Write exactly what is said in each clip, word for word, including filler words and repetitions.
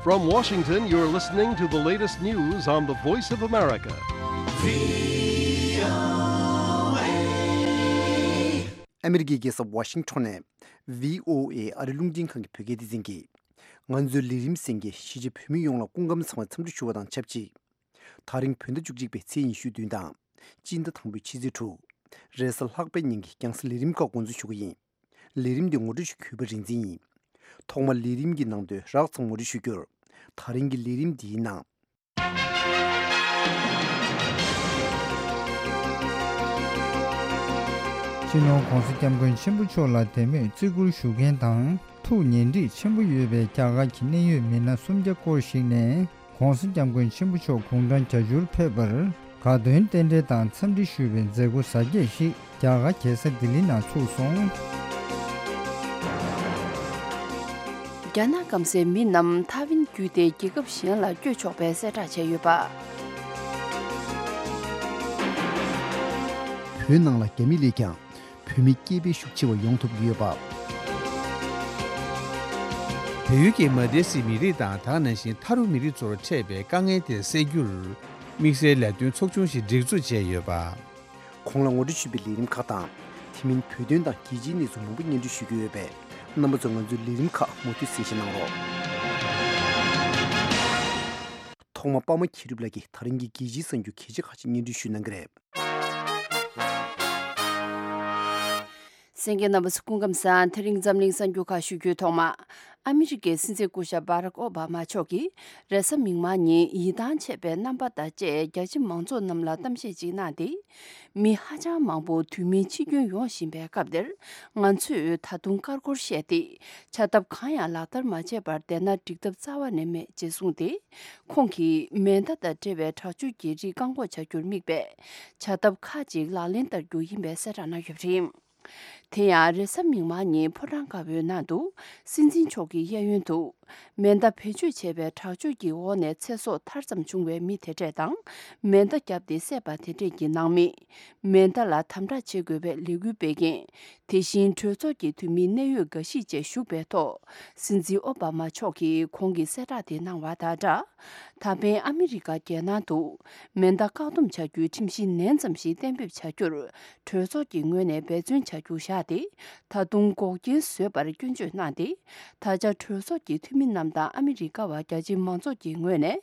From Washington, you're listening to the latest news on the Voice of America. ཨ་མི་རི་ཀའི་རྒྱལ་ས་ཝ་ཤིང་ཊོན་ནས་བྷི་ཨོ་ཨེ་ཨ་རི་རླུང་འཕྲིན་ཁང་གི་བོད་སྐད་སྡེ་ཚན་གྱིས། ང་ཚོའི་ལས་རིམ་གསན་མཁན་གཞིས་བྱེས་བོད་མི་ཡོངས་ལ་སྐུ་ཁམས་བཟང་བའི་འཚམས་འདྲི་ཞུ་བ་དང་ཆབས་ཅིག་དེ་རིང་བོད་ཟླ་བཅུ་གཅིག་པའི་ཚེས་ཉི་ཤུ་བདུན་དང་། སྤྱི་ཟླ་དང་པོའི་ཕྱི་ཚེས་དྲུག་རེས་གཟའ་ལྷག་པའི་ཉིན་གྱི་རྒྱང་སྲིང་ལས་རིམ་ཁག་འགོ་འཛུགས་ཞུ་གི་ཡིན། ལས་རིམ་འདི་ངོ་སྤྲོད་ཞུ་མཁན་གུས་པ་རིག་འཛིན་ཡིན། ཐོག་མར་ལས་རིམ་གྱི་ནང་དོན་རགས་ཙམ་ངོ་སྤྲོད་ཞུ་རྒྱུར། དེ་རིང་གི་ལས་རིམ་འདིའི་ནང་། སྤྱི་ནོར་༧གོང་ས་༧སྐྱབས་མགོན་ཆེན་པོ་མཆོག་ལ་དད་མོས་བརྩི་བཀུར་ཞུ་མཁན་དང་ཐུགས་ཉེ་འདྲིས་ཆེན་པོ་ཡོད་པའི་རྒྱ་གར་གྱི་གནད་ཡོད་མི་སྣ་སུམ་བརྒྱ་སྐོར་ཞིག་ནས། ༧གོང་ས་༧སྐྱབས་མགོན་ཆེན་པོ་མཆོག་དགུང་གྲངས་བརྒྱད་ཅུར་ཕེབས་པར་དགའ་སྟོན་རྟེན་འབྲེལ་དང་འཚམས་འདྲི་ཞུ་བའི་མཛད་སྒོ་གཟབ་རྒྱས་ཤིག་རྒྱ་གར་རྒྱལ་ས་ལྡི་ལི་ནང་ཚུགས་སོང་། རྒྱ་ནག་སྐམ་སའི་མི་རྣམས་ཐའེ་ཝན་བརྒྱུད་དེ་རྒྱལ་ཁབ་གཞན་ལ་བསྐྱོད་ཆོག་པའི་གསལ་བསྒྲགས་བྱས་ཡོད་པ། བོད་ནང་ལ་རྒྱ་མི་སླེབས་ཀྱང་། བོད་མི་སྐྱེས་ཕན་ཤུགས་ཆེ་བ་ཡོང་ཐུབ་ཀྱི་ཡོད་པ། བལ་ཡུལ་གྱི་མ་དེ་སི་མི་རིགས་དང་དེ་ནང་བཞིན་ཐ་རུ་མི་རིགས་ཚོར་འཕྲད་པའི་དཀའ་ངལ་དེ་སེལ་རྒྱུར། དམིགས་བསལ་ལས་དོན་ཚོགས་ཆུང་ཞིག་སྒྲིག་འཛུགས་བྱས་ཡོད་པ། གོང་ལ་ངོ་སྤྲོད་ཞུས་པའི་ལས་རིམ་ཁག་དང་། དེ་མིན་བོད་དོན་དང་རྒྱལ་སྤྱིའི་གནས་ཚུལ་མང་པོ་སྙན་སྒྲོན་ཞུ་རྒྱུ་ཡོད་པས། རྣམ་པ་ཚོ་ང་ཚོའི་ལས་རིམ་ཁག་མུ་མཐུད་གསན་བཞེས་གནང་རོགས། ཐོག་མར་པདྨ་མཁྱེན་གྲུབ་ལགས་ཀྱིས་དེ་རིང་གི་རྒྱལ་སྤྱིའི་གསར་འགྱུར་གལ་ཆེ་ཁག་ཅིག་སྙན་སྒྲོན་ཞུ་གནང་གི་རེད། གསན་མཁན་རྣམ་པ་ཚོ་སྐུ་ཁམས་བཟང་། དེ་རིང་འཛམ་གླིང་གསར་འགྱུར་ཁག་ཞུ་རྒྱུའི་ཐོག་མ། ཨ་མི་རི་ཀའི་སྲིད་འཛིན་སྐུ་ཞབས་བྷ་རག་ཨོ་བྷ་མ་མཆོག་གིས་རེས་གཟའ་མིག་དམར་ཉིན་ཡིད་ཐང་ཆད་པའི་རྣམ་པ་དང་བཅས་རྒྱ་ཆེ་མང་ཚོགས་རྣམས་ལ་གཏམ་བཤད་ཅིག་གནང་སྟེ། མི་ཧ་ཅང་མང་པོ་དུས་མིན་འཆི་སྐྱོན་ཡོང་བཞིན་པའི་སྐབས་འདིར། ང་ཚོས་ད་དུང་ཀར་ཀོར་བཤད་དེ། བྱ་ཐབས་གང་ཡང་ལག་བསྟར་མ་བྱས་པར་བསྡད་ན་འགྲིག་ཐབས་རྩ་བ་ནས་མེད་ཅེས་གསུངས་ཏེ། ཁོང་གིས་མེ་མདའ་དང་འབྲེལ་བའི་དྲག་སྤྱོད་ཀྱི་རིགས་བཀག་འགོག་བྱ་རྒྱུར་དམིགས་པའི་བྱ་ཐབས་ཁག་ཅིག་ལག་ལེན་བསྟར་རྒྱུ་ཡིན་པའི་གསལ་བསྒྲགས་གནང་ཡོད་པ་རེད། དེ་ཡང་རེས་གཟའ་མིག་དམར་ཉིན་ཕོ་བྲང་དཀར་པོའི་ནང་དུ་སྲིད་འཛིན་མཆོག་གི་གཡས་གཡོན་དུ་མེ་མདའ་བེད་སྤྱོད་བྱས་པའི་དྲག་སྤྱོད་ཀྱི་འོག་ནས་ཚེ་སྲོག་ཐར་ཙམ་བྱུང་བའི་མི་དེ་འདྲས་དང་། མེ་མདའ་བརྒྱབ་སྟེ་བསད་པ་དེ་འདྲས་ཀྱི་ནང་མི། མེ་མདའ་ལ་དམ་དྲག་བྱེད་དགོས་པའི་ལས་འགུལ་སྤེལ་མཁན། དེ་བཞིན་གྲོས་ཚོགས་ཀྱི་འཐུས་མི་གནད་ཡོད་འགའ་ཞིག་བཅས་ཞུགས་པའི་ཐོག་སྲིད་འཛིན་ཨོ་བྷ་མ་མཆོག་གིས་ཁོང་གི་གསལ་བསྒྲགས་དེ་གནང་བ་དང་སྦྲགས། ད་ཕན་ཨ་མི་རི་ཀ་རྒྱལ་ནང་དུ་མེ་མདའ་བཀག་སྡོམ་བྱ་རྒྱུའི་ཁྲིམས་གཞི་ནན་ཙམ་ཞིག་གཏན་འབེབས་བྱ་རྒྱུར་གྲོས་ཚོགས་ཀྱི་ངོས་ནས་འབད་བརྩོན་བྱ་རྒྱུ་བཞག་སྟེ། ད་དུང་འགོག་རྐྱེན་བཟོས་པར་སྐྱོན་བརྗོད་གནང་སྟེ། ད་ཆ་གྲོས་ཚོགས་ཀྱི་འཐུས་མི་རྣམས་དང་ཨ་མི་རི་ཀ་བ་རྒྱ་ཆེ་མང་ཚོགས་ཀྱི་ངོས་ནས་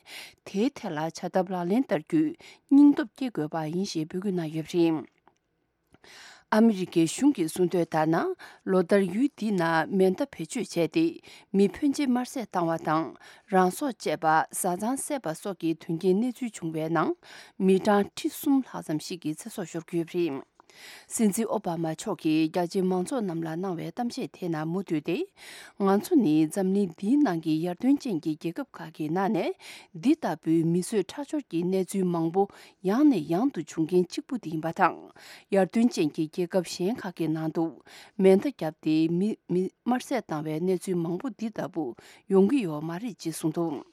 དེའི་ཐད་ལ་བྱ་ཐབས་ལག་ལེན་བསྟར་རྒྱུའི་སྙིང་སྟོབས་སྐྱེ་དགོས་པ་ཡིན་ཞེས་འབོད་སྐུལ་གནང་ཡོད་པ་རེད། ཨ་མི་རི་ཀའི་གཞུང་གིས་གསུངས་དོན་ལྟར་ན། ལོ་ལྟར་ཡུལ་འདི་ན་མེ་མདའ་བེད་སྤྱོད་བྱས་ཏེ། མི་ཕོན་ཆེ་དམར་བསད་བཏང་བ་དང་། རང་སྲོག་བཅད་པ། བཟའ་ཚང་བསད་པ་སོགས་ཀྱི་དོན་རྐྱེན་གནས་ཚུལ་བྱུང་བའི་ནང་། མི་གྲངས་ཁྲི་གསུམ་ལྷག་ཙམ་ཞིག་གི་ཚེ་སྲོག་ཤོར་གྱི་ཡོད་པ་རེད། སྲིད་འཛིན་ཨོ་བྷ་མ་མཆོག་གིས་རྒྱ་ཆེ་མང་ཚོགས་རྣམས་ལ་གནང་བའི་གཏམ་བཤད་དེ་ནང་མུ་མཐུད་དེ། ང་ཚོ་ནི་འཛམ་གླིང་འདིའི་ནང་གི་ཡར་ཐོན་ཅན་གྱི་རྒྱལ་ཁབ་ཁག་གི་ནང་ནས། འདི་ལྟ་བུའི་མི་གསོད་ཁྲག་སྦྱོར་གྱི་གནས་ཚུལ་མང་པོ་ཡང་ནས་ཡང་དུ་བྱུང་མཁན་གཅིག་པུ་དེ་ཡིན་པ་དང་། ཡར་ཐོན་ཅན་གྱི་རྒྱལ་ཁབ་གཞན་ཁག་གི་ནང་དུ་མེ་མདའ་བརྒྱབ་སྟེ་མི་མི་དམར་བསད་བཏང་བའི་གནས་ཚུལ་མང་པོ་འདི་ལྟ་བུ་ཡོང་གི་ཡོད་མ་རེད་ཅེས་གསུངས་འདུག་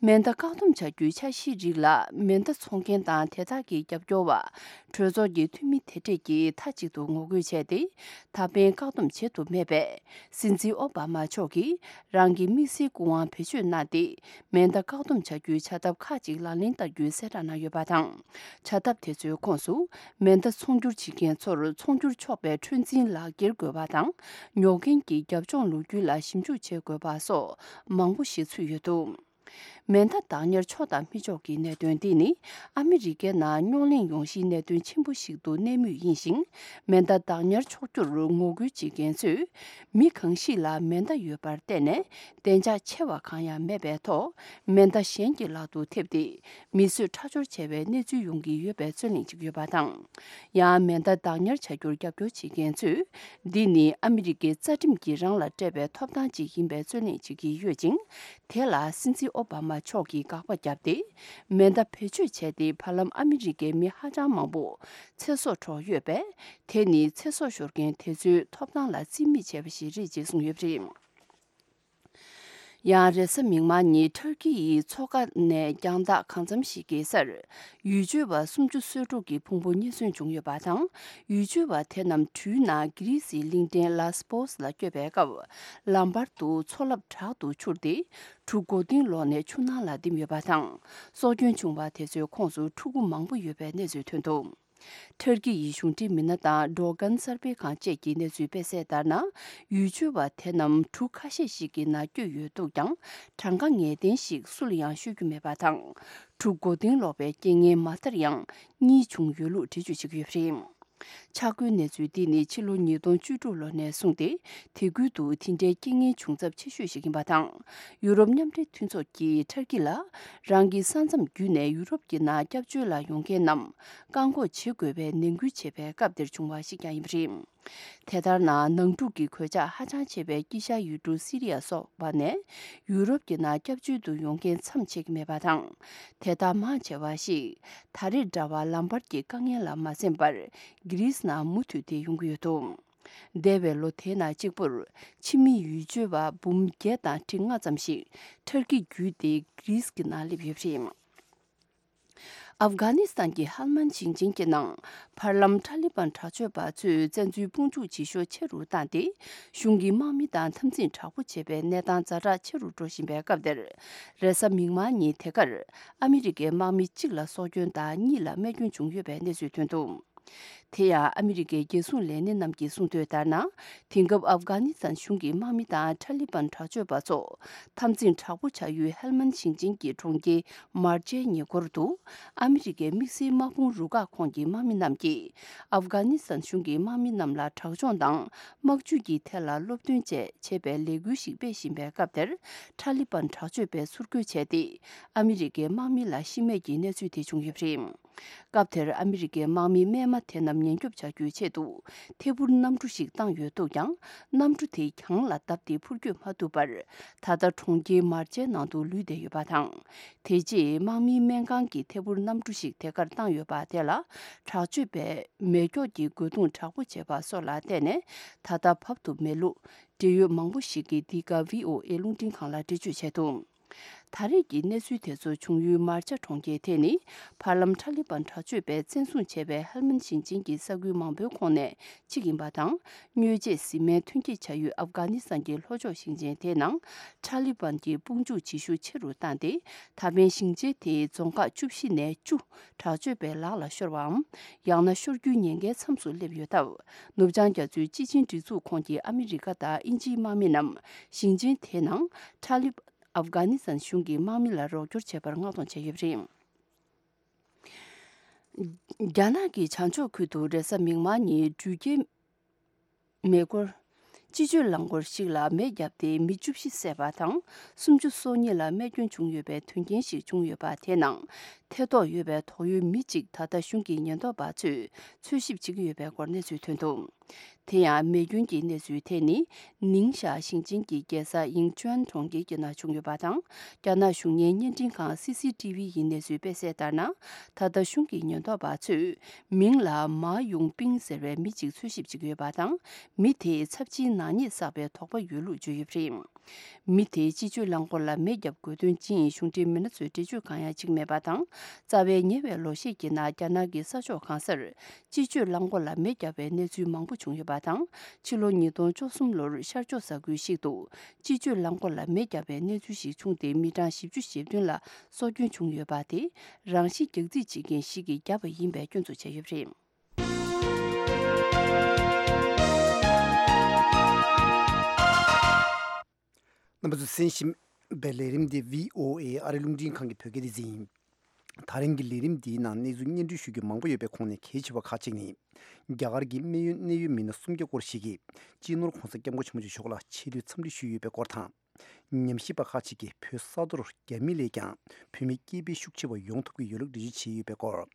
མེ་མདའ་བཀག་སྡོམ་བྱ་རྒྱུའི་འཆར་གཞིའི་རིགས་ལ་མེ་མདའ་འཚོང་མཁན་དང་དེ་དག་གི་རྒྱབ་སྐྱོར་བ། གྲོས་ཚོགས་ཀྱི་འཐུས་མི་དེ་འདྲས་ཀྱིས་མཐའ་གཅིག་ཏུ་ངོ་རྒོལ་བྱས་ཏེ། ད་ཕན་བཀག་སྡོམ་བྱེད་ཐུབ་མེད་པས། སྲིད་འཛིན་ཨོ་བྷ་མ་མཆོག་གིས་རང་གི་དམིགས་བསལ་སྐུ་དབང་བེད་སྤྱོད་གནང་སྟེ། མེ་མདའ་བཀག་སྡོམ་བྱ་རྒྱུའི་བྱ་ཐབས་ཁག་ཅིག་ལག་ལེན་བསྟར་རྒྱུའི་གསལ་བསྒྲགས་གནང་ཡོད་པ་དང་། བྱ་ཐབས་དེ་ཚོའི་ཁོངས་སུ། མེ་མདའ་ཚོང་སྒྱུར་བྱེད་མཁན་ཚོར་ཚོང་སྒྱུར་ཆོག་པའི་འཁྲོལ་འཛིན་ལག་འཁྱེར་དགོས་པ་དང་། ཉོ་མཁན་གྱི་རྒྱབ་ལྗོངས་ལོ་རྒྱུས་ལ་ཞིབ་འཇུག་བྱེད་དགོས་པ་སོགས་མང་པོ་ཞིག་ཚུད་ཡོད་འདུག་མེ་མདའ་བདག་ཉར་ཆོག་དང་མི་ཆོག་གི་གནད་དོན་འདི་ནི། ཨ་མི་རི་ཀའི་ནང་རྙོག་གླེང་ཡོང་གཞིའི་གནད་དོན་ཆེན་པོ་ཞིག་ཏུ་གནས་མུས་ཡིན་ཞིང་། མེ་མདའ་བདག་ཉར་ཆོག་རྒྱུར་ངོ་རྒོལ་བྱེད་མཁན་ཚོས། མི་གང་ཞིག་ལ་མེ་མདའ་ཡོད་པར་བརྟེན་ནས། བདེ་འཇགས་ཆེ་བ་གང་ཡང་མེད་པའི་ཐོག་མེ་མདའ་གཞན་གྱི་ལག་ཏུ་ཐེབས་ཏེ། མི་གསོད་ཁྲག་སྦྱོར་བྱས་པའི་གནས་ཚུལ་ཡོང་གི་ཡོད་པའི་རྩོད་གླེང་བྱེད་ཀྱི་ཡོད་པ་དང་། ཡང་མེ་མདའ་བདག་ཉར་བྱ་རྒྱུར་རྒྱབ་སྐྱོར་བྱེད་མཁན་ཚོས། འདི་ནི་ཨ་མི་རི་ཀའི་རྩ་ཁྲིམས་ཀྱིས་རང་ལ་སྤྲད་པའི་ཐོབ་ཐང་ཅིག་ཡིན་པའི་རྩོད་གླེང་བྱེད་ཀྱི་ཡོད་ཅིང་། དེ་ལ་སྲིད་འཛིན་ཨོ་བྷ་མ་མཆོག་གིས་དགག་པ་བརྒྱབ་སྟེ། མེ་མདའ་བེད་སྤྱོད་བྱས་ཏེ་བར་ལམ་ཨ་མི་རི་ཀའི་མི་ཧ་ཅང་མང་པོ་ཚེ་སྲོག་འཕྲོག་ཡོད་པས། དེ་ནི་ཚེ་སྲོག་ཤོར་མཁན་དེ་ཚོའི་ཐོབ་ཐང་ལ་རྩིས་མེད་བྱས་པ་ཞིག་རེད་ཅེས་གསུངས་ཡོད་པ་རེད། ཡང་རེས་གཟའ་མིག་དམར་ཉིན་ཐར་ཀི་ཡི་མཚོ་ཁ་ནས་རྒྱང་ཐག་གང་འཚམ་ཞིག་གི་སར། ཡུལ་ཆོས་པ་སུམ་ཅུ་སོ་དྲུག་གི་ཕུང་པོ་རྙེད་སོན་བྱུང་ཡོད་པ་དང་། ཡུལ་ཆོས་པ་དེ་རྣམས་གྲུའི་ནང་གྷི་རིས་ཡི་གླིང་ཕྲན་ལ་སི་པོ་སི་ལ་བསྐྱོད་པའི་སྐབས། ལམ་བར་དུ་མཚོ་རླབས་དྲག་ཏུ་འཕྱུར་ཏེ། གྲུ་མགོ་རྟིང་སློག་ནས་ཆུ་ནང་ལ་ལྡིང་ཡོད་པ་དང་། སྲོག་སྐྱོན་བྱུང་བ་དེ་ཚོའི་ཁོངས་སུ་ཕྲུ་གུ་མང་པོ་ཡོད་པའི་གནས་ཚུལ་ཐོན་འདུག་ཐར་ཀི་ཡི་གཞུང་འབྲེལ་མི་སྣ་དང་ཌོ་གན་གསར་སྤེལ་ཁང་བཅས་ཀྱི་གནས་ཚུལ་སྤེལ་གསལ་ལྟར་ན། ཡུལ་ཆོས་པ་དེ་རྣམས་གྲུ་ཁ་ཤས་ཤིག་གི་ནང་བསྐྱོད་ཡོད་འདུག་ཀྱང་། གྲངས་ཀ་ངེས་གཏན་ཞིག་སུ་ལ་ཡང་ཤོད་རྒྱུ་མེད་པ་དང་། གྲུ་མགོ་རྟིང་སློག་པའི་རྐྱེན་ངན་མ་མཐར་ཡང་གཉིས་བྱུང་ཡོད་ལུགས་འགྲེལ་བརྗོད་བྱེད་ཀྱི་ཡོད་པ་རེད། ཆ་བགོས་གནས་ཚུལ་འདི་ནི་ཕྱི་ལོ་ཉིས་སྟོང་བཅུ་དྲུག་ལོ་ནས་བཟུང་སྟེ། དེ་ཁུལ་དུ་དེ་འདྲའི་རྐྱེན་ངན་བྱུང་ཚབས་ཆེ་ཤོས་ཤིག་ཡིན་པ་དང་། ཡུ་རོབ་མཉམ་འབྲེལ་མཐུན་ཚོགས་ཀྱིས་ཐར་ཀི་ལ། རང་གི་ས་མཚམས་བརྒྱུད་ནས་ཡུ་རོབ་ཀྱི་ནང་སྐྱབས་བཅོལ་ལ་ཡོང་མཁན་རྣམས་བཀག་འགོག་བྱེད་དགོས་པའི་ནན་སྐུལ་བྱས་པའི་སྐབས་དེར་བྱུང་བ་ཞིག་ཀྱང་ཡིན་པ་རེད། དེ་ལྟར་ན། ནང་འཁྲུག་གི་གོད་ཆག་ཧ་ཅང་ཆེ་བའི་དཀྱིལ་ཤར་ཡུལ་གྲུ་སི་རི་ཡ་སོགས་པ་ནས་ཡུ་རོབ་ཀྱི་ནང་སྐྱབས་བཅོལ་དུ་ཡོང་མཁན་མཚམས་ཆད་ཀྱི་མེད་པ་དང་། དེ་དག་མང་ཆེ་བ་ཞིག་ད་རེས་འདྲ་བར་ལམ་བར་གྱི་དཀའ་ངལ་ལ་མ་གསན་པར། གྷི་རིས་ནང་མུ་མཐུད་དེ་ཡོང་གི་ཡོད་འདུག་འདས་པའི་ལོ་དེའི་ནང་གཅིག་པུར། ཕྱི་མི་ཡུལ་ཆོས་པ་འབུམ་བརྒྱད་དང་ཁྲི་ལྔ་ཙམ་ཞིག་ཐར་ཀི་བརྒྱུད་དེ་གྷི་རིས་ཀྱི་ནང་སླེབས་ཡོད་པ་རེད། ཨབ་གྷ་ནི་སི་ཐན་གྱི་ཧལ་མན་ཞིང་ཆེན་གྱི་ནང་། བར་ལམ་ཐ་ལི་བན་དྲག་སྤྱོད་པ་ཚོས་བཙན་འཛུལ་དཔུང་འཇུག་བྱེད་ཤུགས་ཆེ་རུ་བཏང་སྟེ། གཞུང་གི་དམག་མི་དང་འཐབ་འཛིང་དྲག་པོ་བྱེད་པའི་གནས་སྟངས་ཛ་དྲག་ཆེ་རུ་འགྲོ་བཞིན་པའི་སྐབས་དེར། རེས་གཟའ་མིག་དམར་ཉིན་དེ་གར། ཨ་མི་རི་ཀའི་དམག་མི་གཅིག་ལ་སྲོག་སྐྱོན་དང་གཉིས་ལ་རྨས་སྐྱོན་བྱུང་ཡོད་པའི་གནས་ཚུལ་ཐོན་འདུག་དེ་ཡང་ཨ་མི་རི་ཀའི་རྒྱལ་སྲུང་ལས་སྣེ་རྣམས་ཀྱིས་གསུངས་དོན་ལྟར་ན། དེང་སྐབས་ཨབ་གྷ་ནི་སི་ཐན་གཞུང་གི་དམག་མི་དང་ཐ་ལི་བན་དྲག་སྤྱོད་པ་ཚོ། འཐབ་འཛིང་དྲག་པོ་བྱ་ཡུལ་ཧེལ་མན་ཞིང་ཆེན་གྱི་གྲོང་ཁྱེར་མར་ཅའི་ཉེ་འཁོར་དུ། ཨ་མི་རི་ཀའི་དམིགས་བསལ་དམག་དཔུང་རུ་ཁག་ཁོངས་ཀྱི་དམག་མི་རྣམས་ཀྱིས། ཨབ་གྷ་ནི་སི་ཐན་གཞུང་གི་དམག་མི་རྣམས་ལ་དྲག་སྦྱོང་དང་། དམག་ཇུས་ཀྱི་ཐད་ལ་སློབ་སྟོན་བཅས་བྱེད་པའི་ལས་འགུལ་ཞིག་སྤེལ་བཞིན་པའི་སྐབས་དེར། ཐ་ལི་བན་དྲག་སྤྱོད་པས་ཚུར་རྒོལ་བྱས་ཏེ། ཨ་མི་རི་ཀའི་དམག་མི་ལ་ཤི་རྨས་ཀྱི་གནས་ཚུལ་དེ་བྱུང་ཡོད་པ་རེད། སྐབས་དེར་ཨ་མི་རི་ཀའི་དམག་མི་རྨས་མ་དེ་རྣམས་ཉེན་སྐྱོབ་བྱ་རྒྱུའི་ཆེད་དུ། ཐད་འཕུར་གནམ་གྲུ་ཞིག་བཏང་ཡོད་འདུག་ཀྱང་། གནམ་གྲུ་དེ་གྱང་ལ་བརྡབས་ཏེ་འཕུར་སྐྱོད་མ་ཐུབ་པར། ད་ལྟ་གྲོང་ཁྱེར་མར་ཅའི་ནང་དུ་ལུས་བསྡད་ཡོད་པ་དང་། དེ་རྗེས་དམག་མིའི་སྨན་ཁང་གི་ཐད་འཕུར་གནམ་གྲུ་ཞིག་དེ་གར་བཏང་ཡོད་པ་དེ་ལ། དྲག་སྤྱོད་པས་མེ་སྒྱོགས་ཀྱི་རྒོལ་རྡུང་དྲག་པོ་བྱས་པ་སོགས་ལ་བརྟེན་ནས། ད་ལྟ་བབས་ཐུབ་མེད་ལུགས། འབྲེལ་ཡོད་མང་པོ་ཞིག་གིས་འདི་ག་བྷི་ཨོ་ཨེ་རླུང་འཕྲིན་ཁང་ལ་འགྲེལ་བརྗོད་བྱས་འདུག་ད་རེས་ཀྱི་གནས་ཚུལ་དེ་ཚོ་བྱུང་ཡུལ་མར་ཅ་གྲོང་ཁྱེར་དེ་ནི། བར་ལམ་ཐ་ལི་བན་དྲག་སྤྱོད་པས་བཙན་བཟུང་བྱས་པའི་ཧལ་མན་ཞིང་ཆེན་གྱི་ས་ཁུལ་མང་པོའི་ཁོངས་ནས་གཅིག་ཡིན་པ་དང་། དངོས་རྗེས་བཟི་སྨན་ཐོན་སྐྱེད་བྱ་ཡུལ་ཨབ་གྷ་ནི་སི་ཐན་གྱི་ལྷོ་ཕྱོགས་ཞིང་ཆེན་དེའི་ནང་། ཐ་ལི་བན་གྱིས་དཔུང་འཇུག་བྱེད་ཤུགས་ཆེ་རུ་བཏང་སྟེ། ད་ཕན་ཞིང་ཆེན་དེའི་རྫོང་ཁག་བཅུ་བཞི་ནས་བཅུ། དྲག་སྤྱོད་པའི་ལག་ལ་ཤོར་བའམ། ཡང་ན་ཤོར་རྒྱུའི་ཉེན་ཁའི་མཚམས་སུ་སླེབས་ཡོད་སྟབས། ནུབ་བྱང་རྒྱ་མཚོའི་སྤྱི་ཆིངས་སྒྲིག་འཛུགས་ཁོངས་ཀྱི་ཨ་མི་རི་ཀ་དང་དབྱིན་ཇིའི་དམག་མི་རྣམས། ཞིང་ཆེན་དེའི་ནང་། ཐ་ལིབ། ཨབ་གྷ་ནི་སི་ཐན་གཞུང་གི་དམག་མི་ལ་རོགས་སྐྱོར་བྱས་པར་མངགས་གཏོང་བྱས་ཡོད་པ་རེད། རྒྱ་ནག་གི་བྱང་ཕྱོགས་ཁུལ་དུ་རེས་གཟའ་མིག་དམར་ཉིན་འགྲུལ་སྐྱེལ་མེ་འཁོར། སྤྱི་སྤྱོད་རླངས་འཁོར་ཞིག་ལ་མེ་བརྒྱབ་སྟེ་མི་བཅུ་བཞི་བསད་པ་དང་། སུམ་ཅུ་སོ་གཉིས་ལ་རྨས་སྐྱོན་བྱུང་ཡོད་པའི་དོན་རྐྱེན་ཞིག་བྱུང་ཡོད་པ་དེའི་ནང་། ཐེ་གཏོགས་ཡོད་པའི་དོགས་ཡོད་མི་གཅིག་ད་ལྟ་གཞུང་གི་ཉེན་རྟོག་པ་ཚོས་འཚོལ་ཞིབ་བྱེད་ཀྱི་ཡོད་པའི་སྐོར་གནས་ཚུལ་ཐོན་འདུག་དེ་ཡང་མེ་སྐྱོན་གྱི་གནས་ཚུལ་དེ་ནི། ནིང་ཞའེ་ཞིང་ཆེན་གྱི་རྒྱལ་ས་ཡིང་ཅུན་གྲོང་ཁྱེར་གྱི་ནང་བྱུང་ཡོད་པ་དང་། རྒྱ་ནག་གཞུང་གཉེར་བརྙན་འཕྲིན་ཁང་སི་སི་ཏི་ཝི་ཡི་གནས་ཚུལ་སྤེལ་གསལ་ལྟར་ན། ད་ལྟ་གཞུང་གི་ཉེན་རྟོག་པ་ཚོས། མིང་ལ་མཱ་ཡུང་པིང་ཟེར་བའི་མི་གཅིག་འཚོལ་ཞིབ་བྱེད་ཀྱི་ཡོད་པ་དང་། མི་དེས་ཚབས་ཆེའི་ནག་ཉེས་བསགས་པའི་དོགས་པ་ཡོད་ལུགས་བརྗོད་ཡོད་པ་རེད། མི་དེས་སྤྱི་སྤྱོད་རླངས་འཁོར་ལ་མེ་བརྒྱབ་དགོས་དོན་ཅི་ཡིན་གཞུང་འབྲེལ་མི་སྣ་ཚོས་འགྲེལ་བརྗོད་གང་ཡང་བྱེད་ཀྱི་མེད་པ་དང་། རྩ་བའི་ཉེ་བའི་ལོ་ཤས་ཀྱི་ནང་རྒྱ་ནག་གི་ས་ཕྱོགས་གང་སར། སྤྱི་སྤྱོད་རླངས་འཁོར་ལ་མེ་བརྒྱབ་པའི་གནས་ཚུལ་མང་པོ་བྱུང་ཡོད་པ་དང་། ཕྱི་ལོ་ཉིས་སྟོང་བཅུ་གསུམ་ལོར་ཤར་ཕྱོགས་ས་ཁུལ་ཞིག་ཏུ། སྤྱི་སྤྱོད་རླངས་འཁོར་ལ་མེ་བརྒྱབ་པའི་གནས་ཚུལ་ཞིག་བྱུང་སྟེ། མི་གྲངས་བཞི་བཅུ་ཞེ་བདུན་ལ་སྲོག་སྐྱོན་བྱུང་ཡོད་པ་དེ། རང་ཤི་རྒྱག་རྩིས་བྱེད་མཁན་ཞིག་གིས་བརྒྱབ་པ་ཡིན་པའི་སྐྱོན་འཛུགས་བྱས་ཡོད་པ་རེད། རྣམ་པ་ཚོས་གསན་བཞིན་པའི་ལས་རིམ་འདི་བྷི་ཨོ་ཨེ་ཨ་རི་རླུང་འཕྲིན་ཁང་གི་བོད་སྐད་སྡེ་ཚན་ཡིན། ད་རིང་གི་ལས་རིམ་འདིའི་ནང་གནས་ཚུལ་སྙན་སྒྲོན་ཞུ་རྒྱུ་མང་པོ་ཡོད་པའི་ཁོངས་ནས་གལ་ཆེ་བ་ཁག་ཅིག་ནི། རྒྱ་གར་གྱི་སྨན་ཡོན་གནད་ཡོད་མི་སྣ་སུམ་བརྒྱ་སྐོར་ཞིག་གིས་སྤྱི་ནོར་༧གོང་ས་༧སྐྱབས་མགོན་ཆེན་པོ་མཆོག་ལ་ཆེ་བསྟོད་འཚམས་འདྲི་ཞུས་ཡོད་པའི་སྐོར་དང་། ཉམས་ཞིབ་པ་ཁག་ཅིག་གིས་བོད་ས་མཐོར་རྒྱ་མི་ལས་ཀྱང་བོད་མི་སྐྱེས་འཕེལ་ཤུགས་ཆེ་བ་ཡོང་ཐུབ་ཀྱི་ཡོད་ལུགས་འགྲེལ་བརྗོད་བྱས་ཡོད་པའི་སྐོར།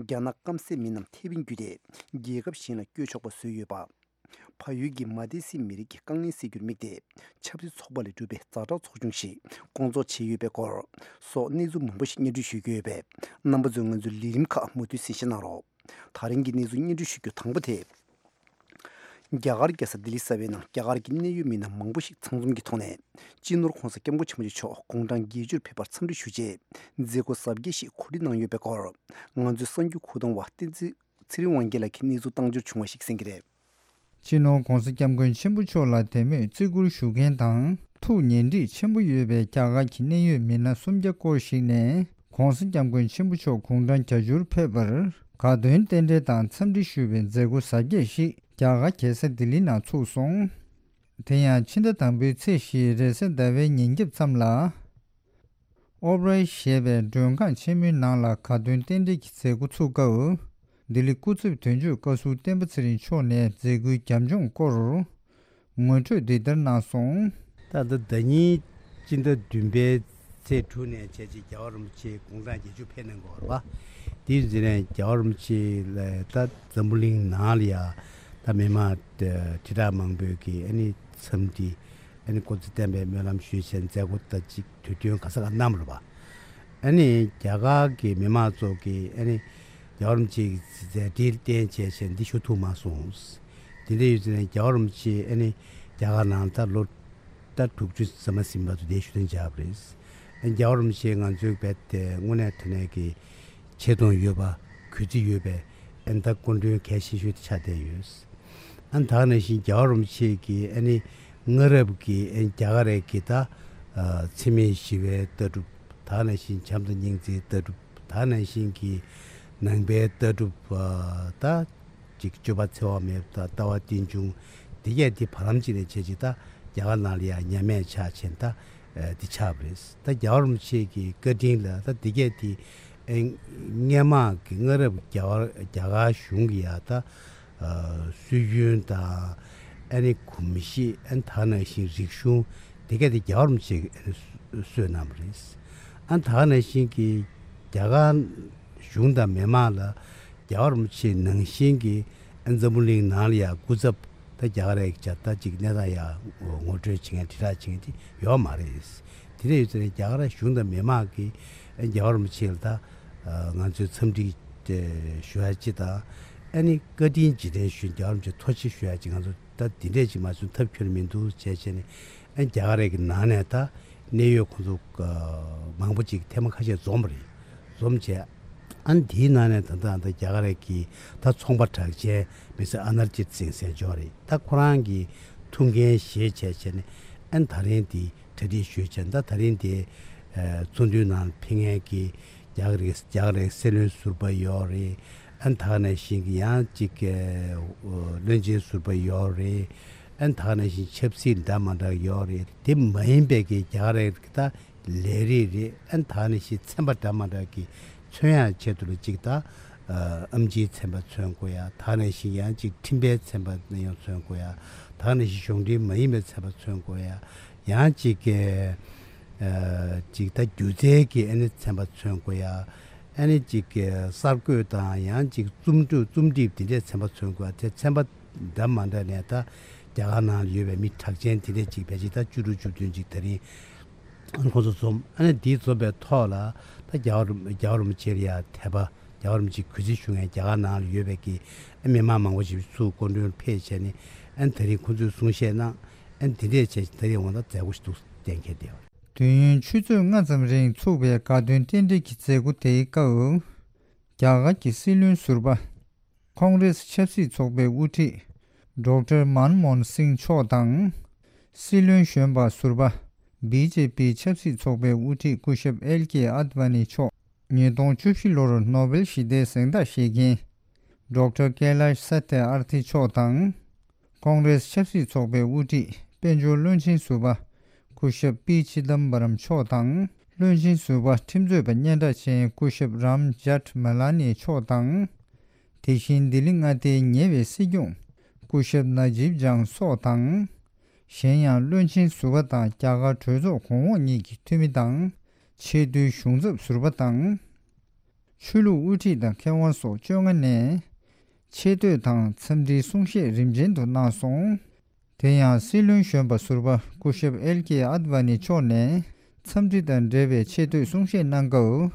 རྒྱ་ནག་སྐམ་སའི་མི་རྣམས་ཐེ་ཝན་བརྒྱུད་དེ་རྒྱལ་ཁབ་གཞན་ལ་བསྐྱོད་ཆོག་པ་བཟོས་ཡོད་པ། ཕ་ཡུལ་གྱི་མ་ཏི་སི་མི་རིགས་ཀྱི་དཀའ་ངལ་སེལ་རྒྱུར་དམིགས་ཏེ། ཆབ་སྲིད་ཚོགས་པ་ལས་གྲུབ་པའི་ཛ་དྲག་ཚོགས་ཆུང་ཞིག་སྐོང་ཚོགས་བྱས་ཡོད་པའི་སྐོར་སོགས་གནས་ཚུལ་མང་པོ་ཞིག་སྙན་སྒྲོན་ཞུ་རྒྱུ་ཡོད་པས། རྣམ་པ་ཚོས་ང་ཚོའི་ལས་རིམ་ཁག་མུ་མཐུད་གསན་བཞེས་གནང་རོགས། ད་རིང་གི་གནས་ཚུལ་སྙན་སྒྲོན་ཞུ་རྒྱུ་དང་པོ་དེ། རྒྱ་གར་རྒྱལ་ས་ལྡི་ལི་གསར་པའི་ནང་རྒྱ་གར་གྱི་གནད་ཡོད་མི་སྣ་མང་པོ་ཞིག་ཚང་འཛོམས་ཀྱི་ཐོག་ནས། སྤྱི་ནོར་༧གོང་ས་༧སྐྱབས་མགོན་ཆེན་པོ་མཆོག་དགུང་གྲངས་བརྒྱད་ཅུར་ཕེབས་པར་འཚམས་འདྲི་ཞུ་ཆེད། མཛད་སྒོ་གཟབ་རྒྱས་ཤིག་གོ་སྒྲིག་གནང་ཡོད་པའི་སྐོར། ང་ཚོའི་གསར་འགྱུར་ཁུག་རྟ་པ་བསྟན་འཛིན་ཚེ་རིང་དབང་རྒྱལ་ལགས་ཀྱིས་གནས་ཚུལ་བཏང་འབྱོར་བྱུང་བ་ཞིག་གསན་གྱི་རེད། སྤྱི་ནོར་༧གོང་ས་༧སྐྱབས་མགོན་ཆེན་པོ་མཆོག་ལ་དད་མོས་བརྩི་བཀུར་ཞུ་མཁན་དང་ཐུགས་ཉེ་འདྲིས་ཆེན་པོ་ཡོད་པའི་རྒྱ་གར་གྱི་གནད་ཡོད་མི་སྣ་སུམ་བརྒྱ་སྐོར་ཞིག་ནས་༧གོང་ས་༧སྐྱབས་མགོན་ཆེན་པོ་མཆོག་དགུང་གྲངས་བརྒྱད་ཅུར་ཕེབས་པར་དགའ་སྟོན་རྟེན་འབྲེལ་དང་འཚམས་འདྲི་ཞུ་བའི་མཛད་སྒོ་གཟབ་རྒྱས་ཤིག་རྒྱ་གར་རྒྱལ་ས་ལྡི་ལི་ནང་ཚུགས་སོང་། དེ་ཡང་ཕྱི་ཟླ་དང་པོའི་ཚེས་བཞི་རེས་གཟའ་ཟླ་བའི་ཉིན་རྒྱབ་མཚམས་ལ། ཨོབ་རའི་ཞེས་པའི་མགྲོན་ཁང་ཆེན་མོའི་ནང་ལ་དགའ་སྟོན་རྟེན་འབྲེལ་གྱི་མཛད་སྒོ་ཚུགས་སྐབས། ལྡི་ལི་སྐུ་ཚབ་དོན་གཅོད་བཀའ་ཟུར་བསྟན་པ་ཚེ་རིང་མཆོག་ནས་མཛད་སྒོའི་རྒྱབ་ལྗོངས་སྐོར་ངོ་སྤྲོད་འདི་ལྟར་གནང་སོང་། ད་ལྟ་ཟླ་ཉིན་སྤྱི་ཟླ་བདུན་པའི་ཚེས་དྲུག་ནས་བྱས་རྗེས་རྒྱལ་བ་རིན་པོ་ཆེ་དགུང་གྲངས་བརྒྱད་ཅུ་ཕེབས་གནང་གི་ཡོད་རེད་པ། དེའི་རྗེས་ནས་རྒྱལ་བ་རིན་པོ་ཆེ་ལ་ད་འཛམ་བུ་གླིང་ནང་ལ་ཡ་ད་མི་མང་དྲིལ་བསྒྲགས་མང་པོས་ཀྱི་ཨ་ནི་འཚམས་འདྲི། ཨ་ནི་སྐུ་ཚེ་བརྟན་པའི་སྨོན་ལམ་ཞུས་བྱས་མཛད་སྒོ་ད་ཅིག་དུས་སྟོན་ག་ས་ག་གནང་བ་རེད་པ། ཨ་ནི་རྒྱ་གར་གྱི་མི་མང་ཚོ་གིས་ཨ་ནི་རྒྱལ་བ་རིན་པོ་ཆེ་གི་མཛད་འཕྲིན་བསྟན་བྱས་བྱས་འདི་ཞུ་ཐུབ་མ་སོང་། དེ་འདྲ་ཡོད་ཙང་ནས་རྒྱལ་བ་རིན་པོ་ཆེ་ཨ་ནི་རྒྱ་གར་ནང་ད་ལོ་ད་དྲུག་ཅུ་ཙམ་མ་ཟིན་པ་ཚོ་དེ་ཞུ་དོན་བྱ་བ་རེད། ཨ་ནི་རྒྱལ་བ་རིན་པོ་ཆེ་ང་ཚོའི་བེད་དེ་དངོས་གནས་དྲང་གནས་ཀྱི་ཆེ་མཐོང་ཡོད་པ་གུས་བརྩི་ཡོད་པའི་ཨ་ནི་ད་སྐུ་མགྲོན་གལ་ཆེ་ཤོས་དེ་ཆགས་བསྡད་ཡོད། ཨ་ནི་ད་ག་ནང་བཞིན་རྒྱལ་བ་རིན་པོ་ཆེ་གིས་ཨ་ནི་སྔ་རབས་ཀྱི་ཨ་ནི་རྒྱ་གར་རྒྱལ་ཁབ་ཀྱི་ད་འཚེ་མེད་ཞི་བའི་ལྟ་གྲུབ། ད་ག་ནང་བཞིན་བྱམས་དང་སྙིང་རྗེའི་ལྟ་གྲུབ། ད་ག་ནང་བཞིན་གྱི་ནང་པའི་ལྟ་གྲུབ། ད་ཅིག་སྤྱོད་པ་འཚེ་བ་མེད་པ་དང་ལྟ་བ་རྟེན་འབྱུང་། འདི་གས་འདི་བར་ལམ་ཅིག་ནས་བྱས་ཅིག་ད་རྒྱ་གར་ནང་ལ་ཡང་ཉམས་དམས་ཆགས་ཆེན་ད་འདི་ཆགས་པ་རེད། ད་རྒྱལ་བ་རིན་པོ་ཆེ་གི་བཀའ་དྲིན་ལ་ད་འདི་གས་འདི་སྔས་མ་གི་སྔ་རབས་རྒྱ་གར་རྒྱ་གར་གཞུང་གི་ཡ་ད་སྲོལ་རྒྱུན་དང་ཨ་ནི་གོམས་གཤིས། ཨ་ནི་ད་ག་ནང་བཞིན་རིག་གཞུང་འདི་གས་འདི་རྒྱལ་བ་རིན་པོ་ཆེ་གིས་ཨ་ནི་གསོས་གནང་བ་རེད། ཨ་ནི་ད་ག་ནང་བཞིན་གྱི་རྒྱ་གར་གཞུང་དང་མི་མང་ལ་རྒྱལ་བ་རིན་པོ་ཆེ་ནང་བཞིན་གྱི་ཨ་འཛམ་བུ་གླིང་ནང་ལ་ཡང་སྐུ་ཚབ་ད་རྒྱ་གར་རྒྱལ་ཁབ་ད་ཅིག་གནས་སྟངས་ཡང་ངོ་སྤྲོད་བྱེད་མཁན་དྲིལ་བསྒྲགས་བྱེད་མཁན་དེ་ཡོད་མ་རེད། དེ་འདྲ་ཡོད་ཙང་རྒྱ་གར་གཞུང་དང་མི་མང་གིས་ཨ་རྒྱལ་བ་རིན་པོ་ཆེ་ལ་ད་ང་ཚོས་འཚམས་འདྲི་ཞུ་ཡ་ཅིག་དང་། ཨ་ནི་བཀའ་དྲིན་རྗེས་དྲན་ཞུ་རྒྱལ་བ་རིན་པོ་ཆེ་ཐུགས་རྗེ་ཆེ་ཞུ་ཡ་ཅིག་ང་ཚོ་ད་འདི་འདྲས་ཅིག་མ་བྱུང་ཐབས་ཁྱོན་མི་འདུག་བྱས་བྱས་ནས། ཨ་ནི་རྒྱ་གར་རྒྱལ་ཁབ་ཀྱི་ནང་ནས་ད་གནད་ཡོད་ཁོང་ཚོ་མང་པོ་ཅིག་ཐེངས་མ་ཁ་ཤས་འཛོམས་པ་རེད། འཛོམས་བྱས། ཨ་ནི་དེའི་ནང་ནས་ད་ལྟ་ད་རྒྱ་གར་རྒྱལ་ཁབ་ཀྱི་ད་ཚོང་པ་གྲགས་ཅན་མི་སེར་ཨ་ནར་ཇིད་སིང་ཟེར་མཆོག་རེད། ད་ཁོ་རང་གི་ཐུགས་འགན་བཞེས་བྱས་བྱས་ནས་ཨ་ནི་ད་རིང་འདི་གྲ་སྒྲིག་ཞུས་བྱས། ད་ད་རིང་འདི་ཚོགས་འདུའི་ནང་ཕེབས་མཁན་གྱི་རྒྱ་གར་རྒྱ་གར་སྲིད་བློན་ཟུར་པ་ཡོད་རེད། ཨ་ནི་ད་ག་ནང་བཞིན་གྱི་ཡང་ཅིག་བློན་ཆེན་ཟུར་པ་ཡོད་རེད། ཨ་ནི་ད་ག་ནང་བཞིན་ཆབ་སྲིད་འདྲ་མི་འདྲ་ཡོད་རེད། དེ་མ་ཡིན་པའི་གི་རྒྱ་གར་རྒྱལ་ཁབ་ཀྱི་ད་ལས་རིགས་རེད། ཨ་ནི་ད་ག་ནང་བཞིན་ཚན་པ་འདྲ་མི་འདྲ་གི་མཚོན་ཡག་ཆེད་དུ་ལ་ཅིག་ད་ཨེམ་ཆིའི་ཚན་པ་མཚོན་དགོས་ཡ། ད་ག་ནང་བཞིན་ཡང་ཅིག་འཕྲིན་པའི་ཚན་པ་ཡང་མཚོན་དགོས་ཡ། ད་ག་ནང་བཞིན་གཞུང་འབྲེལ་མ་ཡིན་པའི་ཚན་པ་མཚོན་དགོས་ཡ། ཡང་ཅིག་ཅིག་ད་སྒྱུ་རྩལ་གྱི་ཨ་ནི་ཚན་པ་མཚོན་དགོས་ཡ། ཨ་ནི་ཅིག་གསར་འགོད་དང་ཡང་ཅིག་རྩོམ་སྒྲིག་རྩོམ་སྒྲིག་དེ་འདྲའི་ཚན་པ་མཚོན་དགོས་ཡ། དེ་ཚན་པ་འདྲ་མི་འདྲ་ནས་ད་རྒྱ་གར་ནང་ལ་ཡོད་པའི་མི་གྲགས་ཅན་དེ་འདྲས་ཅིག་ཕལ་ཆེར་ད་བཅུ་དྲུག་བཅུ་བདུན་ཅིག་ད་རིང་ཁོང་ཚོ་འཛོམས། ཨ་ནི་འདིའི་འཛོམས་པའི་ཐོག་ལ་ད་རྒྱལ་བ་རིན་རྒྱལ་བ་རིན་པོ་ཆེ་ལ་ཡ་དད་པ། རྒྱལ་བ་རིན་པོ་ཆེ་གུས་བརྩི་ཞུ་མཁན་རྒྱ་གར་ནང་ལ་ཡོད་པའི་གི་མི་མང་མང་པོ་ཞིག་ཚུར་སྐུ་མགྲོན་ཕེབས་བྱས་ནས་ཨ་ནི་ད་རིང་ཁོང་ཚོས་གསུང་བཤད་གནང་། ཨ་ནི་དེ་འདྲས་བྱས་ད་རིང་འོང་ད་མཛད་སྒོ་ཞིག་འདུག་གཏན་འཁེལ་བསྡད་ཡོད། དུས་ཡུན་ཆུ་ཚོད་ལྔ་ཙམ་རིང་ཚུགས་པའི་དགའ་སྟོན་རྟེན་འབྲེལ་གྱི་མཛད་སྒོ་དེའི་སྐབས། རྒྱ་གར་གྱི་སྲིད་བློན་ཟུར་པ། ཁོང་རེས་ཆབ་སྲིད་ཚོགས་པའི་དབུ་ཁྲིད། ཌོག་ཊར་མན་མོ་ཧན་སིང་མཆོག་དང་། སྲིད་བློན་གཞོན་པ་ཟུར་པ། བི་ཇེ་པི་ཆབ་སྲིད་ཚོགས་པའི་དབུ་ཁྲིད་སྐུ་ཞབས་ཨེལ་ཀེ་ཨད་ཝ་ནི་མཆོག་ཉིས་སྟོང་བཅུ་བཞི་ལོར་ནོ་བེལ་ཞི་བདེའི་གཟེངས་རྟགས་བཞེས་མཁན། ཌོག་ཊར་ཀེ་ལཱཤ་ས་ཏི་ཨར་ཐི་མཆོག་དང་། ཀོང་རེས་ཆབ་སྲིད་ཚོགས་པའི་དབུ་ཁྲིད་དཔལ་འབྱོར་བློན་ཆེན་ཟུར་པ་སྐུ་ཞབས་པི་ཆི་དམ་པ་རམ་མཆོག་དང་། བློན་ཆེན་ཟུར་པ་ཁྲིམས་རྩོད་པ་སྙན་གྲགས་ཅན་སྐུ་ཞབས་རམ་ཇཱཊ་མ་ལ་ནི་མཆོག་དང་། དེ་བཞིན་ལྡི་ལི་མངའ་སྡེའི་ཉེ་བའི་སྲིད་སྐྱོང་སྐུ་ཞབས་ན་ཇིབ་ཇང་སོགས་དང་། གཞན་ཡང་བློན་ཆེན་ཟུར་པ་དང་རྒྱ་གར་གྲོས་ཚོགས་གོང་འོག་གཉིས་ཀྱི་འཐུས་མི་དང་། ཆེས་མཐོའི་གཞུང་ཚབ་ཟུར་པ་དང་། ཆོས་ལུགས་དབུ་ཁྲིད་དང་མཁས་དབང་སོགས་བཅོ་ལྔ་ནས་ཆེ་བསྟོད་དང་འཚམས་འདྲིའི་གསུང་བཤད་རིམ་ཅན་དུ་གནང་སོང་། དེ་ཡང་སྲིད་བློན་གཞོན་པ་ཟུར་པ་སྐུ་ཞབས་ཨེལ་ཀེ་ཨད་ཝ་ནི་མཆོག་ནས་འཚམས་འདྲི་དང་འབྲེལ་བའི་ཆེ་བསྟོད་གསུང་བཤད་གནང་སྐབས།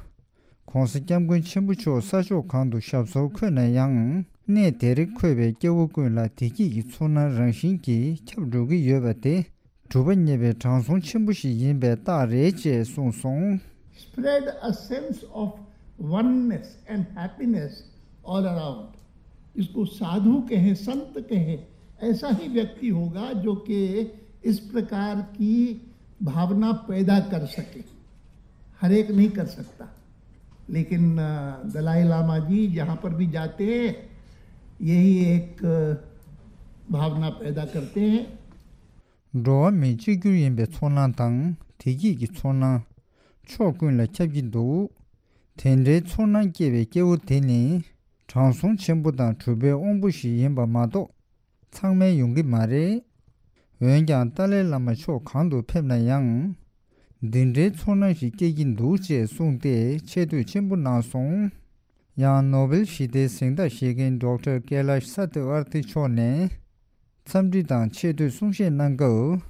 ༸གོང་ས་༸སྐྱབས་མགོན་ཆེན་པོ་མཆོག་ས་ཕྱོགས་གང་དུ་ཞབས་སོར་འཁོད་ན་ཡང་ གནས་དེར་འཁོད་པའི་སྐྱེ་བོ་ཀུན་ལ་བདེ་སྐྱིད་ཀྱི་ཚོར་སྣང་རང་བཞིན་གྱིས་ཁྱབ་འགྲོ་གི་ཡོད་པ་དེ་གྲུབ་པ་བརྙེས་པའི་དྲང་སྲོང་ཆེན་པོ་ཞིག་ཡིན་པའི་རྟགས་རེད་ཅེས་གསུངས་སོང་། Spread a sense of oneness and happiness all around. इसको साधु कहें, संत कहें, ऐसा ही व्यक्ति होगा जो कि इस प्रकार की भावना पैदा कर सके। हर एक नहीं कर सकता, लेकिन अ, दलाई लामा जी जहाँ पर भी जाते हैं, यही एक अ, भावना पैदा करते हैं। འགྲོ་བ་མིའི་གཅིག་གྱུར་ཡིན་པའི་ཚོར་སྣང་དང་བདེ་སྐྱིད་ཀྱི་ཚོར་སྣང་ཕྱོགས་ཀུན་ལ་ཁྱབ་ཀྱི་འདུག་དེ་འདྲའི་ཚོར་སྣང་སྐྱེ་བའི་སྐྱེ་བོ་དེ་ནི་དྲང་སྲོང་ཆེན་པོ་དང་གྲུབ་པའི་དབང་པོ་ཞིག་ཡིན་པ་མ་གཏོགས་ཚང་མས་ཡོང་གི་མ་རེད། འོན་ཀྱང་ཏཱ་ལའི་བླ་མ་ཕྱོགས་གང་དུ་ཕེབས་ན་ཡང་། འདི་འདྲའི་ཚོར་སྣང་ཞིག་སྐྱེ་གི་འདུག་ཅེས་གསུངས་ཏེ་ཆེ་བསྟོད་ཆེན་པོ་གནང་སོང་། ཡང་ནོ་བེལ་ཞི་བདེའི་གཟེངས་རྟགས་བཞེས་མཁན་ཌོག་ཊར་ཀེ་ལཱཤ་སཏི་ཝར་ཐི་མཆོག་ནས་འཚམས་འདྲི་དང་ཆེ་བསྟོད་གསུང་བཤད་གནང་སྐབས།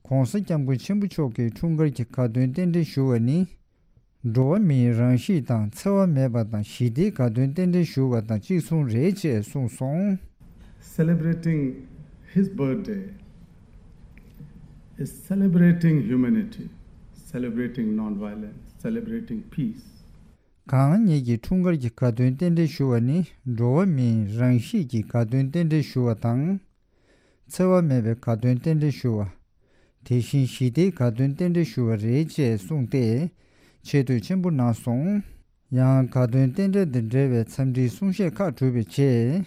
༸གོང་ས་༸སྐྱབས་མགོན་ཆེན་པོ་མཆོག་གིས་འཁྲུངས་སྐར་གྱི་དགའ་སྟོན་རྟེན་འབྲེལ་ཞུ་བ་ནི། འགྲོ་བ་མིའི་རང་གཤིས་དང་འཚེ་བ་མེད་པ་དང་ཞི་བདེའི་དགའ་སྟོན་རྟེན་འབྲེལ་ཞུ་བ་དང་གཅིག་མཚུངས་རེད་ཅེས་གསུངས་སོང་། Celebrating his birthday is celebrating humanity, celebrating non-violence, celebrating peace. གང་ཉིད་ཀྱི་འཁྲུངས་སྐར་གྱི་དགའ་སྟོན་རྟེན་འབྲེལ་ཞུ་བ་ནི་འགྲོ་བ་མིའི་རང་གཤིས་ཀྱི་དགའ་སྟོན་རྟེན་འབྲེལ་ཞུ་བ་དང་། འཚེ་བ་མེད་པའི་དགའ་སྟོན་རྟེན་འབྲེལ་ཞུ་བ། དེ་བཞིན་ཞི་བདེའི་དགའ་སྟོན་རྟེན་འབྲེལ་ཞུ་བ་རེད་ཅེས་གསུངས་ཏེ། ཆེ་བསྟོད་ཆེན་པོ་གནང་སོང་། ཡང་དགའ་སྟོན་རྟེན་འབྲེལ་དང་འབྲེལ་བའི་འཚམས་འདྲིའི་གསུང་བཤད་ཁག་གྲུབ་པའི་རྗེས།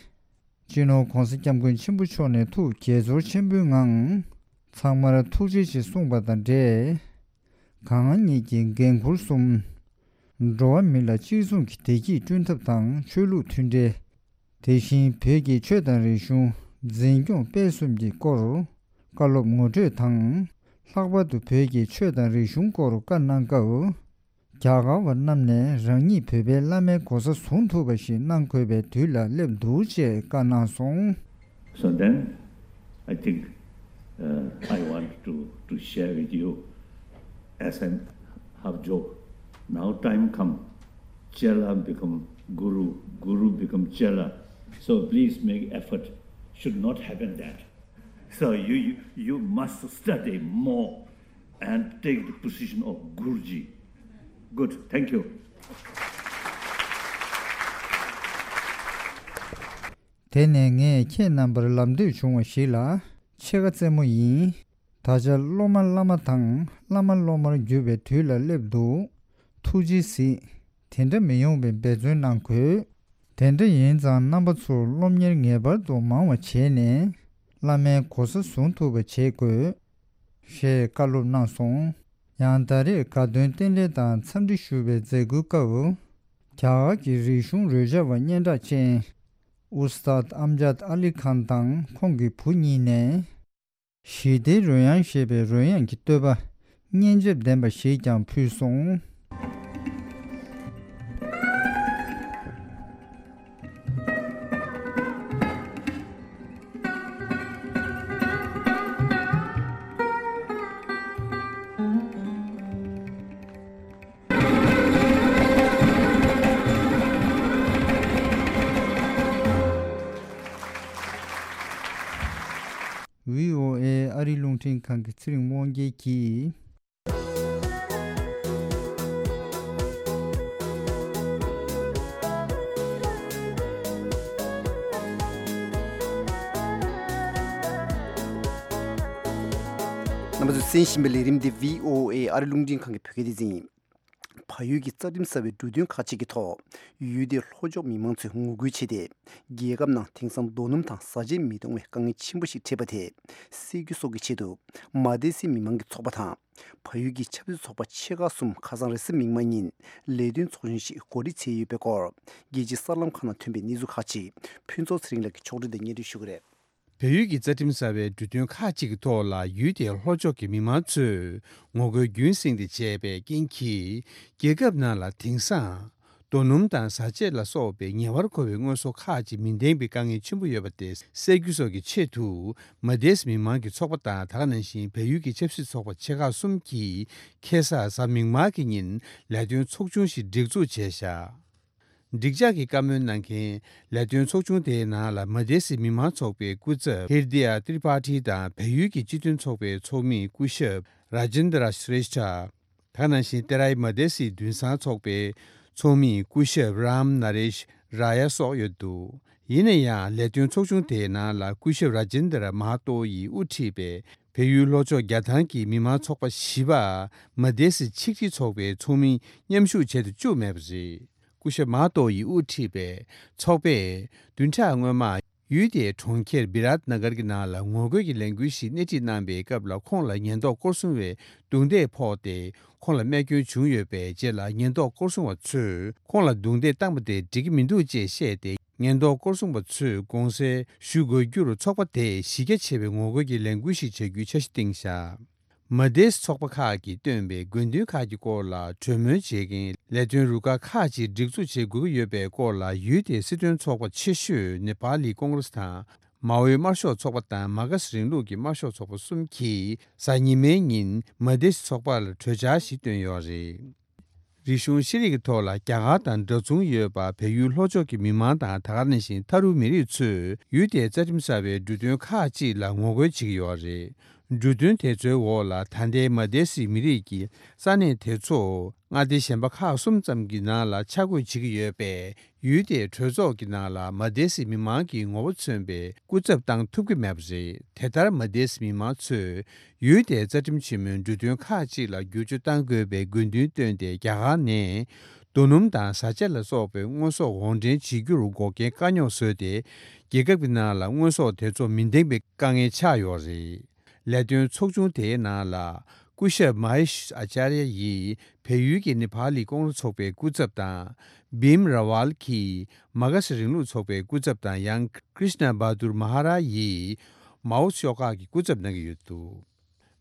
སྤྱི་ནོར་༸གོང་ས་༸སྐྱབས་མགོན་ཆེན་པོ་མཆོག་ནས་ཐུགས་དགྱེས་ཚོར་ཆེན་པོའི་ངང་། ཚང་མར་ཐུགས་རྗེ་ཆེ་གསུངས་པ་དང་འབྲེལ། གང་ཉིད་ཀྱི་འགན་ཁུར་གསུམ། འགྲོ་བ་མི་ལ་གཅིག་མཚུངས་ཀྱི་བདེ་སྐྱིད་བསྐྲུན་ཐབས་དང་ཆོས་ལུགས་མཐུན་འབྲེལ། དེ་བཞིན་བོད་ཀྱི་ཆོས་དང་རིག་གཞུང་འཛིན་སྐྱོང་སྤེལ་གསུམ་གྱི་སྐོར་བཀའ་སློབ་ངོ་སྤྲོད་དང་། ལྷག་པར་དུ་བོད་ཀྱི་ཆོས་དང་རིག་གཞུང་སྐོར་བཀའ་གནང་སྐབས། རྒྱ་གར་བ་རྣམས་ནས་རང་ཉིད་བོད་པའི་བླ་མའི་གོ་ས་བཟུང་ཐུབ་པ་ཞིག་གནང་དགོས་པའི་དུས་ལ་སླེབས་འདུག་ཅེས་བཀའ་གནང་སོང་། So then, I think uh, I want to, to share with you, as I have joked, now time come, Chela become Guru, Guru become Chela. So please make effort. Should not happen that. So you, you, you must study more and take the position of Guruji. Good. Thank you. དེ་ནས་ངས་ཁྱེད་རྣམ་པར་ལམ་སྟོན་བྱུང་བ་ཞིག་ལ་ཕྱེད་ཀ་རྩེད་མོ་ཡིན། ད་ཆ་སློབ་མ་བླ་མ་དང་བླ་མ་སློབ་མར་འགྱུར་བའི་དུས་ལ་སླེབས་འདུག་ཐུགས་རྗེས་གཟིགས། དེ་འདྲ་མི་ཡོང་བའི་འབད་བརྩོན་གནང་དགོས། དེ་འདྲ་ཡིན་ཙང་རྣམ་པ་ཚོར་སློབ་གཉེར་ངེས་པར་དུ་མང་བ་བྱས་ནས་བླ་མའི་གོ་ས་བཟུང་ཐུབ་པ་བྱེད་དགོས། ཞེས་བཀའ་སློབ་གནང་སོང་། ཡང་ད་རེས་དགའ་སྟོན་རྟེན་འབྲེལ་དང་འཚམས་འདྲི་ཞུ་བའི་མཛད་སྒོའི་སྐབས། རྒྱ་གར་གྱི་རིག་གཞུང་རོལ་ཆ་བ་སྙན་གྲགས་ཅན། ཨུ་སྟཱད་ཨམ་ཇཱད་ཨ་ལི་ཁཱན་དང་ཁོང་གི་བུ་གཉིས་ནས། ཞི་བདེའི་རོལ་དབྱངས་ཞེས་པའི་རོལ་དབྱངས་ཀྱི་བསྟོད་པ་སྙན་འཇེབས་ལྡན་པ་ཞིག་ཀྱང་ཕུལ་སོང་། བྷི་ཨོ་ཨེ་ཨ་རིའི་རླུང་འཕྲིན་ཁང་གི་ཚེ་རིང་དབང་རྒྱལ་གྱིས། རྣམ་པ་ཚོས་གསན་བཞིན་པའི་ལས་རིམ་འདི་བྷི་ཨོ་ཨེ་ཨ་རིའི་རླུང་འཕྲིན་ཁང་གི་བོད་སྐད་སྡེ་ཚན་ཡིན། བལ་ཡུལ་གྱི་རྩ་ཁྲིམས་གསར་བའི་འབྲུ་དོན་ཁག་ཅིག་གི་ཐོག་ཡུལ་དེའི་ལྷོ་ཕྱོགས་མི་མང་ཚོས་ངོ་རྒོལ་བྱས་ཏེ། རྒྱལ་ཁབ་ནང་དེང་སང་རྡོ་སྣུམ་དང་བཟའ་ཆས་མི་གཏོང་བའི་དཀའ་ངལ་ཆེན་པོ་ཞིག་འཕྲད་པ་དེ་སེལ་རྒྱུ་སོགས་ཀྱི་ཆེད་དུ། མ་དེ་སི་མི་མང་གི་ཚོགས་པ་དང་། བལ་ཡུལ་གྱི་ཆབ་སྲིད་ཚོགས་པ་ཆེ་ཁག་གསུམ་ཁ་སང་རེས་གཟའ་མིག་དམར་ཉིན་ལས་དོན་ཚོགས་ཆུང་ཞིག་གོ་སྒྲིག་བྱས་ཡོད་པའི་སྐོར། རྒྱལ་སྤྱིའི་གསར་ལམ་ཁག་ནང་ཐོན་པའི་གནས་ཚུལ་ཁག་ཅིག་ཕུན་ཚོགས་ཚེ་རིང་ལགས་ཀྱིས་ཕྱོགས་སྒྲིག་དང་སྙན་སྒྲོན་ཞུ་གི་རེད། བལ་ཡུལ་གྱི་རྩ་ཁྲིམས་གསར་བའི་འབྲུ་དོན་ཁག་ཅིག་གི་ཐོག་ལ་ཡུལ་དེའི་ལྷོ་ཕྱོགས་ཀྱི་མི་མང་ཚོས་ངོ་རྒོལ་རྒྱུན་བསྲིངས་ཏེ་བྱས་པའི་རྐྱེན་གྱིས། རྒྱལ་ཁབ་ནང་ལ་དེང་སང་རྡོ་སྣུམ་དང་བཟའ་ཆས་ལ་སོགས་པའི་ཉེ་བར་མཁོ་བའི་དངོས་ཟོག་ཁག་ཅིག་མི་ལྡན་པའི་དཀའ་ངལ་ཆེན་པོ་ཡོད་པ་དེ་སེལ་རྒྱུ་སོགས་ཀྱི་ཆེད་དུ། མ་དེས་མི་མང་གི་ཚོགས་པ་དང་། ད་ག་ནང་བཞིན་བལ་ཡུལ་གྱི་ཆབ་སྲིད་ཚོགས་པ་ཆེ་ཁག་གསུམ་གྱིས་ཁ་སང་གཟའ་མིག་དམར་གྱི་ཉིན་ལས་དོན་ཚོགས་ཆུང་ཞིག་སྒྲིག་འཛུགས་བྱས་བཞག་འགྲིག་འཇགས་ཀྱི་བཀའ་མོལ་གནང་མཁན་ལས་དོན་ཚོགས་ཆུང་དེའི་ནང་ལ་མ་དེ་སི་མི་མང་ཚོགས་པའི་སྐུ་ཚབ་ཧིར་དི་ཡ་ཏྲི་པ་ཊི་དང་བལ་ཡུལ་གྱི་སྤྱི་མཐུན་ཚོགས་པའི་ཚོགས་མི་སྐུ་ཞབས་ར་ཇིན་དྲ་ཤྲེ་ཤྟ། ད་ནང་བཞིན་ཏེ་རའི་མ་དེ་སི་དུན་སང་ཚོགས་པའི་ཚོགས་མི་སྐུ་ཞབས་རམ་ན་རེཤ་ར་ཡ་སོགས་ཡོད་འདུག་ཡིན་ན་ཡང་ལས་དོན་ཚོགས་ཆུང་དེའི་ནང་ལ་སྐུ་ཞབས་ར་ཇིན་དྲ་མ་ཧ་ཏོ་ཡིས་དབུ་ཁྲིད་པའི་བལ་ཡུལ་ལྷོ་ཕྱོགས་རྒྱལ་ཐང་གི་མི་མང་ཚོགས་པ་བཞི་པ་མ་དེ་སི་ཆིག་སྒྲིལ་ཚོགས་པའི་ཚོགས་མི་མཉམ་ཞུགས་བྱེད་དུ་བཅུག་མེད་པ་རེད། སྐུ་ཞབས་མ་ཧ་ཏོ་ཡིས་དབུ་ཁྲིད་པའི་ཚོགས་པས་བདུན་ཕྲག་སྔོན་མ་ཡུལ་དེའི་གྲོང་ཁྱེར་བི་རཱཏ་ན་གར་གྱི་ནང་ལ་ངོ་རྒོལ་གྱི་ལས་འགུལ་ཞིག་སྣེ་ཁྲིད་གནང་པའི་སྐབས་ལ་ཁོང་ལ་ཉེན་རྟོག་སྐོར་སྲུང་བས་རྡུང་རྡེག་ཕོག་སྟེ་ཁོང་ལ་རྨས་སྐྱོན་བྱུང་ཡོད་པའི་རྗེས་ལ་ཉེན་རྟོག་སྐོར་སྲུང་བ་ཚོས་ཁོང་ལ་རྡུང་རྡེག་བཏང་པ་དེ་འགྲིག་གི་མི་འདུག་ཅེས་བཤད་དེ་ཉེན་རྟོག་སྐོར་སྲུང་བ་ཚོས་དགོངས་སེལ་ཞུ་དགོས་རྒྱུར་ཚོགས་པ་དེས་གཞི་རྒྱ་ཆེ་བའི་ངོ་རྒོལ་གྱི་ལས་འགུལ་ཞིག་བྱ་རྒྱུའི་འཆར་གཞི་བཏིང་བཞག་མ་དེས་ཚོགས་པ་ཁག་གིས་བཏོན་པའི་དགོས་འདུན་ཁག་གི་སྐོར་ལ་གྲོས་མོལ་བྱེད་མཁན་ལས་དོན་རུ་ཁག་ཁག་ཅིག་སྒྲིག་འཛུགས་བྱེད་དགོས་ཀྱི་ཡོད་པའི་སྐོར་ལ་ཡུལ་དེའི་སྲིད་དོན་ཚོགས་པ་ཆེ་ཤོས་ནེ་པཱ་ལི་ཀོང་རེས་དང་མའོའི་དམར་ཤོག་ཚོགས་པ་དང་མ་ཁ་སི་རིང་ལུགས་ཀྱི་དམར་ཤོག་ཚོགས་པ་གསུམ་གྱིས་གཟའ་ཉི་མའི་ཉིན་མ་དེས་ཚོགས་པ་ལ་གྲོས་འཆར་ཞིག་བཏོན་ཡོད་རེད། རིག་གཞུང་ཤེས་རིག་གི་ཐོག་ལ་རྒྱ་གར་དང་འདྲ་མཚུངས་ཡོད་པ་བལ་ཡུལ་ལྷོ་ཕྱོགས་ཀྱི་མི་མང་དང་ད་ག་ནང་བཞིན་ཐ་རུ་མི་རིགས་ཚོས་ཡུལ་དེའི་རྩ་ཁྲིམས་གསར་བའི་འབྲུ་དོན་ཁག་ཅིག་ལ་ངོ་རྒོལ་བྱེད་ཀྱི་ཡོད་རེད། འབྲུ་དོན་དེ་ཚོའི་འོག་ལ་ད་ལྟའི་མ་དེ་སི་མི་རིགས་ཀྱི་ས་གནས་དེ་ཚོ་མངའ་སྡེ་གཞན་པ་ཁག་གསུམ་ཙམ་གྱི་ནང་ལ་ཆ་བགོས་བྱེད་ཀྱི་ཡོད་པས། ཡུལ་དེའི་གྲོས་ཚོགས་ཀྱི་ནང་ལ་མ་དེ་སི་མི་མང་གི་ངོ་བོ་མཚོན་པའི་སྐུ་ཚབ་བཏང་ཐུབ་ཀྱི་མེད་པ་རེད། དེ་ལྟར་མ་དེ་སི་མི་མང་ཚོས་ཡུལ་དེའི་རྩ་ཁྲིམས་ཆེན་མོའི་འབྲུ་དོན་ཁག་ཅིག་ལ་བསྒྱུར་བཅོས་གཏང་དགོས་པའི་དགོས་འདུན་བཏོན་ཏེ་རྒྱ་གར་ནས་རྡོ་སྣུམ་དང་བཟའ་བཅའ་ལ་སོགས་པའི་དངོས་ཟོག་འོར་འདྲེན་བྱེད་རྒྱུར་འགོག་རྐྱེན་དཀའ་རྙོག་བཟོས་ཏེ་རྒྱལ་ཁབ་ཀྱི་ནང་ལ་དངོས་ཟོག་དེ་ཚོ་མི་འདེང་པའི་དཀའ་ངལ་ཆགས་ཡོད་རེད། ལས་དོན་ཚོགས་ཆུང་དེའི་ནང་ལ་སྐུ་ཞབས་མ་ཧེ་ཤ་ཨ་ཅཱརྱ་ཡིས་བལ་ཡུལ་གྱི་ནེ་པཱ་ལི་ཀོང་རེས་ཚོགས་པའི་སྐུ་ཚབ་དང་། བིམ་ར་ཝལ་གྱིས་མ་ཁ་སི་རིང་ལུགས་ཚོགས་པའི་སྐུ་ཚབ་དང་ཡང་ཀྲིཤ་ན་བྷ་དུར་མ་ཧ་ར་ཡིས་མའོ་ཤོག་ཁག་གི་སྐུ་ཚབ་གནང་གི་ཡོད་འདུག་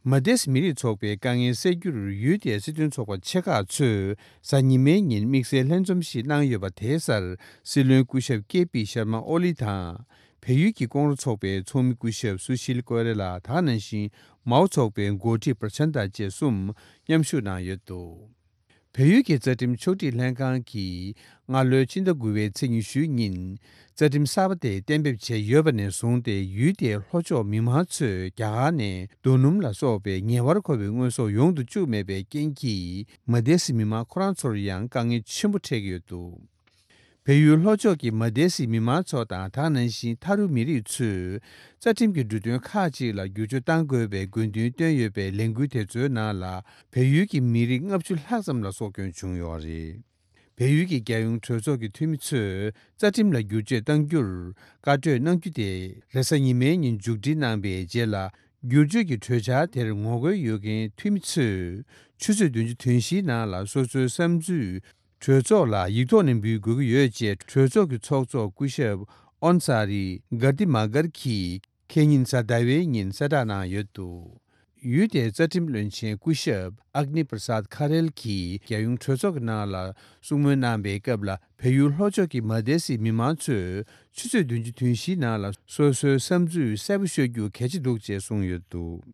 མ་དེས་མི་རིགས་ཚོགས་པའི་དཀའ་ངལ་སེལ་རྒྱུར་ཡུལ་དེའི་སྲིད་དོན་ཚོགས་པ་ཆེ་ཁག་ཚོས་གཟའ་ཉི་མའི་ཉིན་དམིགས་བསལ་ལྷན་འཛོམས་ཤིག་གནང་ཡོད་པ་དེའི་སར་སྲིད་བློན་སྐུ་ཞབས་ཀེ་པི་ཤར་མ་ཨོ་ལི་དང་། བལ་ཡུལ་གྱི་ཀོང་རེས་ཚོགས་པའི་ཚོགས་མི་སྐུ་ཞབས་སུ་ཤིལ་ཀོ་རེ་ལ་དང་ནང་བཞིན་མའོ་ཚོགས་པའི་འགོ་ཁྲིད་པྲ་ཆན་ཏ་བཅས་གསུམ་མཉམ་ཞུགས་གནང་ཡོད་འདུག་བལ་ཡུལ་གྱི་རྩ་ཁྲིམས་ཕྱོགས་སྒྲིག་ལྷན་ཁང་གིས་སྔ་ལོའི་ཕྱི་ཟླ་དགུ་པའི་ཚེས་ཉི་ཤུའི་ཉིན་རྩ་ཁྲིམས་གསར་པ་དེ་གཏན་འབེབས་བྱས་ཡོད་པ་ནས་བཟུང་སྟེ་ཡུལ་དེའི་ལྷོ་ཕྱོགས་མི་མང་ཚོས་རྒྱ་གར་ནས་རྡོ་སྣུམ་ལ་སོགས་པའི་ཉེ་བར་མཁོ་བའི་དངོས་ཟོག་ཡོང་དུ་བཅུག་མེད་པའི་རྐྱེན་གྱིས་མ་དེ་སི་མི་མང་ཁོ་རང་ཚོར་ཡང་དཀའ་ངལ་ཆེན་པོ་འཕྲད་ཀྱི་ཡོད་འདུག་བལ་ཡུལ་ལྷོ་ཕྱོགས་ཀྱི་མ་དེ་སི་མི་མང་ཚོ་དང་ད་ག་ནང་བཞིན་ཐ་རུ་མི་རིགས་ཚོས་རྩ་ཁྲིམས་ཀྱི་འབྲུ་དོན་ཁག་ཅིག་ལ་བསྒྱུར་བཅོས་གཏང་དགོས་པའི་དགོས་འདུན་བཏོན་ཡོད་པའི་ལས་འགུལ་དེ་ཚོའི་ནང་ལ་བལ་ཡུལ་གྱི་མི་རིགས་ལྔ་བཅུ་ལྷག་ཙམ་ལ་སྲོག་སྐྱོན་བྱུང་ཡོད་རེད། བལ་ཡུལ་གྱི་རྒྱལ་ཡོངས་གྲོས་ཚོགས་ཀྱི་འཐུས་མི་ཚོས་རྩ་ཁྲིམས་ལ་བསྒྱུར་བཅོས་གཏང་རྒྱུར་བཀའ་གྲོས་གནང་རྒྱུ་དེ་རེས་གཟའ་ཉི་མའི་ཉིན་མཇུག་སྒྲིལ་གནང་པའི་རྗེས་ལ་བསྒྱུར་བཅོས་ཀྱི་གྲོས་འཆར་དེར་ངོ་རྒོལ་ཡོད་མཁན་འཐུས་མི་ཚོས་ཆུ་ཚོད་བདུན་ཅུ་དོན་བཞིའི་ནང་ལ་སོ་སོའི་བསམ་ཚུལ། གྲོས་ཚོགས་ལ་ཡིག་ཐོག་ནས་འབུལ་དགོས་ཀྱི་ཡོད་ཅེས་གྲོས་ཚོགས་ཀྱི་ཚོགས་གཙོ་སྐུ་ཞབས་ཨོན་ས་རི་གར་ཏི་མ་གར་གྱིས་ཁེ་ཉིན་གཟའ་ཟླ་བའི་ཉིན་གསལ་བསྒྲགས་གནང་ཡོད་འདུག་ཡུལ་དེའི་རྩ་ཁྲིམས་བློན་ཆེན་སྐུ་ཞབས་ཨག་ནི་པྲ་སཱད་ཁ་རེལ་གྱིས་རྒྱལ་ཡོངས་གྲོས་ཚོགས་ཀྱི་ནང་ལ་གསུང་མོལ་གནང་པའི་སྐབས་ལ་བལ་ཡུལ་ལྷོ་ཕྱོགས་ཀྱི་མ་དེ་སི་མི་མང་ཚོས་ཆུ་ཚོད་བདུན་ཅུ་དོན་བཞིའི་ནང་ལ་སོ་སོའི་བསམ་ཚུལ་གསལ་པོ་ཤོད་རྒྱུ་གལ་ཆེ་འདུག་ཅེས་གསུངས་ཡོད་འདུག་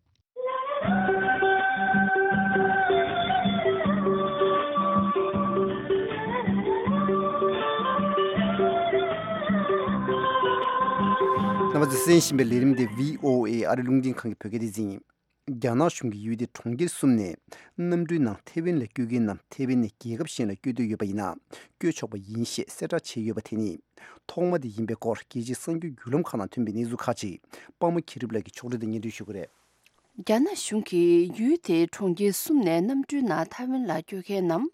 རྣམ་པ་ཚོས་གསན་བཞིན་པའི་ལས་རིམ་དེ་བྷི་ཨོ་ཨེ་ཨ་རི་རླུང་འཕྲིན་ཁང་གི་བོད་སྐད་སྡེ་ཚན་ཡིན། རྒྱ་ནག་གཞུང་གིས་ཡུལ་དེའི་གྲོང་ཁྱེར་གསུམ་ནས་གནམ་གྲུའི་ནང་ཐའེ་ཝན་ལ་སྐྱོད་མཁན་རྣམས་ཐའེ་ཝན་ནས་རྒྱལ་ཁབ་གཞན་ལ་སྐྱོད་འདོད་ཡོད་པ་ཡིན་ན་སྐྱོད་ཆོག་པ་ཡིན་ཞེས་གསལ་བསྒྲགས་བྱས་ཡོད་པ་དེ་ནི་ཐོག་མ་དེ་ཡིན་པའི་སྐོར་རྒྱལ་སྤྱིའི་གསར་འགྱུར་བརྒྱུད་ལམ་ཁག་ནང་ཐོན་པའི་གནས་ཚུལ་ཁག་ཅིག་པདྨ་མཁྱེན་གྲུབ་ལགས་ཀྱིས་ཕྱོགས་སྒྲིག་དང་སྙན་སྒྲོན་ཞུ་གི་རེད། རྒྱ་ནག་གཞུང་གིས་ཡུལ་དེའི་གྲོང་ཁྱེར་གསུམ་ནས་གནམ་གྲུའི་ནང་ཐའེ་ཝན་ལ་སྐྱོད་མཁན་རྣམས་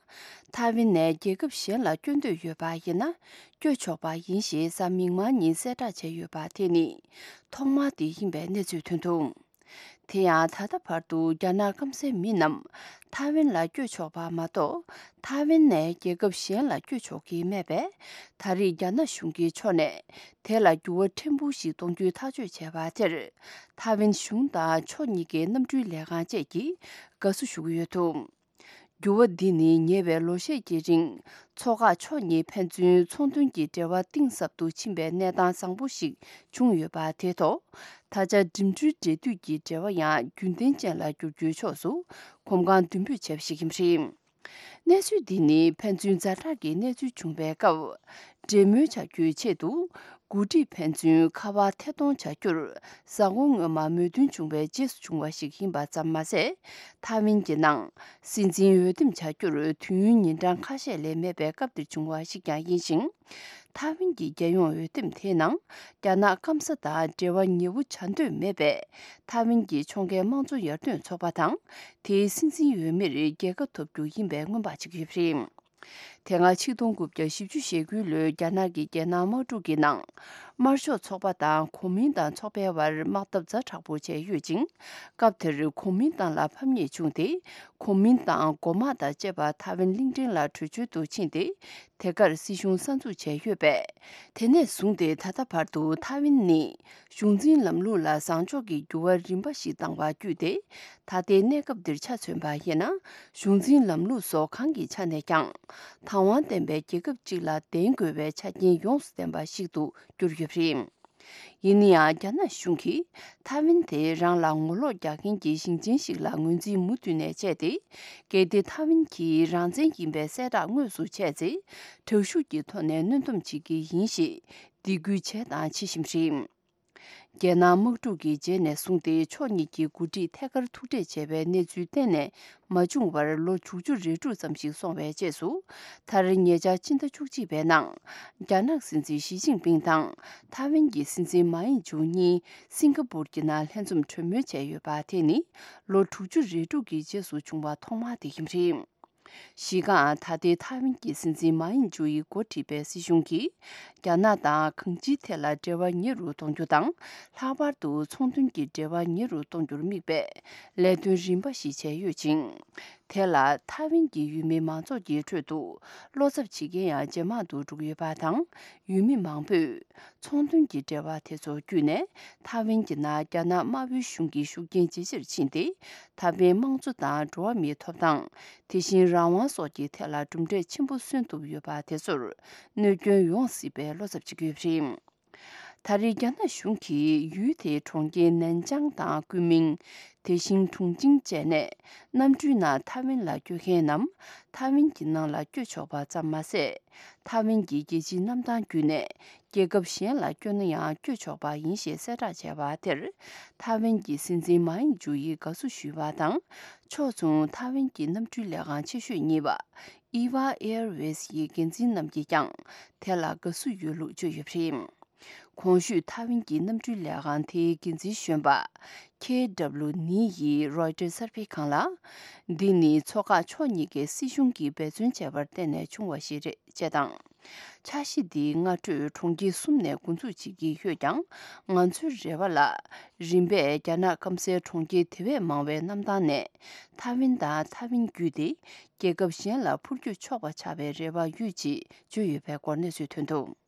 ཐའེ་ཝན་ནས་རྒྱལ་ཁབ་གཞན་ལ་སྐྱོད་འདོད་ཡོད་པ་ཡིན་ན་སྐྱོད་ཆོག་པ་ཡིན་ཞེས་གཟའ་མིག་དམར་ཉིན་གསལ་བསྒྲགས་བྱས་ཡོད་པ་དེ་ནི་ཐོག་མ་དེ་ཡིན་པའི་གནས་ཚུལ་ཐོན་འདུག་དེ་ཡང་ད་ལྟ་བར་དུ་རྒྱ་ནག་སྐམ་སའི་མི་རྣམས་ཐའེ་ཝན་ལ་བསྐྱོད་ཆོག་པ་མ་གཏོགས་ཐའེ་ཝན་ནས་རྒྱལ་ཁབ་གཞན་ལ་བསྐྱོད་ཆོག་གི་མེད་པས་ད་རེས་རྒྱ་ནག་གཞུང་གི་ཕྱོགས་ནས་དེ་ལ་འགྱུར་བ་ཕྲན་བུ་ཞིག་གཏོང་རྒྱུའི་ཐག་གཅོད་བྱས་པ་དེར་ཐའེ་ཝན་གཞུང་དང་ཕྱོགས་གཉིས་ཀའི་གནམ་གྲུའི་ལས་ཁང་བཅས་ཀྱིས་དགའ་བསུ་ཞུ་གི་ཡོད་འདུག་འགྱུར་བ་འདི་ནི་ཉེ་བའི་ལོ་ཤས་ཀྱི་རིང་མཚོ་འགག་ཕྱོགས་གཉིས་ཕན་ཚུན་ཚོང་དོན་གྱི་འབྲེལ་བ་གཏིང་ཟབ་ཏུ་ཕྱིན་པའི་གནས་སྟངས་བཟང་པོ་ཞིག་བྱུང་ཡོད་པ་དེ་ཐོག་ད་ཆ་འགྲིམ་འགྲུལ་འབྲེལ་མཐུད་ཀྱི་འབྲེལ་བ་ཡང་རྒྱུན་ལྡན་ཅན་ལ་འགྱུར་རྒྱུའི་ཕྱོགས་སུ་གོམ་གང་མདུན་སྤོས་བྱས་པ་ཞིག་ཡིན་པ་རེད། གནས་ཚུལ་འདི་ནི་ཕན་ཚུན་ཛ་དྲག་གི་གནས་ཚུལ་བྱུང་བའི་སྐབས། འབྲེལ་མོལ་བྱ་རྒྱུའི་ཆེད་དུ། འགོ་ཁྲིད་ཕན་ཚུན་ཁ་པར་ཐད་གཏོང་བྱ་རྒྱུར། གཟའ་འཁོར་སྔོན་མ་མོས་མཐུན་བྱུང་བའི་རྗེས་སུ་བྱུང་བ་ཞིག་ཡིན་པ་ཙམ་མ་ཟད། ཐའེ་ཝན་གྱི་ནང་སྲིད་འཛིན་འོས་འདེམས་བྱ་རྒྱུར་དུས་ཡུན་ཉིན་གྲངས་ཁ་ཤས་ལས་མེད་པའི་སྐབས་འདིར་བྱུང་བ་ཞིག་ཀྱང་ཡིན་ཞིང་། ཐའེ་ཝན་གྱི་རྒྱལ་ཡོངས་འོས་འདེམས་དེའི་ནང་རྒྱ་ནག་སྐམ་ས་དང་འབྲེལ་བ་ཉེ་བོ་བྱ་འདོད་མེད་པའི་ཐའེ་ཝན་གྱི་ཕྱོགས་འགལ་དམངས་གཙོ་ཡར་ཐོན་ཚོགས་པ་དང་། དེའི་སྲིད་འཛིན་འོས་མིར་རྒྱལ་ཁ་ཐོབ་རྒྱུ་ཡིན་པའི་སྔོན་དཔག་བྱེད་ཀྱི་ཡོད་པ་རེད། དེ་སྔ་ཆིག་སྟོང་དགུ་བརྒྱ་བཞི་བཅུ་ཞེ་དགུ་ལོའི་རྒྱ་ནག་གི་རྒྱལ་ནང་དམག་འཁྲུག་གི་ནང་། དམར་ཤོག་ཚོགས་པ་དང་གོ་མིན་ཏང་ཚོགས་པའི་བར་དམག་འཐབ་ཛ་དྲག་པོ་བྱས་ཡོད་ཅིང་། སྐབས་དེར་གོ་མིན་ཏང་ལ་ཕམ་ཉེས་བྱུང་སྟེ། གོ་མིན་ཏང་མགོ་དམག་དང་བཅས་པ་ཐའེ་ཝན་གླིང་ཕྲན་ལ་བྲོས་བྱོལ་དུ་ཕྱིན་ཏེ། དེ་གར་སྲིད་གཞུང་གསར་འཛུགས་བྱས་ཡོད་པས། དེ་ནས་བཟུང་སྟེ་ད་ལྟ་བར་དུ་ཐའེ་ཝན་ནི། གཞུང་འཛིན་ལམ་ལུགས་ལ་བཟང་ཕྱོགས་ཀྱི་འགྱུར་བ་རིམ་པ་ཞིག་བཏང་བ་བརྒྱུད་དེ། ད་ལྟའི་གནས་སྐབས་འདིར་ཆ་མཚོན་པ་ཡིན་ན། གཞུང་འཛིན་ལམ་ལུགས་སོགས་གང་གི་ཆ་ནས་ཀྱང་། དང་བ་ལྡན་པའི་རྒྱལ་ཁབ་ཅིག་ལ་ལྡན་དགོས་པའི་ཆ་རྐྱེན་ཡོངས་སུ་ལྡན་པ་ཞིག་ཏུ་གྱུར་ཡོད་པ་རེད། ཡིན་ན་ཡང་རྒྱ་ནག་གཞུང་གིས་ཐའེ་ཝན་དེ་རང་ལ་ངོ་ལོག་རྒྱག་མཁན་གྱི་ཞིང་ཆེན་ཞིག་ལ་ངོས་འཛིན་མུ་མཐུད་ནས་བྱས་ཏེ། གལ་ཏེ་ཐའེ་ཝན་གྱིས་རང་བཙན་ཡིན་པའི་གསལ་བསྒྲགས་དངོས་སུ་བྱས་ཚེ། དྲག་ཤུགས་ཀྱི་ཐོག་ནས་གནོན་སྡོམ་བྱེད་ཀྱི་ཡིན་ཞེས་སྡིགས་སྐུལ་བྱས་དང་བྱེད་བཞིན་པ་རེད། རྒྱལ་ནང་དམག་འཁྲུག་གི་རྗེས་ནས་བཟུང་སྟེ་ཕྱོགས་གཉིས་ཀྱི་འགོ་ཁྲིད་ཐད་ཀར་ཐུག་འཕྲད་བྱས་པའི་གནས་ཚུལ་གཏན་ནས་མ་བྱུང་བར་ལོ་དྲུག་ཅུ་རེ་དྲུག་ཙམ་ཞིག་སོང་བའི་རྗེས་སུ། མཐར་ཉེ་ཆར་ཕྱི་ཟླ་བཅུ་གཅིག་པའི་ནང་རྒྱ་ནག་སྲིད་འཛིན་ཞི་ཅིན་ཕིང་དང་ཐའེ་ཝན་གྱི་སྲིད་འཛིན་མཱ་ཡིན་ཇུ་གཉིས་སིང་ག་པུར་གྱི་ནང་ལྷན་འཛོམས་གྲོས་མོལ་བྱས་ཡོད་པ་དེ་ནི་ལོ་དྲུག་ཅུ་རེ་དྲུག་གི་རྗེས་སུ་བྱུང་བ་ཐོག་མ་དེ་ཡིན་པ་རེད། གཞི་རྐང་ད་ལྟའི་ཐའེ་ཝན་གྱི་སྲིད་འཛིན་མཱ་ཡིན་ཇུ་ཡིས་འགོ་ཁྲིད་པའི་སྲིད་གཞུང་གིས། རྒྱ་ནག་དང་གང་ཅིའི་ཐད་ལ་འབྲེལ་བ་ཉེ་རུ་གཏོང་རྒྱུ་དང་། ལྷག་པར་དུ་ཚོང་དོན་གྱི་འབྲེལ་བ་ཉེ་རུ་གཏོང་རྒྱུར་དམིགས་པའི་ལས་དོན་རིམ་པ་ཞིག་བྱས་ཡོད་ཅིང་། དེ་ལ་ཐའེ་ཝན་གྱི་ཡུལ་མི་མང་ཚོགས་ཀྱི་ཁྲོད་དུ་བློ་འཚབ་བྱེད་མཁན་ཡང་ཇེ་མང་དུ་འགྲོ་གི་ཡོད་པ་དང་། ཡུལ་མི་མང་པོས། ཚོང་དོན་གྱི་འབྲེལ་བ་དེ་ཚོ་བརྒྱུད་ནས་ཐའེ་ཝན་གྱི་ནང་རྒྱ་ནག་དམར་པོའི་གཞུང་གི་ཤུགས་རྐྱེན་ཇེ་ཆེར་ཕྱིན་ཏེ། ད་ཕན་དམངས་གཙོ་དང་འགྲོ་བ་མིའི་ཐོབ་ཐང་། དེ་བཞིན་རང་དབང་སོགས་ཀྱི་ཐད་ལ་གྲུབ་འབྲས་ཆེན་པོ་སོན་ཐུབ་ཡོད་པ་དེ་ཚོར་གནོད་སྐྱོན་ཡོང་སྲིད་པའི་བློ་འཚབ་བྱེད་ཀྱི་ཡོད་པ་རེད། ད་རེས་རྒྱ་ནག་གཞུང་གིས་ཡུལ་དེའི་གྲོང་ཁྱེར་ནན་ཅང་དང་ཀུན་མིང་། དེ་བཞིན་ཁྲུང་ཆིང་བཅས་ནས་གནམ་གྲུའི་ནང་ཐའེ་ཝན་ལ་སྐྱོད་མཁན་རྣམས་ཐའེ་ཝན་གྱི་ནང་ལ་སྐྱོད་ཆོག་པ་ཙམ་མ་ཟད། ཐའེ་ཝན་གྱི་རྒྱལ་སྤྱིའི་གནམ་ཐང་བརྒྱུད་ནས་རྒྱལ་ཁབ་གཞན་ལ་བསྐྱོད་ན་ཡང་བསྐྱོད་ཆོག་པ་ཡིན་ཞེས་གསལ་བསྒྲགས་བྱས་པ་དེར། ཐའེ་ཝན་གྱི་སྲིད་འཛིན་མཱ་ཡིན་ཇུ་ཡིས་དགའ་བསུ་ཞུས་པ་དང་། ཕྱོགས་མཚུངས་ཐའེ་ཝན་གྱི་གནམ་གྲུའི་ལས་ཁང་ཆེ་ཤོས་གཉིས་པ་ཨི་ཝ་ཨེར་ཝེས་ཡི་འགན་འཛིན་རྣམས་ཀྱིས་ཀྱང་དེ་ལ་དགའ་བསུ་ཡོད་ལུགས་བརྗོད་ཡོད་པ་རེད། གོང་ཞུས་ཐའེ་ཝན་གྱི་གནམ་གྲུའི་ལས་ཁང་དེའི་འགན་འཛིན་གཞོན་པ་ཁེ་ཌབ་ལུ་ནི་ཡིས་རོའི་ཊར་གསར་སྤེལ་ཁང་ལ། འདི་ནི་མཚོ་འགག་ཕྱོགས་གཉིས་ཀའི་སྲིད་གཞུང་གིས་འབད་བརྩོན་བྱས་པར་བརྟེན་ནས་བྱུང་བ་ཞིག་རེད་ཅེས་དང་། འཆར་གཞི་འདིའི་སྔ་དྲོས་གྲོང་ཁྱེར་གསུམ་ནས་འགོ་འཛུགས་བྱེད་ཀྱི་ཡོད་ཀྱང་། ང་ཚོའི་རེ་བ་ལ། རིམ་པས་རྒྱ་ནག་སྐམ་སའི་གྲོང་ཁྱེར་དེ་བས་མང་བའི་གནམ་ཐང་ནས་ཐའེ་ཝན་དང་ཐའེ་ཝན་བརྒྱུད་དེ་རྒྱལ་ཁབ་གཞན་ལ་འཕུར་སྐྱོད་ཆོག་པ་ཆགས་པའི་རེ་བ་ཡོད་ཅེས་བརྗོད་ཡོད་པའི་སྐོར་གནས་ཚུལ་ཐོན་འདུག།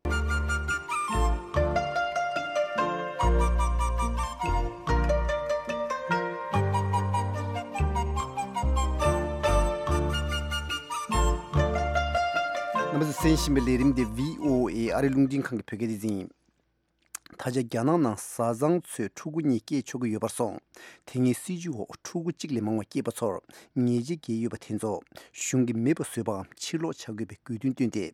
རྣམ་པ་ཚོས་གསན་བཞིན་པའི་ལས་རིམ་འདི་བྷི་ཨོ་ཨེ་ཨ་རི་རླུང་འཕྲིན་ཁང་གི་བོད་སྐད་སྡེ་ཚན་ཡིན། ད་ཆ་རྒྱ་ནག་ནང་བཟའ་ཚང་ཚོས་ཕྲུ་གུ་གཉིས་སྐྱེས་ཆོག་གི་ཡོད་པར་སོང་། དེ་སྔའི་སྲིད་བྱུས་འོག་ཕྲུ་གུ་གཅིག་ལས་མང་བ་སྐྱེས་པ་ཚོར་ཉེས་ཆད་འགེལ་ཡོད་པ་དེ་ཚོ་གཞུང་གིས་མེད་པ་བཟོས་པའམ་ཕྱིར་སློག་བྱ་དགོས་པའི་དགོས་འདུན་བཏོན་ཏེ།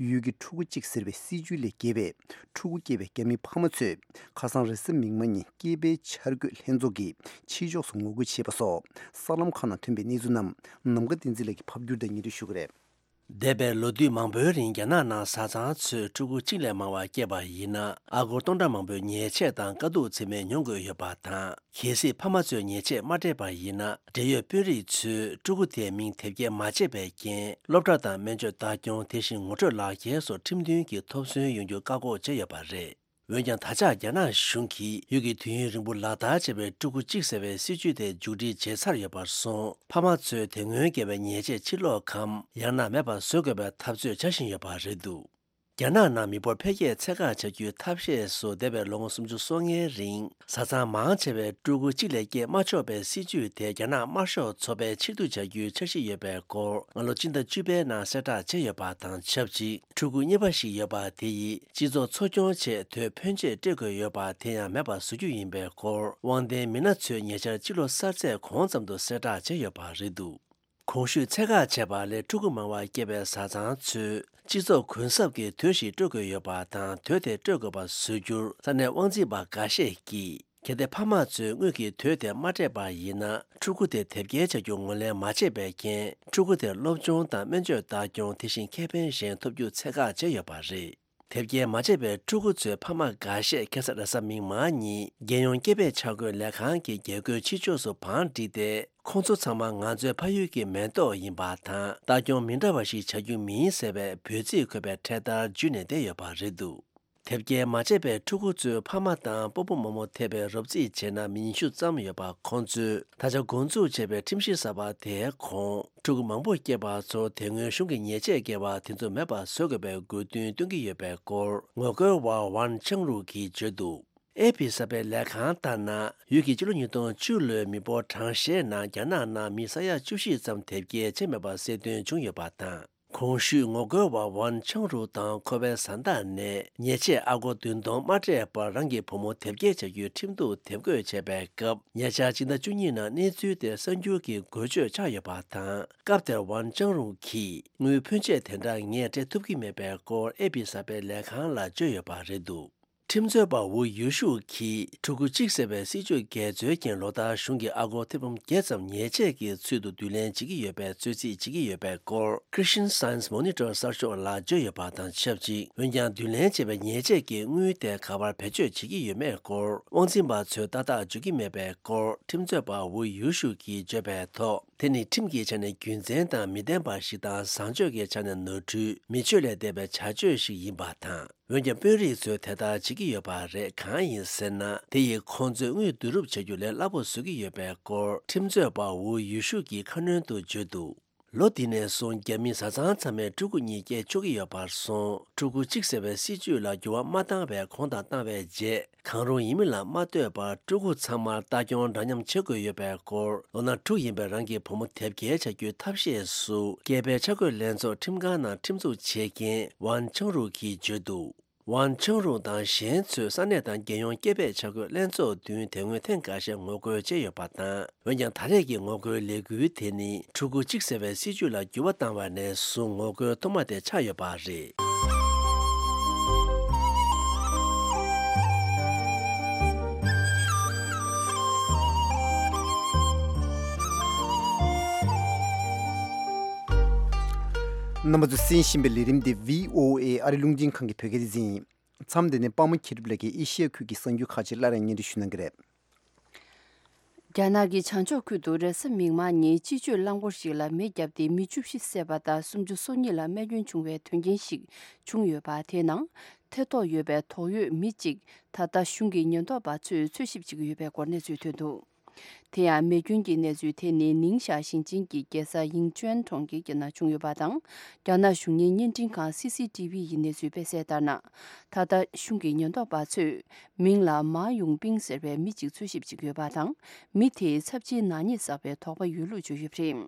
ཡུལ་གྱི་ཕྲུ་གུ་གཅིག་ཟེར་བའི་སྲིད་བྱུས་ལས་བརྒལ་བའི་ཕྲུ་གུ་སྐྱེས་པའི་རྒྱ་མི་ཕ་མ་ཚོས་ཁ་སང་རེས་གཟའ་མིག་དམར་ཉིན་སྐྱེས་པའི་འཆར་འགོད་ལྷན་ཚོགས་ཀྱི་ཕྱི་ཕྱོགས་སུ་ངོ་རྒོལ་བྱས་པ་སོགས་གསར་ལམ་ཁག་ནང་ཐོན་པའི་གནས་ཚུལ་རྣམས་ནམ་མཁའ་བསྟན་འཛིན་ལགས་ཀྱིས་ཕབ་བསྒྱུར་དང་སྙན་སྒྲོན་ཞུ་གི་རེད། འདས་པའི་ལོ་དུས་མང་པོའི་རིང་རྒྱ་ནག་ནང་བཟའ་ཚང་ཚོས་ཕྲུ་གུ་གཅིག་ལས་མང་བ་སྐྱེས་པ་ཡིན་ན་ཨ་སྒོར་སྟོང་ཕྲག་མང་པོའི་ཉེས་ཆད་དང་དཀའ་སྡུག་ཚད་མེད་མྱོང་དགོས་ཡོད་པ་དང་། གལ་སྲིད་ཕ་མ་ཚོས་ཉེས་ཆད་མ་སྤྲད་པ་ཡིན་ན་འབྲེལ་ཡོད་དཔོན་རིགས་ཚོས་ཕྲུ་གུ་དེའི་མིང་དེབ་སྐྱེལ་མ་བྱས་པའི་རྐྱེན་སློབ་གྲྭ་དང་སྨན་བཅོས་ལྟ་སྐྱོང་དེ་བཞིན་ངོ་སྤྲོད་ལག་འཁྱེར་སོགས་ཁྲིམས་མཐུན་གྱི་ཐོབ་ཟོན་ཡོང་རྒྱུ་བཀག་འགོག་བྱས་ཡོད་པ་རེད། འོན་ཀྱང་ད་ཆ་རྒྱ་ནག་གཞུང་གིས་ཡུལ་གྱི་དུས་ཡུན་རིང་པོ་ལག་བསྟར་བྱས་པའི་ཕྲུ་གུ་གཅིག་ཟེར་བའི་སྲིད་བྱུས་དེ་མཇུག་སྒྲིལ་བྱས་ཚར་ཡོད་པར་སོང་། ཕ་མ་ཚོས་དེ་སྔོན་བཀལ་བའི་ཉེས་ཆད་ཕྱིར་སློག་གམ་ཡང་ན་མེད་པར་བཟོ་དགོས་པའི་འཐབ་རྩོད་བྱ་བཞིན་ཡོད་པ་རེད་འདུག། རྒྱ་ནག་ནང་མི་འབོར་འཕེལ་རྒྱས་ཚད་བཀག་བྱ་རྒྱུའི་ཐབས་ཤེས་སུ་འདས་པའི་ལོ་ངོ་སུམ་ཅུ་སོ་ལྔའི་རིང་བཟའ་ཚང་མང་ཆེ་བས་ཕྲུ་གུ་གཅིག་ལས་སྐྱེས་མ་ཆོག་པའི་སྲིད་བྱུས་དེ་རྒྱ་ནག་དམར་ཤོག་ཚོགས་པས་ཕྱིར་བསྡུ་བྱ་རྒྱུའི་འཆར་གཞི་ཡོད་པའི་སྐོར་སྔ་ལོ་སྤྱི་ཟླ་བཅུ་པའི་ནང་གསལ་བསྒྲགས་བྱས་ཡོད་པ་དང་ཆབས་ཅིག་ཕྲུ་གུ་གཉིས་པ་ཞིག་ཡོད་པ་དེ་ཡིས་སྤྱི་ཚོགས་འཚོ་སྐྱོང་ཆེད་དོད་ཕོན་ཆེ་སྤྲད་དགོས་ཡོད་པ་དེ་ཡང་མེད་པར་བཟོ་རྒྱུ་ཡིན་པའི་སྐོར་དབང་ལྡན་མི་སྣ་ཚོས་ཉེ་ཆར་སྤྱི་ལོ་གསར་ཚེས་གོང་ཙམ་དུ་གསལ་བསྒྲགས་བྱས་ཡོད་པ་རེད་འདུག། གོང་ཞུས་ཚད་བཀག་བྱས་པ་ལས་ཕྲུ་གུ་མང་བ་སྐྱེས་པའི་བཟའ་ཚང་ཚོས་སྤྱི་ཚོགས་གུན་གསབ་ཀྱི་དུས་ཤིག་སྤྲོད་དགོས་ཡོད་པ་དང་། དུས་དེ་སྤྲོད་དགོས་པ་བཟོ་རྒྱུར་ས་གནས་དབང་འཛིན་པ་འགའ་ཤས་ཀྱིས། གལ་ཏེ་ཕ་མ་ཚོས་དངུལ་གྱི་དུས་དེ་མ་སྤྲད་པ་ཡིན་ན། ཕྲུ་གུ་དེ་དེབ་སྐྱེལ་བྱ་རྒྱུ་ངོས་ལེན་མ་བྱས་པའི་རྐྱེན། ཕྲུ་གུ་དེར་སློབ་སྦྱོང་དང་སྨན་བཅོས་ལྟ་སྐྱོང་། དེ་བཞིན་ཁེ་ཕན་གཞན་ཐོབ་རྒྱུ་ཚད་བཀག་བྱས་ཡོད་པ་རེད། དེབ་སྐྱེལ་མ་བྱས་པའི་ཕྲུ་གུ་ཚོའི་ཕ་མ་འགའ་ཤས་ཁ་སང་རེས་གཟའ་མིག་དམར་ཉིན་རྒྱལ་ཡོངས་སྐྱེས་པའི་འཆར་འགོད་ལས་ཁང་གི་རྒྱལ་སྒོའི་ཕྱི་ཕྱོགས་སུ་བང་བསྒྲིགས་ཏེ། ཁོང་ཚོ་ཚང་མ་ང་ཚོའི་ཕ་ཡུལ་གྱི་མེ་ཏོག་ཡིན་པ་དང་། ལྟ་སྐྱོང་མི་འདྲ་བ་ཞིག་བྱ་རྒྱུ་མིན་ཟེར་བའི་འབོད་ཚིག་འཁོད་པའི་འཕྲེད་དར་འཇུས་ནས་བསྡད་ཡོད་པ་རེད་འདུག་དེབ་སྐྱེལ་མ་བྱས་པའི་ཕྲུ་གུ་ཚོའི་ཕ་མ་དང་སྤོ་བོ་རྨོ་མོ་ཐེ་བའི་རོབ་རྩིས་བྱས་ན་མི་ཉི་ཤུ་ཙམ་ཡོད་པ། ཁོང་ཚོས་ད་ཆ་འགོ་འཛུགས་བྱས་པའི་ཁྲིམས་གཞི་གསར་པ་དེའི་གོང་ཕྲུ་གུ་མང་པོ་སྐྱེས་པ་ཚོ་དེ་སྔོན་གཞུང་གི་ཉེས་ཆད་བཀལ་བ་དེ་ཚོ་མེད་པར་བཟོ་དགོས་པའི་དགོས་འདུན་བཏོན་གྱི་ཡོད་པའི་སྐོར་ངོ་རྒོལ་བ་ཝན་ཆང་རུ་གིས་བརྗོད་འདུག་ཨེ་པི་གསར་པའི་ལས་ཁང་ལྟར་ན། ཡུལ་གྱི་ཕྱི་ལོ་ཉིས་སྟོང་བཅུ་ལོའི་མི་འབོར་གྲངས་བཤེར་ནང་རྒྱ་ནག་ནང་མི་ས་ཡ་བཅུ་བཞི་ཙམ་དེབ་སྐྱེལ་བྱས་མེད་པ་གསལ་སྟོན་བྱུང་ཡོད་པ་དང་། གོང་ཞུས་ངོ་རྒོལ་བ་ཝན་ཆང་རུ་དང་ཁོ་པའི་བཟའ་ཟླ་ནས་ཉེས་ཆད་ཨ་སྒོར་བདུན་སྟོང་མ་སྤྲད་པར་རང་གི་བུ་མོ་དེབ་སྐྱེལ་བྱ་རྒྱུའི་ཁྲིམས་གཏུག་དེབ་འགོད་བྱས་པའི་སྐབས། ཉེ་ཆར་སྤྱི་ཟླ་བཅུ་གཉིས་ནང་གནས་ཚུལ་དེ་གསར་འགྱུར་གྱི་འགོ་བརྗོད་ཆགས་ཡོད་པ་དང་། སྐབས་དེར་ཝན་ཅང་རུང་གིས་དངུལ་ཕོན་ཆེ་དེ་འདྲ་ངས་སྤྲད་ཐུབ་ཀྱི་མེད་པའི་སྐོར་ཨེ་པི་གསར་པའི་ལས་ཁང་ལ་བརྗོད་ཡོད་པ་རེད་འདུག་ཁྲིམས་རྩོད་པ་ཝུ་ཡུ་ཤུ་གིས་ཕྲུ་གུ་གཅིག་ཟེར་བའི་སྲིད་ཇུས་འགལ་འཛོལ་རྐྱེན་ལོ་ལྟར་གཞུང་གིས་ཨ་སྒོར་ཐེར་འབུམ་བརྒྱད་ཙམ་ཉེས་ཆད་ཀྱི་ཚུལ་དུ་བསྡུ་ལེན་བྱེད་ཀྱི་ཡོད་པའི་རྩོད་རྩིས་བྱེད་ཀྱི་ཡོད་པའི་སྐོར་Christian Science Monitor གསར་ཤོག་ལ་བརྗོད་ཡོད་པ་དང་ཆབས་ཅིག་འོན་ཀྱང་བསྡུ་ལེན་བྱས་པའི་ཉེས་ཆད་ཀྱི་དངུལ་དེ་ག་པར་བེད་སྤྱོད་བྱེད་ཀྱི་ཡོད་མེད་སྐོར་དབང་འཛིན་པ་ཚོས་ཏག་ཏག་བརྗོད་ཀྱི་མེད་པའི་སྐོར་ཁྲིམས་རྩོད་པ་ཝུ་ཡུ་ཤུ་གིས་བརྗོད་པའི་ཐོག་དེ་ནི་ཁྲིམས་ཀྱི་ཆ་ནས་རྒྱུ་མཚན་དང་མི་ལྡན་པ་ཞིག་དང་བཟང་སྤྱོད་ཀྱི་ཆ་ནས་ནོར་འཁྲུལ་མི་ཆོས་ལས་འདས་པའི་བྱ་སྤྱོད་ཞིག་ཡིན་པ་དང་། འོན་ཀྱང་དཔོན་རིགས་ཚོས་དེ་ལྟར་བྱེད་ཀྱི་ཡོད་པ་རེད། གང་ཡིན་ཟེར་ན། དེ་ཡིས་ཁོང་ཚོའི་དངུལ་བསྡུ་རུབ་བྱ་རྒྱུ་ལས་སླ་པོ་བཟོ་གི་ཡོད་པའི་སྐོར་ཁྲིམས་རྩོད་པ་ཝུ་ཡུ་ཤུ་གིས་ཁ་སྣོན་དུ་བརྗོད་འདུག་ལོ་འདི་ནས་བཟུང་རྒྱ་མིའི་བཟའ་ཚང་ཚང་མས་ཕྲུ་གུ་གཉིས་སྐྱེ་ཆོག་གི་ཡོད་པར་སོང་། ཕྲུ་གུ་གཅིག་ཟེར་བའི་སྲིད་ཇུས་ལ་འགྱུར་བ་མ་བཏང་བའི་གོང་དང་བཏང་བའི་རྗེས། གང་རུང་ཡིན་མིན་ལ་མ་ལྟོས་པར་ཕྲུ་གུ་ཚང་མར་ལྟ་སྐྱོང་འདྲ་མཉམ་བྱེད་དགོས་ཡོད་པའི་སྐོར། ལོ་ན་དྲུག་ཡིན་པའི་རང་གི་བུ་མོ་དེབ་སྐྱེལ་བྱ་རྒྱུའི་ཐབས་ཤེས་སུ། སྐྱེས་པའི་འཆར་འགོད་ལྷན་ཚོགས་ཁྲིམས་ཁང་ནང་ཁྲིམས་འཛུགས་བྱེད་མཁན་ཝན་ཆང་རུ་གིས་བརྗོད་འདུག་ཝན་ཆང་རུ་དང་གཞན་ཚོས་ས་གནས་དང་རྒྱལ་ཡོངས་སྐྱེས་པའི་འཆར་འགོད་ལྷན་ཚོགས་མདུན་དེ་སྔོན་ཐེངས་འགའ་ཤས་ངོ་རྒོལ་བྱས་ཡོད་པ་དང་། འོན་ཀྱང་ད་རེས་ཀྱི་ངོ་རྒོལ་ལས་འགུལ་དེ་ནི་ཕྲུ་གུ་གཅིག་ཟེར་བའི་སྲིད་ཇུས་ལ་འགྱུར་བ་བཏང་བ་ནས་བཟུང་ངོ་རྒོལ་ཐོག་མ་དེ་ཆགས་ཡོད་པ་རེད། རྣམ་པ་ཚོས་གསན་བཞིན་པའི་ལས་རིམ་འདི་བྷི་ཨོ་ཨེ་ཨ་རི་རླུང་འཕྲིན་ཁང་གི་བོད་སྐད་སྡེ་ཚན་ཡིན། མཚམས་འདི་ནས་པདྨ་མཁྱེན་གྲུབ་ལགས་ཀྱིས་ཨེ་ཤི་ཡ་ཁུལ་གྱི་གསར་འགྱུར་ཁག་ཅིག་སླར་ཡང་སྙན་སྒྲོན་ཞུ་གནང་གི་རེད། རྒྱ་ནག་གི་བྱང་ཕྱོགས་ཁུལ་དུ་རེས་གཟའ་མིག་དམར་ཉིན་སྤྱི་སྤྱོད་རླངས་འཁོར་ཞིག་ལ་མེ་བརྒྱབ་སྟེ་མི་བཅུ་བཞི་བསད་པ་དང་སུམ་ཅུ་སོ་གཉིས་ལ་རྨས་སྐྱོན་བྱུང་བའི་དོན་རྐྱེན་ཞིག་བྱུང་ཡོད་པ། དེའི་ནང་ཐེ་གཏོགས་ཡོད་པའི་དོགས་ཡོད་མི་གཅིག་ད་ལྟ་གཞུང་གི་ཉེན་རྟོག་པ་ཚོས་འཚོལ་ཞིབ་བྱེད་ཀྱི་ཡོད་པའི་སྐོར་གནས་ཚུལ་ཐོན་འདུག་དེ་ཡང་མེ་སྐྱོན་གྱི་གནས་ཚུལ་དེ་ནི་ནིང་ཞའོ་ཞིང་ཆེན་གྱི་རྒྱལ་ས་ཡིང་ཅུན་གྲོང་ཁྱེར་གྱི་ནང་བྱུང་ཡོད་པ་དང་། རྒྱ་ནག་གཞུང་གཉེར་བརྙན་འཕྲིན་ཁང་སི་སི་ཏི་བི་ཡིས་གནས་ཚུལ་སྤེལ་གསལ་ལྟར་ན། ད་ལྟ་གཞུང་གི་ཉེན་རྟོག་པ་ཚོས་མིང་ལ་མཱ་ཡུང་པིང་ཟེར་བའི་མི་གཅིག་འཚོལ་ཞིབ་བྱེད་ཀྱི་ཡོད་པ་དང་། མི་དེས་ཚབས་ཆེའི་ནག་ཉེས་བསགས་པའི་དོགས་པ་ཡོད་ལུགས་བརྗོད་ཡོད་པ་རེད།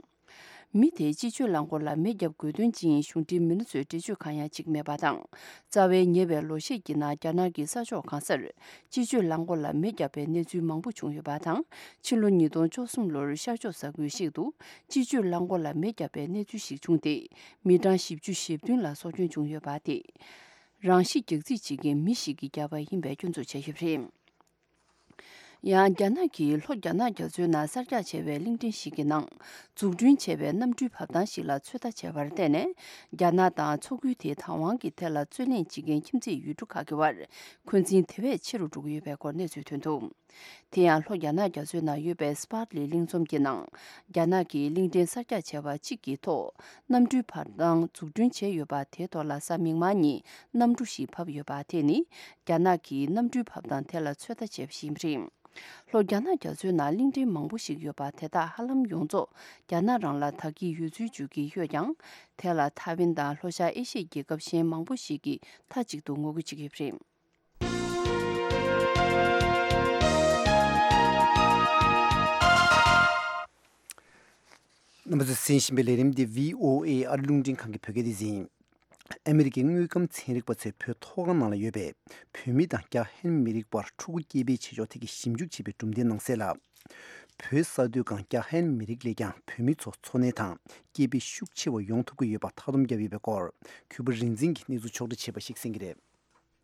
མི་དེས་སྤྱི་སྤྱོད་རླངས་འཁོར་ལ་མེ་བརྒྱབ་དགོས་དོན་ཅི་ཡིན་གཞུང་འབྲེལ་མི་སྣ་ཚོས་འགྲེལ་བརྗོད་གང་ཡང་བྱེད་ཀྱི་མེད་པ་དང་། རྩ་བའི་ཉེ་བའི་ལོ་ཤས་ཀྱི་ནང་རྒྱ་ནག་གི་ས་ཕྱོགས་གང་སར་སྤྱི་སྤྱོད་རླངས་འཁོར་ལ་མེ་བརྒྱབ་པའི་གནས་ཚུལ་མང་པོ་བྱུང་ཡོད་པ་དང་། ཕྱི་ལོ་ཉིས་སྟོང་བཅུ་གསུམ་ལོར་ཤར་ཕྱོགས་ས་ཁུལ་ཞིག་ཏུ་སྤྱི་སྤྱོད་རླངས་འཁོར་ལ་མེ་བརྒྱབ་པའི་གནས་ཚུལ་ཞིག་བྱུང་སྟེ། མི་གྲངས་བཞི་བཅུ་ཞེ་བདུན་ལ་སྲོག་སྐྱོན་བྱུང་ཡོད་པ་དེ། རང་ཤི་རྒྱག་རྩིས་བྱེད་མཁན་མི་ཞིག་གིས་བརྒྱབ་པ་ཡིན་པའི་སྐྱོན་འཛུགས་བྱས་ཡོད་པ་རེད། ཡང་རྒྱ་ནག་གིས་ལྷོ་རྒྱ་ནག་རྒྱ་མཚོའི་ནང་གསར་རྒྱག་བྱས་པའི་གླིང་ཕྲན་ཞིག་གི་ནང་འཛུགས་སྐྲུན་བྱས་པའི་གནམ་གྲུའི་བབས་ཐང་ཞིག་ལ་ཚོད་ལྟ་བྱས་པར་བརྟེན་ནས། རྒྱ་ནག་དང་མཚོ་ཁུལ་དེའི་བདག་དབང་གི་ཐད་ལ་རྩོད་གླེང་བྱེད་མཁན་ཁྱིམ་མཚེས་ཡུལ་གྲུ་ཁག་གི་བར་འཁོན་འཛིན་དེ་བས་ཆེ་རུ་འགྲོ་གི་ཡོད་པའི་སྐོར་གནས་ཚུལ་ཐོན་འདུག་དེ་ཡང་ལྷོ་རྒྱ་ནག་རྒྱ་མཚོའི་ནང་ཡོད་པའི་སི་པཱར་ལི་གླིང་ཚོམ་གྱི་ནང་། རྒྱ་ནག་གིས་གླིང་ཕྲན་གསར་རྒྱག་བྱས་པ་གཅིག་གི་ཐོག་གནམ་གྲུའི་བབས་ཐང་འཛུགས་སྐྲུན་བྱས་ཡོད་པ་དེའི་ཐོག་ལ་གཟའ་མིག་དམར་ཉིན་གནམ་གྲུ་ཞིག་བབས་ཡོད་པ་དེ་ནི། རྒྱ་ནག་གིས་གནམ་གྲུའི་བབས་ཐང་དེ་ལ་ཚོད་ལྟ་བྱས་པ་ཞིག་ཡིན་པ་རེད། ལྷོ་རྒྱ་ནག་རྒྱ་མཚོའི་ནང་གླིང་ཕྲན་མང་པོ་ཞིག་ཡོད་པ་དེ་དག་ཧ་ལམ་ཡོངས་རྫོགས་རྒྱ་ནག་རང་ལ་བདག་གི་ཡོད་ཚུལ་བརྗོད་ཀྱི་ཡོད་ཀྱང་། དེ་ལ་ཐའེ་ཝན་དང་ལྷོ་ཤར་ཨེ་ཤི་ཡའི་རྒྱལ་ཁབ་གཞན་མང་པོ་ཞིག་གིས་མཐའ་གཅིག་ཏུ་ངོ་རྒོལ་བྱེད་ཀྱི་ཡོད་པ་རེད། རྣམ་པ་ཚོས་གསན་བཞིན་པའི་ལས་རིམ་འདི་བྷི་ཨོ་ཨེ་ཨ་རི་རླུང་འཕྲིན་ཁང་གི་བོད་སྐད་སྡེ་ཚན་ཡིན། ཨ་མི་རི་ཀའི་དངོས་ཁམས་ཚན་རིག་པ་ཚོས་བོད་མཐོ་སྒང་ནང་ལ་ཡོད་པའི་བོད་མི་དང་རྒྱ་ཧན་མི་རིགས་བར་ཕྲུ་གུ་སྐྱེ་འཕེལ་བྱེད་ཕྱོགས་ཐད་ཀྱི་ཞིབ་འཇུག་བྱས་པའི་གྲུབ་འབྲས་ནང་གསལ་ལ། བོད་ས་མཐོའི་སྒང་རྒྱ་ཧན་མི་རིགས་ལས་ཀྱང་བོད་མི་ཚོ་འཚོ་གནས་དང་སྐྱེས་འཕེལ་ཤུགས་ཆེ་བ་ཡོང་ཐུབ་ཀྱི་ཡོད་པ་མཐའ་སྡོམ་བརྒྱབ་ཡོད་པའི་སྐོར་གུས་པ་རིག་འཛིན་གྱིས་གནས་ཚུལ་ཕྱོགས་སྒྲིག་བྱས་པ་ཞིག་གསན་གྱི་རེད།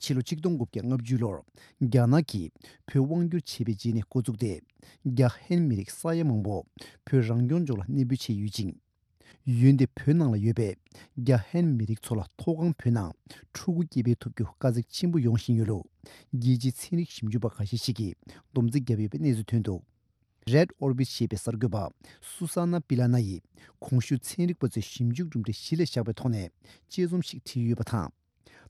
ཕྱི་ལོ་ཆིག་སྟོང་དགུ་བརྒྱ་ལྔ་བཅུ་ལོར་རྒྱ་ནག་གིས་བོད་དབང་བསྒྱུར་བྱས་པའི་རྗེས་ནས་འགོ་བཙུགས་ཏེ། རྒྱ་ཧན་མི་རིགས་ས་ཡ་མང་པོ་བོད་རང་སྐྱོང་ལྗོངས་ལ་གནས་སྤོས་བྱས་ཡོད་ཅིང་། འོན་ཏེ་བོད་ནང་ལ་ཡོད་པའི་རྒྱ་ཧན་མི་རིགས་ཚོ་ལ་མཐོ་སྒང་བོད་ནང་ཕྲུ་གུ་སྐྱེ་འཕེལ་ཐུབ་རྒྱུ་དཀའ་ཚེགས་ཆེན་པོ་ཡོང་བཞིན་ཡོད་ལུགས་རྒྱལ་སྤྱིའི་ཚན་རིག་ཞིབ་འཇུག་པ་ཁ་ཤས་ཤིག་གིས་སྡོམ་རྩིས་བརྒྱབ་ཡོད་པའི་གནས་ཚུལ་ཐོན་འདུག Red Orbit ཞེས་པའི་གསར་འགོད་པ་སུ་ས་ན་པི་ལ་ན་ཡིས་གོང་ཞུས་ཚན་རིག་པ་ཚོའི་ཞིབ་འཇུག་གྲུབ་འབྲས་གཞི་ལ་བཞག་པའི་ཐོག་ནས་དཔྱད་རྩོམ་ཞིག་བྲིས་ཡོད་པ་དང་།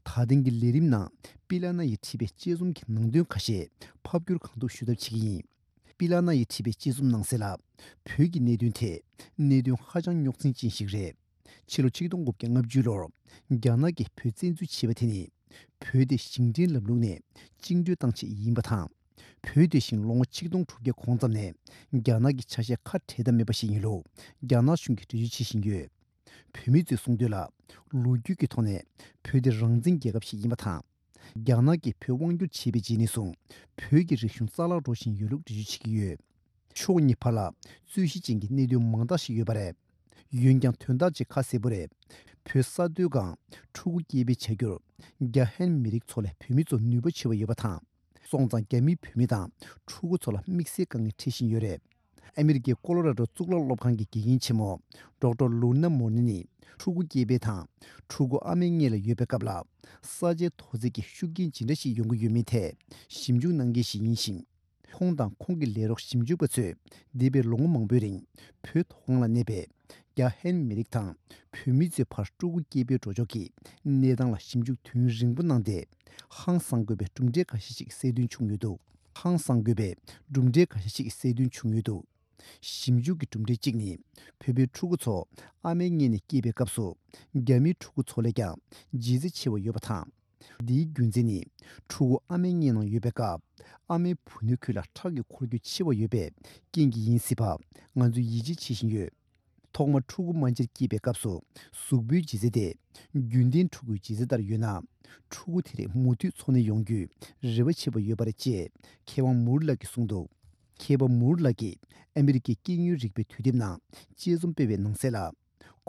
ད་ཐེངས་ཀྱི་ལས་རིམ་ནང་པི་ལ་ན་ཡིས་བྲིས་པའི་དཔྱད་རྩོམ་གྱི་ནང་དོན་ཁ་ཤས་ཕབ་བསྒྱུར་གང་ཐུབ་ཞུ་ཐབས་བྱེད་ཀྱི་ཡིན། པི་ལ་ན་ཡིས་བྲིས་པའི་དཔྱད་རྩོམ་ནང་གསལ་ལ། བོད་ཀྱི་གནད་དོན་དེ་གནད་དོན་ཧ་ཅང་རྙོག་འཛིང་ཅན་ཞིག་རེད། ཕྱི་ལོ་ཆིག་སྟོང་དགུ་བརྒྱ་ལྔ་བཅུ་ལོར་རྒྱ་ནག་གིས་བོད་བཙན་འཛུལ་བྱས་པ་དེ་ནི། བོད་དེ་ཞིང་བྲན་ལམ་ལུགས་ནས་བཅིངས་འགྲོལ་བཏང་ཆེད་ཡིན་པ་དང་། བོད་དེ་བཞིན་ལོ་ངོ་ཆིག་སྟོང་དྲུག་བརྒྱ་གོང་ཙམ་ནས་རྒྱ་ནག་གི་ཆ་ཤས་ཁ་བྲལ་ཐབས་མེད་པ་ཞིག་ཡིན་ལུགས་རྒྱ་ནག་གཞུང་གིས་འགྲེལ་བརྗོད་བྱེད་བཞིན་ཡོད། བོད་མི་ཚོས་གསུངས་དོན་ལ། ལོ་རྒྱུས་ཀྱི་ཐོག་ནས་བོད་དེ་རང་བཙན་རྒྱལ་ཁབ་ཞིག་ཡིན་པ་དང་། རྒྱ་ནག་གིས་བོད་དབང་བསྒྱུར་བྱས་པའི་རྗེས་ནས་བཟུང་བོད་ཀྱི་རིག་གཞུང་རྩ་བརླག་འགྲོ་བཞིན་ཡོད་ལུགས་འགྲེལ་བརྗོད་བྱེད་ཀྱི་ཡོད། ཕྱོགས་གཉིས་བར་ལ་རྩོད་གཞི་ཅན་གྱི་གནད་དོན་མང་དག་ཞིག་ཡོད་པ་རེད། འོན་ཀྱང་དོན་དག་ཅིག་ཁ་གསལ་པོ་རེད། བོད་ས་མཐོའི་སྒང་ཕྲུ་གུ་སྐྱེ་འཕེལ་བྱ་རྒྱུར་རྒྱ་ཧན་མི་རིགས་ཚོ་ལས་བོད་མི་ཚོ་ནུས་པ་ཆེ་བ་ཡོད་པ་དང་། སོང་ཙང་རྒྱ་མིས་བོད་མི་དང་ཕྲུ་གུ་ཚོ་ལ་དམིགས་བསལ་དཀའ་ངལ་འཕྲད་བཞིན་ཡོད་རེད། ཨ་མི་རི་ཀའི་ཀོ་ལོ་ར་ཌོ་གཙུག་ལག་སློབ་ཁང་གི་དགེ་རྒན་ཆེན་མོ་ཌོག་ཊར་ལུ་ན་མོ་ནི་ནི་ཕྲུ་གུ་སྐྱེ་འཕེལ་དང་ཕྲུ་གུ་ཨ་མའི་མངལ་ལ་ཡོད་པའི་སྐབས་ལ་ས་ཆའི་མཐོ་ཚད་ཀྱི་ཤུགས་རྐྱེན་ཇི་འདྲ་ཞིག་ཡོང་གི་ཡོད་མེད་ཐད་ཞིབ་འཇུག་གནང་མཁན་ཞིག་ཡིན་ཞིང་། ཁོང་དང་ཁོང་གི་ལས་རོགས་ཞིབ་འཇུག་པ་ཚོས་འདས་པའི་ལོ་ངོ་མང་པོའི་རིང་བོད་མཐོ་སྒང་ལ་གནས་པའི་རྒྱ་ཧན་མི་རིགས་དང་བོད་མི་ཚོའི་བར་ཕྲུ་གུ་སྐྱེ་འཕེལ་འགྲོ་ཕྱོགས་ཀྱི་གནས་སྟངས་ལ་ཞིབ་འཇུག་དུས་ཡུན་རིང་པོ་གནང་སྟེ། ཧང་སང་དགོས་པའི་གྲུབ་འབྲས་འགའ་ཤས་ཤིག་གསལ་སྟོན་བྱུང་ཡོད་འདུག་ཧང་སང་དགོས་པའི་གྲུབ་འབྲས་འགའ་ཤས་ཤིག་གསལ་སྟོན་བྱུང་ཡོད་འདུག་ཞིབ་འཇུག་གི་གྲུབ་འབྲས་གཅིག་ནི། བོད་པའི་ཕྲུ་གུ་ཚོ་ཨ་མའི་མངལ་ནས་སྐྱེས་པའི་སྐབས་སུ། རྒྱ་མིའི་ཕྲུ་གུ་ཚོ་ལས་ཀྱང་ལྗིད་ཚད་ཆེ་བ་ཡོད་པ་དང་། འདིའི་རྒྱུ་མཚན་ནི། ཕྲུ་གུ་ཨ་མའི་མངལ་ནང་ཡོད་པའི་སྐབས། ཨ་མའི་བུ་སྣོད་ཁུལ་ལ་ཁྲག་གི་འཁོར་རྒྱུག་ཆེ་བ་ཡོད་པའི་རྐྱེན་གྱིས་ཡིན་སྲིད་པ། ང་ཚོས་ཡིད་ཆེས་བྱེད་བཞིན་ཡོད། ཐོག་མར་ཕྲུ་གུ་རྨ་བྱར་སྐྱེས་པའི་སྐབས་སུ། གཟུགས་པོའི་ལྗིད་ཚད་དེ། རྒྱུན་ལྡན་ཕྲུ་གུའི་ལྗིད་ཚད་ལྟར་ཡོད་ན། ཕྲུ་གུ་དེ་རིགས་མུ་མཐུད་འཚོ་གནས་ཡོང་རྒྱུའི་རེ་བ་བྱེད་པ་ཡོད་པ་རེད་ཅེས། མཁས་དབང་མུར་ལགས་ཀྱིས་གསུངས་འདུག་མཁས་པ་མུར་ལགས་ཀྱིས་ཨ་མི་རི་ཀའི་སྐྱེ་དངོས་རིག་པའི་དུས་དེབ་ནང་དཔྱད་རྩོམ་སྤེལ་བའི་ནང་གསལ་ལ།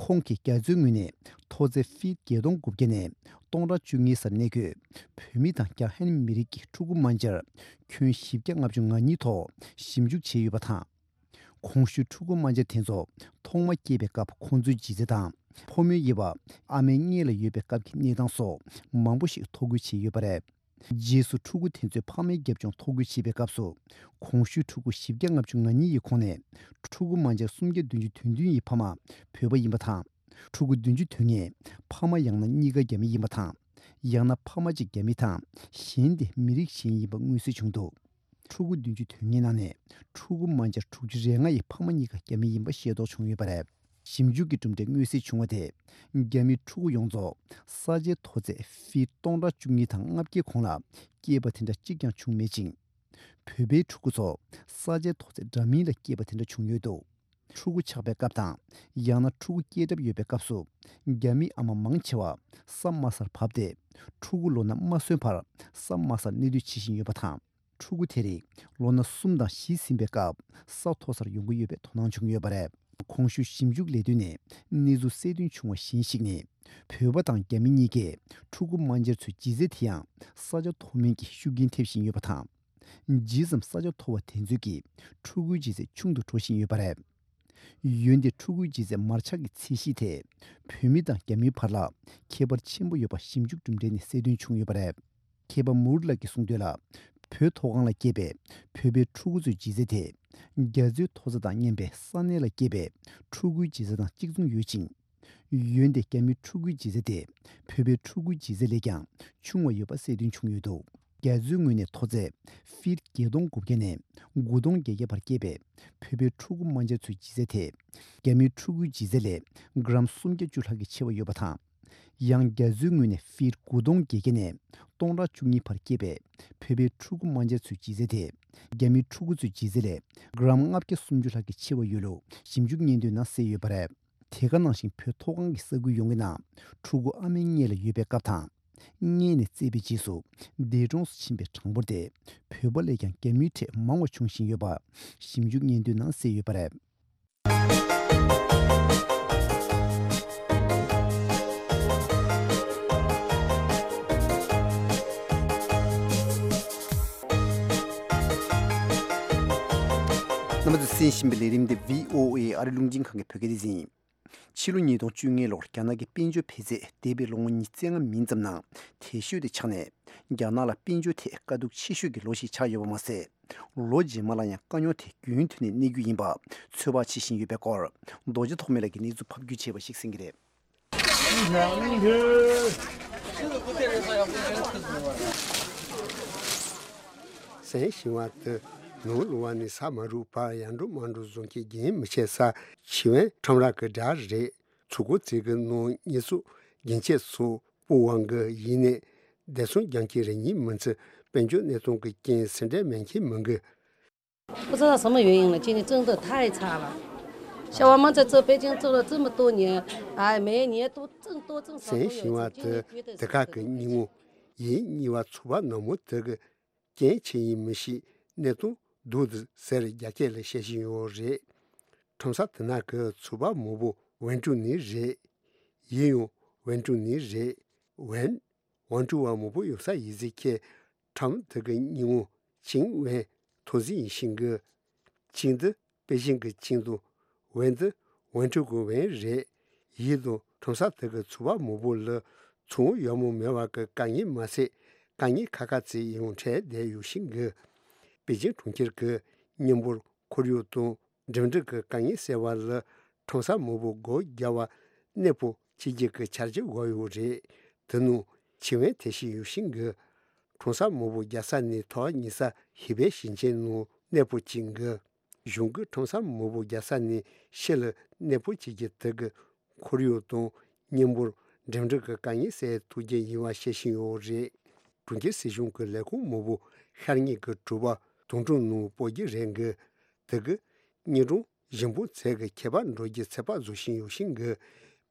ཁོང་གིས་རྒྱ་མཚོའི་ངོས་ནས་མཐོ་ཚད་ཕིཊ་བརྒྱད་སྟོང་དགུ་བརྒྱ་ནས་སྟོང་ཕྲག་བཅུ་གཉིས་སར་གནས་འཁོད་བོད་མི་དང་རྒྱ་ཧན་མི་རིགས་ཀྱི་ཕྲུ་གུ་རྨ་བྱར་ཁྱོན་བཞི་བརྒྱ་ལྔ་བཅུ་ང་གཉིས་ཐོག་ཞིབ་འཇུག་བྱས་ཡོད་པ་དང་། གོང་ཞུས་ཕྲུ་གུ་རྨ་བྱ་དེ་ཚོ་ཐོག་མ་སྐྱེས་པའི་སྐབས་ཁོང་ཚོའི་ལྗིད་ཚད་དང་ཕོ་མོའི་དབྱེ་བ། ཨ་མའི་མངལ་ལ་ཡོད་པའི་སྐབས་ཀྱི་གནས་སྟངས་སོགས་མང་པོ་ཞིག་ཐོ་འགོད་བྱས་ཡོད་པ་རེད། རྗེས་སུ་ཕྲུ་གུ་དེ་ཚོའི་ཕ་མའི་རྒྱབ་ལྗོངས་ཐོ་འགོད་བྱེད་པའི་སྐབས་སུ། གོང་ཞུས་ཕྲུ་གུ་བཞི་བརྒྱ་ལྔ་བཅུ་ང་གཉིས་ཡི་ཁོངས་ནས་ཕྲུ་གུ་རྨ་བྱ་སུམ་བརྒྱ་བདུན་ཅུ་དོན་བདུན་ཡི་ཕ་མ་བོད་པ་ཡིན་པ་དང་། ཕྲུ་གུ་བདུན་ཅུ་དོན་ལྔའི་ཕ་མ་ཡང་ན་གཉིས་ཀ་རྒྱ་མི་ཡིན་པ་དང་། ཡང་ན་ཕ་མ་གཅིག་རྒྱ་མི་དང་གཞན་དེ་མི་རིགས་གཞན་ཡིན་པ་མངོན་གསལ་བྱུང་འདུག་ཕྲུ་གུ་བདུན་ཅུ་དོན་ལྔའི་ནང་ནས་ཕྲུ་གུ་རྨ་བྱ་དྲུག་ཅུ་རེ་ལྔ་ཡི་ཕ་མ་གཉིས་ཀ་རྒྱ་མི་ཡིན་པ་ཤེས་རྟོགས་བྱུང་ཡོད་པ་རེད། ཞིབ་འཇུག་གི་གྲུབ་འབྲས་མངོན་གསལ་བྱུང་བ་དེ། རྒྱ་མིའི་ཕྲུ་གུ་ཡོངས་རྫོགས་ས་ཆའི་མཐོ་ཚད་ཕིཊ་སྟོང་ཕྲག་བཅུ་གཉིས་དང་ལྔ་བརྒྱའི་གོང་ལ་སྐྱེས་པ་དེ་འདྲ་གཅིག་ཀྱང་བྱུང་མེད་ཅིང་། བོད་པའི་ཕྲུ་གུ་ཚོ་ས་ཆའི་མཐོ་ཚད་འདྲ་མིན་ལ་སྐྱེས་པ་དེ་འདྲ་བྱུང་ཡོད་འདུག་ཕྲུ་གུ་ཆགས་པའི་སྐབས་དང་། ཡང་ན་ཕྲུ་གུ་སྐྱེས་གྲབས་ཡོད་པའི་སྐབས་སུ། རྒྱ་མི་ཨ་མ་མང་ཆེ་བ་ས་དམའ་སར་བབས་ཏེ། ཕྲུ་གུ་ལོ་ན་མ་སོན་བར་ས་དམའ་སར་གནས་སྡོད་བྱེད་བཞིན་ཡོད་པ་དང་། ཕྲུ་གུ་དེ་རིགས་ལོ་ན་གསུམ་དང་བཞི་ཟིན་པའི་སྐབས་ས་མཐོ་སར་ཡོང་གི་ཡོད་པའི་དོ་སྣང་བྱུང་ཡོད་པ་རེད། གོང་ཞུས་ཞིབ་འཇུག་ལས་དོན་ནས་གནས་ཚུལ་གསལ་སྟོན་བྱུང་བ་གཞན་ཞིག་ནི། བོད་པ་དང་རྒྱ་མི་གཉིས་ཀས་ཕྲུ་གུ་རྨ་བྱར་ཚོའི་ལྗིད་ཚད་དེ་ཡང་ས་ཆ་མཐོ་དམན་གྱི་ཤུགས་རྐྱེན་ཐེབས་བཞིན་ཡོད་པ་དང་། ཇི་ཙམ་ས་ཆ་མཐོ་བ་དེ་ཚོས་ཀྱིས་ཕྲུ་གུའི་ལྗིད་ཚད་ཆུང་དུ་འགྲོ་བཞིན་ཡོད་པ་རེད། འོན་ཏེ་ཕྲུ་གུའི་ལྗིད་ཚད་མར་ཆག་གི་ཚད་གཞི་དེ་བོད་མི་དང་རྒྱ་མིའི་བར་ལ་ཁྱད་པར་ཆེན་པོ་ཡོད་པ་ཞིབ་འཇུག་གྲུབ་འབྲས་ནས་གསལ་སྟོན་བྱུང་ཡོད་པ་རེད། མཁས་པ་མུར་ལགས་ཀྱིས་གསུངས་དོན་ལ། བོད་མཐོ་སྒང་ལ་སྐྱེས་པའི་བོད་པའི་ཕྲུ་གུ་ཚོའི་ལྗིད་ཚད་དེ། རྒྱ་མཚོའི་མཐོ་ས་དང་མཉམ་པའི་ས་གནས་ལ་སྐྱེས་པའི་ཕྲུ་གུའི་ལྗིད་ཚད་དང་གཅིག་མཚུངས་ཡོད་ཅིང་། འོན་ཏེ་རྒྱ་མིའི་ཕྲུ་གུའི་ལྗིད་ཚད་དེ་བོད་པའི་ཕྲུ་གུའི་ལྗིད་ཚད་ལས་ཀྱང་ཆུང་བ་ཡོད་པ་གསལ་སྟོན་བྱུང་ཡོད་འདུག་རྒྱ་མཚོའི་ངོས་ནས་མཐོ་ཚད་ཕིཊ་བརྒྱད་སྟོང་དགུ་བརྒྱ་ནས་དགུ་སྟོང་བརྒྱད་བརྒྱ་བར་སྐྱེས་པའི་བོད་པའི་ཕྲུ་གུ་རྨ་བྱར་ཚོའི་ལྗིད་ཚད་དེ། རྒྱ་མིའི་ཕྲུ་གུའི་ལྗིད་ཚད་ལས་གྲམ་སུམ་བརྒྱ་བཅུ་ལྷག་གིས་ཆེ་བ་ཡོད་པ་དང་། ཡང་རྒྱ་མཚོའི་ངོས་ནས་ཕིཊ་དགུ་སྟོང་བརྒྱད་བརྒྱ་ནས་སྟོང་ཕྲག་བཅུ་གཉིས་བར་སྐྱེས་པའི་བོད་པའི་ཕྲུ་གུ་རྨ་བྱར་ཚོའི་ལྗིད་ཚད་དེ། རྒྱ་མིའི་ཕྲུ་གུ་ཚོའི་ལྗིད་ཚད་ལས་གྲམ་ལྔ་བརྒྱ་སུམ་ཅུ་ལྷག་གིས་ཆེ་བ་ཡོད་ལུགས་ཞིབ་འཇུག་སྙན་ཐོའི་ནང་གསལ་ཡོད་པ་རེད། དེ་ག་ནང་བཞིན་བོད་མཐོ་སྒང་གི་ས་ཁུལ་ཡོངས་ཀྱི་ནང་ཕྲུ་གུ་ཨ་མའི་མངལ་ལ་ཡོད་པའི་སྐབས་དང་ མངལ་ནས་བཙས་པའི་རྗེས་སུ་འདས་གྲོངས་སུ་ཕྱིན་པའི་གྲངས་འབོར་དེ་བོད་པ་ལས་ཀྱང་རྒྱ་མིའི་གྲས་མང་བ་འབྱུང་བཞིན་ཡོད་པ་ཞིབ་འཇུག་སྙན་ཐོའི་ནང་གསལ་ཡོད་པ་རེད། རྣམ་པ་ཚོས་གསན་བཞིན་པའི་ལས་རིམ་འདི་བྷི་ཨོ་ཨེ་ཨ་རི་རླུང་འཕྲིན་ཁང་གི་བོད་སྐད་སྡེ་ཚན་ཡིན། ཕྱི་ལོ་ཉིས་སྟོང་བཅོ་ལྔ་ལོར་རྒྱ་ནག་གི་དཔལ་འབྱོར་འཕེལ་ཚད་འདས་པའི་ལོ་ངོ་ཉི་ཤུ་རྩ་ལྔ་མིན་ཙམ་ནང་དེ་ཤོས་དེ་ཆགས་ནས། རྒྱ་ནག་ལ་དཔལ་འབྱོར་ཐད་དཀའ་སྡུག་ཆེ་ཤོས་ཀྱི་ལོ་ཞིག་ཆགས་ཡོད་པ་མ་ཟད། ལོ་རྗེས་མ་ལ་ཡང་དཀའ་རྙོག་དེ་རྒྱུན་མཐུད་ནས་གནས་རྒྱུ་ཡིན་པ་ཚོད་དཔག་བྱེད་བཞིན་ཡོད་པའི་སྐོར། རྡོ་རྗེ་ཐོགས་མེད་ལགས་ཀྱིས་གནས་ཚུལ་ཕབ་སྒྱུར་བྱས་པ་ཞིག་གསན་གྱི་རེད། གསན་བཞིན་པ་དེ་ནོར་ལུ་བ་ནས་ས་མ་རུབ་བར་ཡར་འགྲོ་མར་འགྲོ་བཟོ་མཁན་རྒྱུན་མི་ཆད་ས་ཆི་ཝན་ཁྲོམ་ར་གི་སྒྲ་རེད། ཚུར་རྒོལ་རྩེད་གི་ནང་ཉེས་གསོག་རྒྱུན་ཆད་སོགས་སྤོ་བ་གི་ཡིན་ནས། བདེ་སྲུང་རྒྱང་ཁྱི་རེ་གཉིས་མི་ཚེ་དཔལ་འབྱོར་གནས་སྟངས་ཀྱི་རྐྱེན་སེ་འབྲས་མེད་མཁན་མི་འགི། 不知道什么原因了，今年真的太差了。下完班再做北京做了这么多年，哎，每年都挣多挣少都有一次，今年觉得是这个。 གསན་བཞིན་པ་དེ་དེ་ག་གི་སྙིང་པོ་ཡིན་གཉིས་པ་ཚོ་པ་ནག་མོ་དེ་གི་རྐྱེན་ཆེ་ཡིན་མི་ཤེས་གནས་སྟངས་སྡུག་འདུག་ཟེར་རྒྱ་སྐད་ལ་བཤད་བཞིན་ཡོད་རེད། ཁྲོམ་ས་དེ་ན་གི་ཚོ་པ་མང་པོ་ཝེན་ཀྲུའུ་ནས་རེད། ཡིན་ཡང་ཝེན་ཀྲུའུ་ནས་རེད། ཝེན། ཝེན་ཀྲུའུ་བ་མང་པོ་ཡོད་ས་ཡིན་ཟེར་ཁྱེད། ཁྲོམ་དེ་གི་སྙིང་པོ་ཆིང་ཝེན་ཐོ་ཟི་ཡིན་ཤིང་གི། ཆིང་དེ་པེ་ཅིང་གི་ཆིང་དང་། ཝེན་དེ་ཝེན་ཀྲུའུ་གི་ཝེན་རེད། ཡིན་དང་ཁྲོམ་ས་དེ་གི་ཚོ་པ་མང་པོ་ལ་ཚོང་ཡག་མོ་མེད་པ་གི་དཀའ་ངལ་མ་ཟད། དཀའ་ངལ་ཁག་ཁག་ཅིག་ཡོང་འཕྲད་བསྡད་ཡོད་ཤིང་གི། པེ་ཅིང་གྲོང་ཁྱེར་གྱི་མཉམ་འབོར་ཁོར་ཡུག་དང་འགྲིམ་འགྲུལ་གྱི་དཀའ་ངལ་སེལ་བ་ལ་ཁྲོམ་ས་མང་པོ་སྒོ་བརྒྱབ་པ་གནས་སྤོ་བྱེད་རྒྱུ་གི་འཆར་གཞི་བཞག་ཡོད་རེད། དེ་ནང་ཆི་ཝན་ཐེ་ཤི་ཡོད་ཤིང་གི། ཁྲོམ་ས་མང་པོ་རྒྱག་ས་ནས་ཐོག་ཉེ་ས་ཧི་པེ་ཞིང་ཆེན་ནང་གནས་སྤོ་བྱེད་གི། གཞུང་གི་ཁྲོམ་ས་མང་པོ་རྒྱག་ས་ནས་ཕྱི་ལ་གནས་སྤོ་བྱེད་རྒྱུ་དེ་གི་ཁོར་ཡུག་དང་མཉམ་འབོར་འགྲིམ་འགྲུལ་གྱི་དཀའ་ངལ་སེལ་ཐུབ་རྒྱུ་ཡིན་པ་བཤད་བཞིན་ཡོད་རེད། གྲོང་ཁྱེར་སྲིད་གཞུང་གི་ལས་ཁུངས་མང་པོ་ཤར་ཉེ་གི་གྲུ་པ་དུང་སྒྲོན་ནང་སྤོ་རྒྱུ་རེད་གི། དེ་གི་ཉིན་གྲངས་བཞི་འབུམ་ཚད་ཀྱི་ཁྱད་པར་འགྲོ་རྒྱུ་ཚོད་དཔག་བཟོ་བཞིན་ཡོད་ཤིང་གི།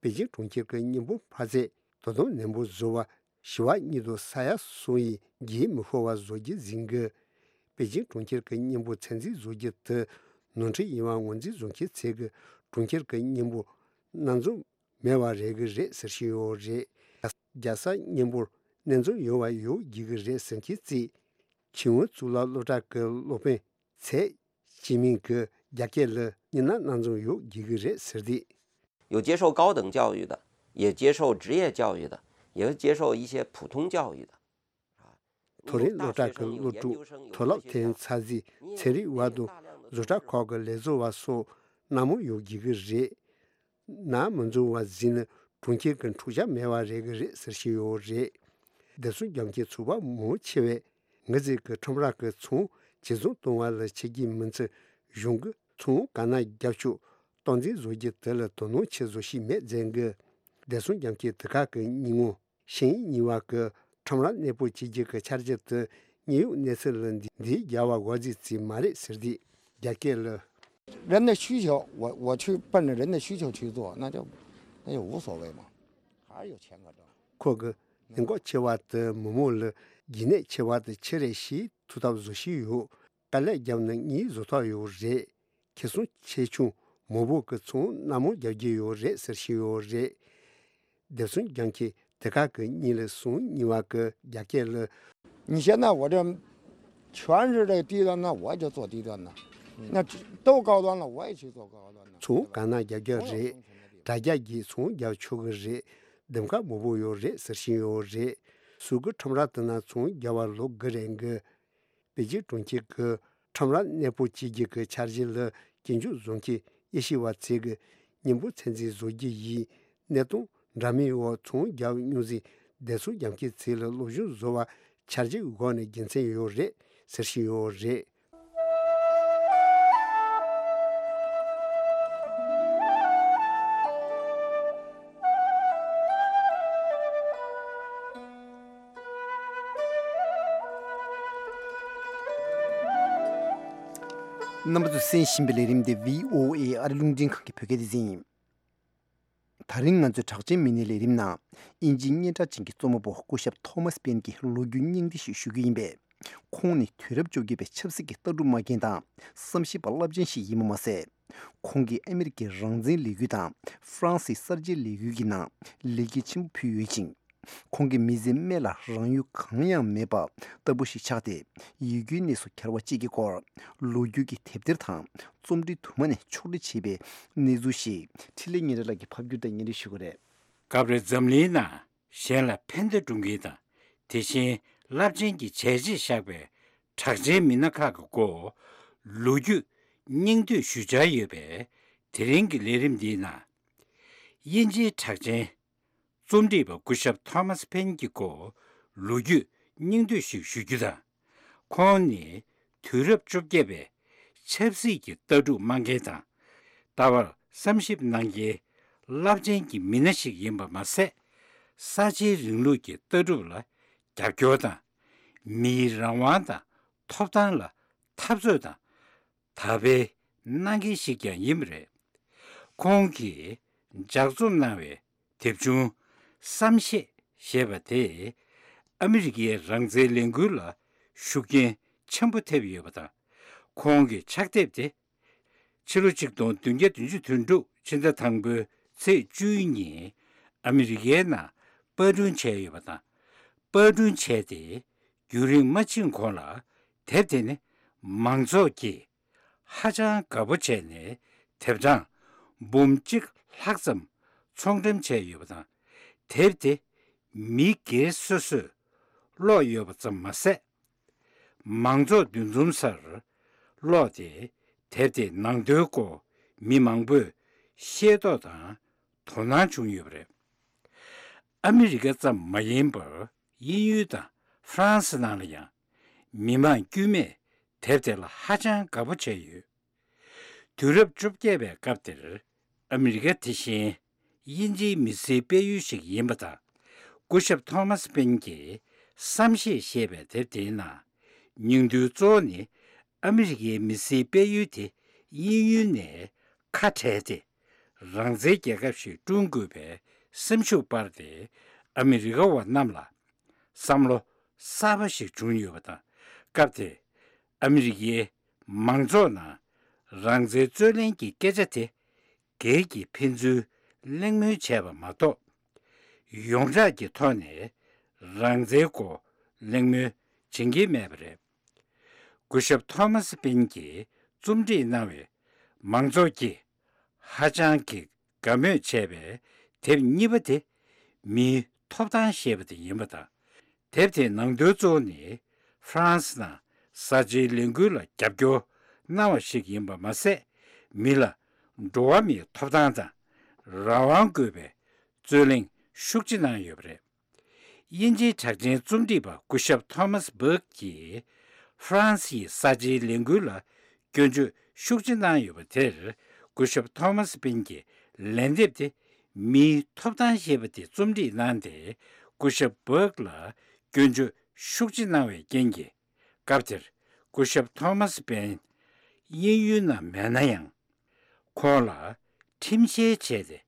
པེ་ཅིང་གྲོང་ཁྱེར་གྱི་མཉམ་འབོར་འཕར་ཚད་དོ་དམ་ནན་པོ་བཟོ་བ། ཞི་བ་གཉིས་དང་ས་ཡ་གསུམ་ཡི་རྒྱུན་མི་ཤོར་བ་བཟོ་རྒྱུ་ཟིན་གི། པེ་ཅིང་གྲོང་ཁྱེར་གྱི་མཉམ་འབོར་ཚད་འཛིན་བཟོ་རྒྱུ་དེ་ནོར་འཁྲུལ་ཡིན་པ་ངོས་འཛིན་བཟོ་མཁན་ཚོས་གི་གྲོང་ཁྱེར་གྱི་མཉམ་འབོར་སྣ་འཛོམས་མེད་པ་རེད་གི་རེད་ཟེར་བཞིན་ཡོད་རེད། རྒྱལ་ས་མཉམ་འབོར་སྣ་འཛོམས་ཡོད་པ་ཡོད་རྒྱུ་གི་རེད་ཟེར་མཁན་ཚོས་ཆིང་ཝེན་གཙུག་ལག་སློབ་གྲྭ་གི་སློབ་དཔོན་ཚེ་ཅི་མིང་གིས་རྒྱ་སྐད་ལ་ཉི་ན་སྣ་འཛོམས་ཡོད་རྒྱུ་གི་རེད་ཟེར་ཏེ། 有接受高等教育的，也接受职业教育的，也接受一些普通教育的。 མཐོ་རིམ་སློབ་གྲྭ་གི་སློབ་ཕྲུག་མཐོ་སློབ་ཐོན་ཚར་རྗེས་ཚན་རིག་པ་དང་བཟོ་གྲྭ་ཁག་གི་ལས་བཟོ་བ་སོགས་སྣ་མང་ཡོད་རྒྱུ་གི་རེད། སྣ་མི་འཛོམས་པ་ཟིན་ན་གྲོང་ཁྱེར་གྱི་འཁྲུག་ཆ་མེད་པ་རེད་གི་རེད་ཟེར་བཞིན་ཡོད་རེད། བདེ་སྲུང་རྒྱབ་འཁེལ་ཚོ་པ་མང་ཆེ་བས་ངེད་ཚོའི་གི་ཁྲོམ་ར་གི་ཚོང་ཇེ་བཟང་གཏོང་བ་ལ་བྱེད་ཀྱི་མི་ཚད་གཞུང་གི་ཚོང་ག་ན་རྒྱབ་ཕྱོགས་སྟངས་འཛིན་བཟོ་རྒྱུ་དེ་ལ་དོ་སྣང་ཆེ་བཟོ་ཞིག་མེད་ཟེར་གི། བདེ་སྲུང་རྒྱབ་འཁེལ་དེ་ག་གི་སྙིང་པོ། ཤིང་གཉིས་པ་གི་ཁྲོམ་ར་གནས་སྤོ་བྱེད་རྒྱུ་གི་འཆར་གཞི་དེ་དངོས་ཡོད་གནས་ཚུལ་ལ་འདི་འདི་རྒྱལ་བ་དགོས་རྫས་ཅིག་མ་རེད་ཟེར་ཏེ་རྒྱ་སྐད་ལ། 人的需求，我我去奔着人的需求去做，那就那就无所谓嘛，还是有钱可挣。 ཁོ་གི་ནད་འགོག་ཆེ་བ་དེ་མི་མང་ལ་རྒྱུན་གནས་ཆེ་བ་དེ་ཆི་རེད་ཤེས་ཐུབ་ཐབས་བཟོ་བཞིན་ཡོད། དཀའ་ལས་བརྒྱབ་ན་གཉིས་བཟོ་ཐབས་ཡོད་རེད། ཁེ་བཟང་ཆེ་ཆུང་མང་པོ་གི་ཚོང་སྣ་མང་རྒྱག་རྒྱུ་ཡོད་རེད་ཟེར་བཞིན་ཡོད་རེད། བདེ་སྲུང་རྒྱབ་འཁེལ་དེ་ག་གི་གཉིས་ལས་གསུམ་གཉིས་པ་གི་རྒྱ་སྐད་ལ། 你现在我这全是这个低端的，我就做低端的；那都高端了，我也去做高端的。 ཚོང་ག་ན་རྒྱག་རྒྱག་རེད། དྲ་རྒྱ་བརྒྱུད་ཚོང་རྒྱག་ཆོག་གི་རེད། འདེམས་ཀ་མང་པོ་ཡོད་རེད་ཟེར་བཞིན་ཡོད་རེད། སུ་གི་ཁྲོམ་ར་དེ་ན་ཚོང་རྒྱག་པ་ལོག་གི་རེད་གི། པེ་ཅིང་གྲོང་ཁྱེར་གྱི་ཁྲོམ་ར་གནས་སྤོ་བྱེད་རྒྱུ་གི་འཆར་གཞི་ལ་སྐྱིན་འཇུག་བཟོ་མཁན་དབྱེ་ཞིབ་པ་ཚོས་གི་མཉམ་པོ་ཚད་འཛིན་བཟོ་རྒྱུ་ཡིས་གནས་སྟངས་འདྲ་མིན་འོག་ཚོང་རྒྱག་མྱོང་ཟིན་བདེ་སྲུང་རྒྱབ་མཁན་ཚོས་ལ་སློབ་སྦྱོང་བཟོ་བ་འཆར་གཞི་འོག་ནས་དགེ་མཚན་ཡོད་རེད་ཟེར་བཞིན་ཡོད་རེད། རྣམ་པ་ཚོས་གསན་བཞིན་པའི་ལས་རིམ་འདི་བྷི་ཨོ་ཨེ་ཨ་རི་རླུང་འཕྲིན་ཁང་གི་བོད་སྐད་སྡེ་ཚན་ཡིན། ད་རིང་ང་ཚོའི་གྲགས་ཅན་མི་སྣའི་ལས་རིམ་ནང་དབྱིན་ཇིའི་སྙན་གྲགས་ཅན་གྱི་རྩོམ་པ་པོ་སྐུ་ཞབས་ཐོ་མཱས་པེན་གྱི་ལོ་རྒྱུས་སྙིང་བསྡུས་ཤིག་ཞུ་རྒྱུ་ཡིན་པས། ཁོང་ནི་དུས་རབས་བཅོ་བརྒྱད་པའི་ཆབ་སྲིད་ཀྱི་ལྟ་གྲུབ་མ་མཁན་དང་བསམ་ཤེས་པ་རླབས་ཆེན་ཞིག་ཡིན་པ་མ་ཟད། ཁོང་གིས་ཨ་མི་རི་ཀའི་རང་བཙན་ལས་འགུལ་དང་ཧྥ་རན་སིའི་གསར་བརྗེའི་ལས་འགུལ་གྱི་ནང་ལེགས་སྐྱེས་ཆེན་པོ་ཕུལ་ཡོད་ཅིང་། ཁོང་གིས་མི་ཚེའི་སྨད་ལ་རང་ཡུལ་གང་ཡང་མེད་པ་ལྟ་བུ་ཞིག་ཆགས་ཏེ། ཡི་གུའི་གནས་སུ་གྱར་བ་བཅས་ཀྱི་སྐོར་ལོ་རྒྱུས་ཀྱི་དེབ་ཐེར་དང་རྩོམ་བྲིས་དུ་མ་ནས་ཕྱོགས་སྒྲིག་བྱས་པའི་གནས་ཚུལ་ཞིག་འཕྲིན་ལས་ཉིན་རེ་ལགས་ཀྱིས་ཕབ་སྒྱུར་དང་སྙན་སྒྲོན་ཞུ་གི་རེད། སྐབས་རེ་འཛམ་གླིང་ནང་གཞན་ལ་ཕན་བདེ་སྒྲུབ་མཁན་དང་། དེ་བཞིན་རླབས་ཆེན་གྱི་བྱས་རྗེས་བཞག་པའི་གྲགས་ཅན་མི་སྣ་ཁག་གི་སྐོར་ལོ་རྒྱུས་སྙིང་བསྡུས་ཞུ་འཆར་ཡོད་པས། དེ་རིང་གི་ལས་རིམ་འདིའི་ནང་། དབྱིན་ཇིའི་གྲགས་ཅན་རྩོམ་སྒྲིག་པ་སྐུ་ཞབས་ཐོ་མཱས་ཕེན་གྱི་སྐོར་ལོ་རྒྱུས་སྙིང་བསྡུས་ཤིག་ཞུ་རྒྱུ་དང་། ཁོང་ནི་དུས་རབས་བཅོ་བརྒྱད་པའི་ཆབ་སྲིད་ཀྱི་ལྟ་གྲུབ་སྨྲ་མཁན་དང་། ལྟ་བར་བསམ་ཞིབ་གནང་མཁན་རླབས་ཆེན་གྱི་མི་སྣ་ཞིག་ཡིན་པ་མ་ཟད། གསར་བརྗེའི་རིང་ལུགས་ཀྱི་ལྟ་གྲུབ་ལ་རྒྱབ་སྐྱོར་དང་། མིའི་རང་དབང་དང་ཐོབ་ཐང་ལ་འཐབ་རྩོད་དང་དར་སྤེལ་གནང་མཁན་ཞིག་ཀྱང་ཡིན་པ་རེད། ཁོང་གིས་ལྗགས་རྩོམ་གནང་བའི་དེབ་ཆུང་བསམ་ཤེས་ཞེས་པ་དེས་ཨ་མི་རི་ཀའི་རང་བཙན་ལས་འགུལ་ལ་ཤུགས་རྐྱེན་ཆེན་པོ་ཐེབས་ཡོད་པ་དང་། ཁོང་གི་ཕྱག་དེབ་དེ་ཕྱི་ལོ་ཆིག་སྟོང་བདུན་བརྒྱ་བདུན་ཅུ་དོན་དྲུག་ཕྱི་ཟླ་དང་པོའི་ཚེས་བཅུའི་ཉིན་ཨ་མི་རི་ཀའི་ནང་པར་སྐྲུན་བྱས་ཡོད་པ་དང་། པར་སྐྲུན་བྱས་ཏེ་རྒྱུན་རིང་མ་ཕྱིན་གོང་ལ་དེབ་དེ་ནི་མང་ཚོགས་ཀྱིས་ཧ་ཅང་དགའ་པོ་བྱས་ནས་དེབ་གྲངས་འབུམ་གཅིག་ལྷག་ཙམ་ཚོང་འགྲེམས་བྱས་ཡོད་པ་དང་། དེབ་དེ་མི་སྒེར་སོ་སོས་ཀློག་ཡོད་པ་ཙམ་མ་ཟད། མང་ཚོགས་འདུ་འཛོམས་སར་ཀློག་སྟེ་དེབ་དེའི་ནང་དོན་སྐོར་མི་མང་པོས་ཤེས་རྟོགས་དང་དོ་སྣང་བྱུང་ཡོད་པ་རེད། ཨ་མི་རི་ཀ་ཙམ་མ་ཡིན་པར་དབྱིན་ཡུལ་དང་ཧྥ་རན་སི་ནང་ལ་ཡང་མི་མང་དཀྱུས་མས་དེབ་དེ་ལ་ཧ་ཅང་དགའ་པོ་བྱས་ཡོད། དུས་རབས་བཅོ་བརྒྱད་པའི་སྐབས་དེར་ཨ་མི་རི་ཀ་དེ་བཞིན་དབྱིན་ཇིའི་མི་སེར་སྤེལ་ཡུལ་ཞིག་ཡིན་པ་དང་། སྐུ་ཞབས་ཐོ་མཱས་པེན་གྱིས་བསམ་ཤེས་ཞེས་པའི་དེབ་དེའི་ནང་། སྙིང་དོན་གཙོ་བོ་ནི་ཨ་མི་རི་ཀའི་མི་སེར་སྤེལ་ཡུལ་དེ་དབྱིན་ཡུལ་ནས་ཁ་བྲལ་ཏེ། རང་བཙན་རྒྱལ་ཁབ་ཞིག་བསྐྲུན་དགོས་པའི་སེམས་ཤུགས་སྤར་ཏེ། ཨ་མི་རི་ཀ་བ་རྣམས་ལ་བསམ་བློ་གསར་པ་ཞིག་བྱུང་ཡོད་པ་དང་། སྐབས་དེར་ཨ་མི་རི་ཀའི་མང་ཚོགས་ནང་རང་བཙན་རྩོད་ལེན་གྱི་སྐད་ཆ་དེ་སྒེར་གྱི་ཕན་ཚུན་གླེང་མོལ་བྱས་པ་མ་གཏོགས། ཡོངས་གྲགས་ཀྱི་ཐོག་ནས་རང་བཙན་སྐོར་གླེང་མོལ་བྱེད་ཀྱི་མེད་པ་རེད། སྐུ་ཞབས་ཐོ་མཱས་པིན་གྱིས་རྩོམ་སྒྲིག་གནང་བའི་མང་ཚོགས་ཀྱིས་ཧ་ཅང་གི་དགའ་མོས་བྱས་པའི་དེབ་གཉིས་པ་དེ་མིའི་ཐོབ་ཐང་ཞེས་པ་དེ་ཡིན་པ་དང་། དེབ་དེའི་ནང་དོན་གཙོ་བོ་ནི་ཧྥ་རན་སི་ནང་གསར་བརྗེའི་ལས་འགུལ་ལ་རྒྱབ་སྐྱོར་གནང་བ་ཞིག་ཡིན་པ་མ་ཟད། མི་ལ་འགྲོ་བ་མིའི་ཐོབ་ཐང་དང་རང་དབང་དགོས་པའི་རྩོད་གླེང་ཤུགས་ཆེ་གནང་ཡོད་པ་རེད། དབྱིན་ཇིའི་གྲགས་ཅན་རྩོམ་སྒྲིག་པ་སྐུ་ཞབས་ཐོ་མཱས་བྷག་གིས་ཧྥ་རན་སིའི་གསར་བརྗེའི་ལས་འགུལ་ལ་སྐྱོན་བརྗོད་ཤུགས་ཆེ་གནང་ཡོད་པ་དེར། སྐུ་ཞབས་ཐོ་མཱས་པིན་གྱི་ལན་འདེབས་དེ་མིའི་ཐོབ་ཐང་ཞེས་པ་དེ་རྩོམ་སྒྲིག་གནང་སྟེ། སྐུ་ཞབས་བྷག་ལ་སྐྱོན་བརྗོད་ཤུགས་ཆེ་གནང་བའི་རྐྱེན་གྱིས། སྐབས་དེར་སྐུ་ཞབས་ཐོ་མཱས་པིན་དབྱིན་ཡུལ་ནང་མེད་ན་ཡང་། ཁོང་ལ་ཁྲིམས་བཤེར་བྱས་ཏེ།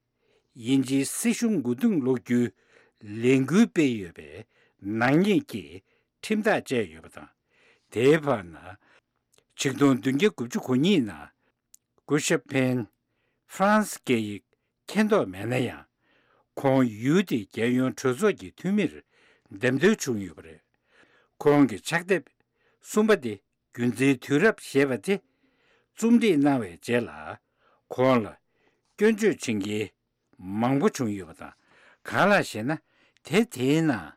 དབྱིན་ཇིའི་སྲིད་གཞུང་མགོ་རྟིང་སློག་རྒྱུའི་ལས་འགུལ་སྤེལ་ཡོད་པའི་ནག་ཉེས་ཀྱི་ཁྲིམས་ཐག་བཅད་ཡོད་པ་དང་། དེའི་བར་ན། ཆིག་སྟོང་བདུན་བརྒྱ་དགུ་བཅུ་གོ་གཉིས་ནང་སྐུ་ཞབས་ཕེན་ཧྥ་རན་སི་སྐད་ཡིག་མཁྱེན་རྟོགས་མེད་ན་ཡང་། ཁོང་ཡུལ་དེའི་རྒྱལ་ཡོངས་གྲོས་ཚོགས་ཀྱི་འཐུས་མིར་འདེམས་ཐོན་བྱུང་ཡོད་པ་རེད། ཁོང་གི་ཕྱག་དེབ་གསུམ་པ་དེ། རྒྱུ་མཚན་དུས་རབས་ཞེས་པ་དེ་རྩོམ་སྒྲིག་གནང་བའི་རྗེས་ལ། ཁོང་ལ་སྐྱོན་བརྗོད་བྱེད་མཁན་མང་པོ་བྱུང་ཡོད་པ་དང་། གང་ལགས་ཤེ་ན། དེབ་དེའི་ནང་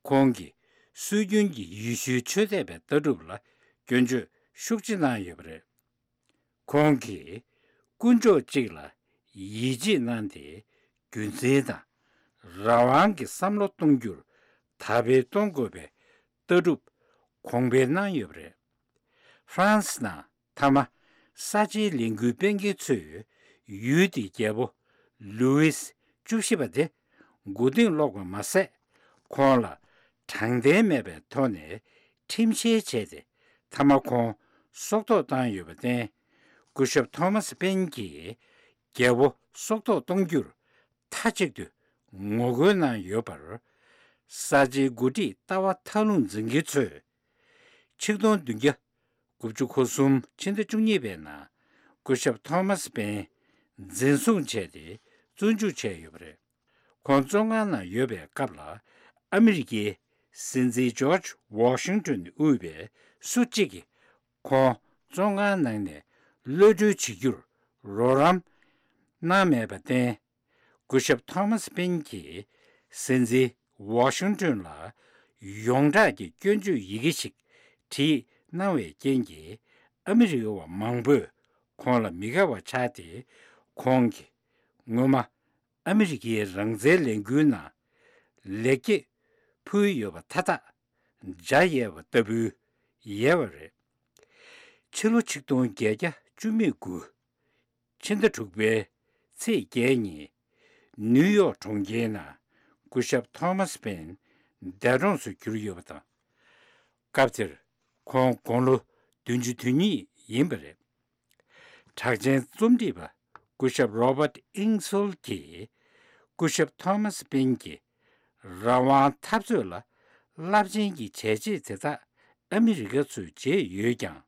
ཁོང་གིས་སྲོལ་རྒྱུན་གྱི་ཡེ་ཤུའི་ཆོས་དད་པའི་ལྟ་གྲུབ་ལ་སྐྱོན་བརྗོད་ཤུགས་ཆེ་གནང་ཡོད་པ་རེད། ཁོང་གིས་དཀོན་མཆོག་གཅིག་ལ་ཡིད་ཆེས་གནང་སྟེ། རྒྱུ་མཚན་དང་རང་དབང་གི་བསམ་བློ་གཏོང་རྒྱུར་དར་སྤེལ་གཏོང་དགོས་པའི་ལྟ་གྲུབ་གོང་འཕེལ་གནང་ཡོད་པ་རེད། ཧྥ་རན་སི་ནང་མཐའ་མ་གསར་བརྗེའི་ལས་འགུལ་སྤེལ་མཁན་ཚོས་ཡུལ་དེའི་རྒྱལ་པོ་ལུའིས་བཅུ་བཞི་པ་དེ་མགོ་རྟིང་སློག་པ་མ་ཟད། ཁོང་ལ་དྲང་བདེན་མེད་པའི་ཐོག་ནས་ཁྲིམས་བཤེར་བྱས་ཏེ། མཐའ་མ་ཁོང་སྲོག་ཐོག་བཏང་ཡོད་པར་བརྟེན། སྐུ་ཞབས་ཐོ་མཱས་པེན་གྱིས་རྒྱལ་པོ་སྲོག་ཐོག་གཏོང་རྒྱུར་ མཐའ་གཅིག་ཏུ་ངོ་རྒོལ་གནང་ཡོད་པར། གསར་བརྗེའི་འགོ་ཁྲིད་ལྟ་བ་མཐའ་ལྷུང་འཛིན་མཁན་ཚོས། ཆིག་སྟོང་བདུན་བརྒྱ་དགུ་བཅུ་གོ་གསུམ་ཕྱི་ཟླ་བཅུ་གཉིས་པའི་ནང་སྐུ་ཞབས་ཐོ་མཱས་པེན་འཛིན་བཟུང་བྱས་ཏེ་བཙོན་འཇུག་བྱས་ཡོད་པ་རེད། ཁོང་བཙོན་ཁང་ནང་ཡོད་པའི་སྐབས་ལ་ཨ་མི་རི་ཀའི་སྲིད་འཛིན་ཇོརྗ་ཝོ་ཤིང་ཏོན་དབུས་པའི་སུ་གཅིག་གིས་ཁོང་བཙོན་ཁང་ནང་ནས་གློད་གྲོལ་བྱེད་རྒྱུར་རོགས་རམ་གནང་མེད་པར་བརྟེན། སྐུ་ཞབས་ཐོ་མཱས་པེན་གྱིས་སྲིད་འཛིན་ཝོ་ཤིང་ཏོན་ལ་ཡོངས་གྲགས་ཀྱི་སྐྱོན་བརྗོད་ཡི་གེ་ཞིག་བྲིས་གནང་བའི་རྐྱེན་གྱིས་ཨ་མི་རི་ཀ་བ་མང་པོས་ཁོང་ལ་མི་དགའ་བ་ཆགས་ཏེ། ཁོང་གིས་སྔོན་མ་ཨ་མི་རི་ཀའི་རང་བཙན་ལས་འགུལ་ནང་ལེགས་སྐྱེས་ཕུལ་ཡོད་པ་མཐའ་དག་འཇའ་ཡལ་བ་ལྟ་བུའི་ཡལ་བ་རེད། ཕྱི་ལོ་ཆིག་སྟོང་བརྒྱད་བརྒྱ་བཅུ་མེད་དགུ། ཕྱི་ཟླ་དྲུག་པའི་ཚེས་བརྒྱད་ཉིན། ནིའུ་ཡོག་གྲོང་ཁྱེར་ནང་སྐུ་ཞབས་ཐོ་མཱས་པེན་འདས་གྲོངས་སུ་གྱུར་ཡོད་པ་དང་། སྐབས་དེར་ཁོང་དགུང་ལོ་བདུན་ཅུ་དོན་གཉིས་ཡིན་པ་རེད། གྲགས་ཅན་རྩོམ་སྒྲིག་པ་སྐུ་ཞབས་རོ་བརྟ་ཨིང་སོལ་གྱིས། སྐུ་ཞབས་ཐོ་མཱས་པེན་གྱིས་རང་དབང་འཐབ་རྩོད་ལ་རླབས་ཆེན་གྱི་བྱས་རྗེས་དེ་དག་ཨ་མི་རི་ཀ་ཚོས་བརྗེད་ཡོད་ཀྱང་།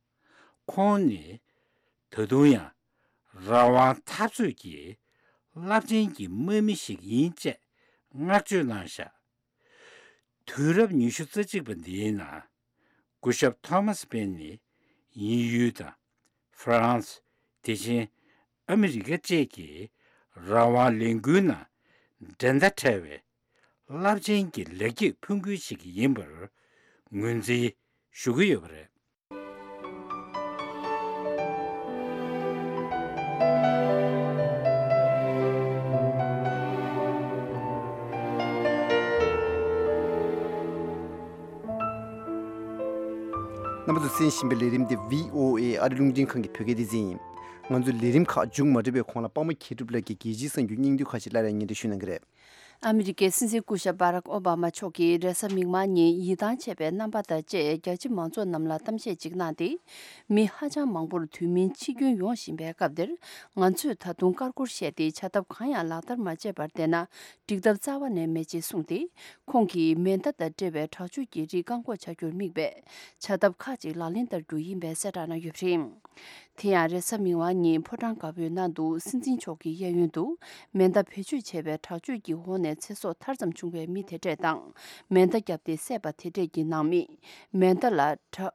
ཁོང་ནི་ད་དུང་ཡང་རང་དབང་འཐབ་རྩོད་ཀྱི་རླབས་ཆེན་གྱི་དམག་མི་ཞིག་ཡིན་ཅེས་བསྔགས་བརྗོད་གནང་བཞག་དུས་རབས་ཉི་ཤུ་རྩ་གཅིག་པ་འདིའི་ནང་སྐུ་ཞབས་ཐོ་མཱས་པེན་ནི་དབྱིན་ཡུལ་དང་ཧྥ་རན་སི། དེ་བཞིན་ཨ་མི་རི་ཀ་བཅས་ཀྱི་རང་དབང་ལས་འགུལ་ནང་འགྲན་ཟླ་བྲལ་བའི་རླབས་ཆེན་གྱི་ལེགས་སྐྱེས་ཕུལ་མཁན་ཞིག་ཡིན་པར་ངོས་འཛིན་ཞུ་གི་ཡོད་པ་རེད། རྣམ་པ་ཚོས་གསན་བཞིན་པའི་ལས་རིམ་འདི་བྷི་ཨོ་ཨེ་ཨ་རི་རླུང་འཕྲིན་ཁང་གི་བོད་སྐད་སྡེ་ཚན་ཡིན། ང་ཚོའི་ལས་རིམ་ཁག་མཇུག་མ་སྒྲིལ་བའི་གོང་ལ་པདྨ་མཁས་གྲུབ་ལགས་ཀྱིས་རྒྱལ་སྤྱིའི་གསར་འགྱུར་སྙིང་བསྡུས་ཁག་ཅིག་སླར་ཡང་སྙན་སྒྲོན་ཞུ་གནང་གི་རེད། ཨ་མི་རི་ཀའི་སྲིད་འཛིན་སྐུ་ཞབས་བྷ་རག་ཨོ་བྷ་མ་མཆོག་གིས་རེས་གཟའ་མིག་དམར་ཉིན་ཡིད་ཐང་ཆད་པའི་རྣམ་པ་དང་བཅས་རྒྱ་ཆེ་མང་ཚོགས་རྣམས་ལ་གཏམ་བཤད་ཅིག་གནང་སྟེ། མི་ཧ་ཅང་མང་པོར་དུས་མིན་འཆི་སྐྱོན་ཡོང་བཞིན་པའི་སྐབས་འདིར། ང་ཚོས་ད་དུང་ཀར་ཀོར་བཤད་དེ་བྱ་ཐབས་གང་ཡང་ལག་བསྟར་མ་བྱས་པར་བསྡད་ན་འགྲིག་ཐབས་རྩ་བ་ནས་མེད་ཅེས་གསུངས་ཏེ། ཁོང་གིས་མེ་མདའ་དང་འབྲེལ་བའི་དྲག་སྤྱོད་ཀྱི་རིགས་བཀག་འགོག་བྱ་རྒྱུར་དམིགས་པའི་བྱ་ཐབས་ཁག་ཅིག་ལག་ལེན་བསྟར་རྒྱུ་ཡིན་པའི་གསལ་བསྒྲགས་གནང་ཡོད་པ་རེད། དེ་ཡང་རེས་གཟའ་མིག་དམར་ཉིན་ཕོ་བྲང་དཀར་པོའི་ནང་དུ་སྲིད་འཛིན་མཆོག་གི་གཡས་གཡོན་དུ་མེ་མདའ་བེད་སྤྱོད་བྱས་པའི་དྲག་སྤྱོད་ཀྱི་འོག་ནས་ཚེ་སྲོག་ཐར་ཙམ་བྱུང་བའི་མི་དེ་འདྲས་དང་། མེ་མདའ་བརྒྱབ་སྟེ་བསད་པ་དེ་འདྲས་ཀྱི་ནང་མི། མེ་མདའ་ལ་དྲ་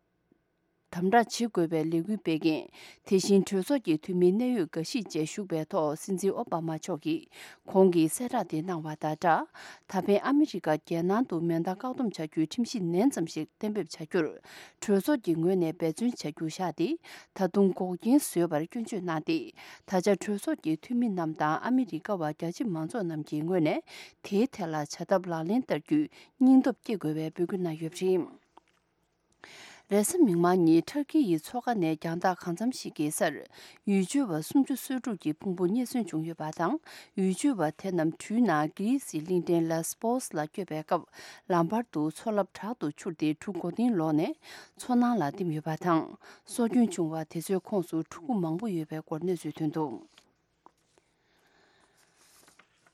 དམ་དྲག་བྱེད་དགོས་པའི་ལས་འགུལ་སྤེལ་མཁན། དེ་བཞིན་གྲོས་ཚོགས་ཀྱི་འཐུས་མི་གནད་ཡོད་འགའ་ཞིག་བཅས་ཞུགས་པའི་ཐོག་སྲིད་འཛིན་ཨོ་བྷ་མ་མཆོག་གིས། ཁོང་གིས་གསལ་བསྒྲགས་དེ་གནང་བ་དང་སྦྲགས། ད་ཕན་ཨ་མི་རི་ཀ་རྒྱལ་ནང་དུ་མེ་མདའ་བཀག་སྡོམ་བྱ་རྒྱུའི་ཁྲིམས་གཞི་ནན་ཙམ་ཞིག་གཏན་འབེབས་བྱ་རྒྱུར། གྲོས་ཚོགས་ཀྱི་ངོས་ནས་འབད་བརྩོན་བྱ་རྒྱུ་བཞག་སྟེ། ད་དུང་འགོག་རྐྱེན་བཟོས་པར་སྐྱོན་བརྗོད་གནང་སྟེ། ད་ཆ་གྲོས་ཚོགས་ཀྱི་འཐུས་མི་རྣམས་དང་ཨ་མི་རི་ཀ་བ་རྒྱ་ཆེ་མང་ཚོགས་རྣམས་ཀྱི་ངོས་ནས་དེའི་ཐད་ལ་བྱ་ཐབས་ལག་ལེན་བསྟར་རྒྱུའི་སྙིང་སྟོབས་བསྐྱེད་དགོས་པའི་འབོད་སྐུལ་གནང་ཡོད་པ་རེད། རེས་གཟའ་མིག་དམར་ཉིན་ཊར་ཀི་ཡི་མཚོ་ཁ་ནས་རྒྱང་ཐག་གང་འཚམ་ཞིག་གི་སར། ཡུལ་སྐྱོད་པ་སུམ་ཅུ་སོ་དྲུག་གི་ཕུང་པོ་རྙེད་སོན་བྱུང་ཡོད་པ་དང་། ཡུལ་སྐྱོད་པ་དེ་རྣམས་གྲུའི་ནང་གྷི་རི་སིའི་གླིང་ཕྲན་ལ་སི་པོ་སི་ལ་སྐྱོད་པའི་སྐབས། ལམ་བར་དུ་མཚོ་རླབས་དྲག་ཏུ་འཕྱུར་ཏེ་གྲུ་མགོ་རྟིང་ལོག་ནས་མཚོ་ནང་ལ་ལྡེམ་ཡོད་པ་དང་། སྲོག་སྐྱོན་བྱུང་བ་དེ་ཚོའི་ཁོངས་སུ་ཕྲུ་གུ་མང་པོ་ཡོད་པའི་སྐོར་གནས་ཚུལ་ཐོན་འདུག་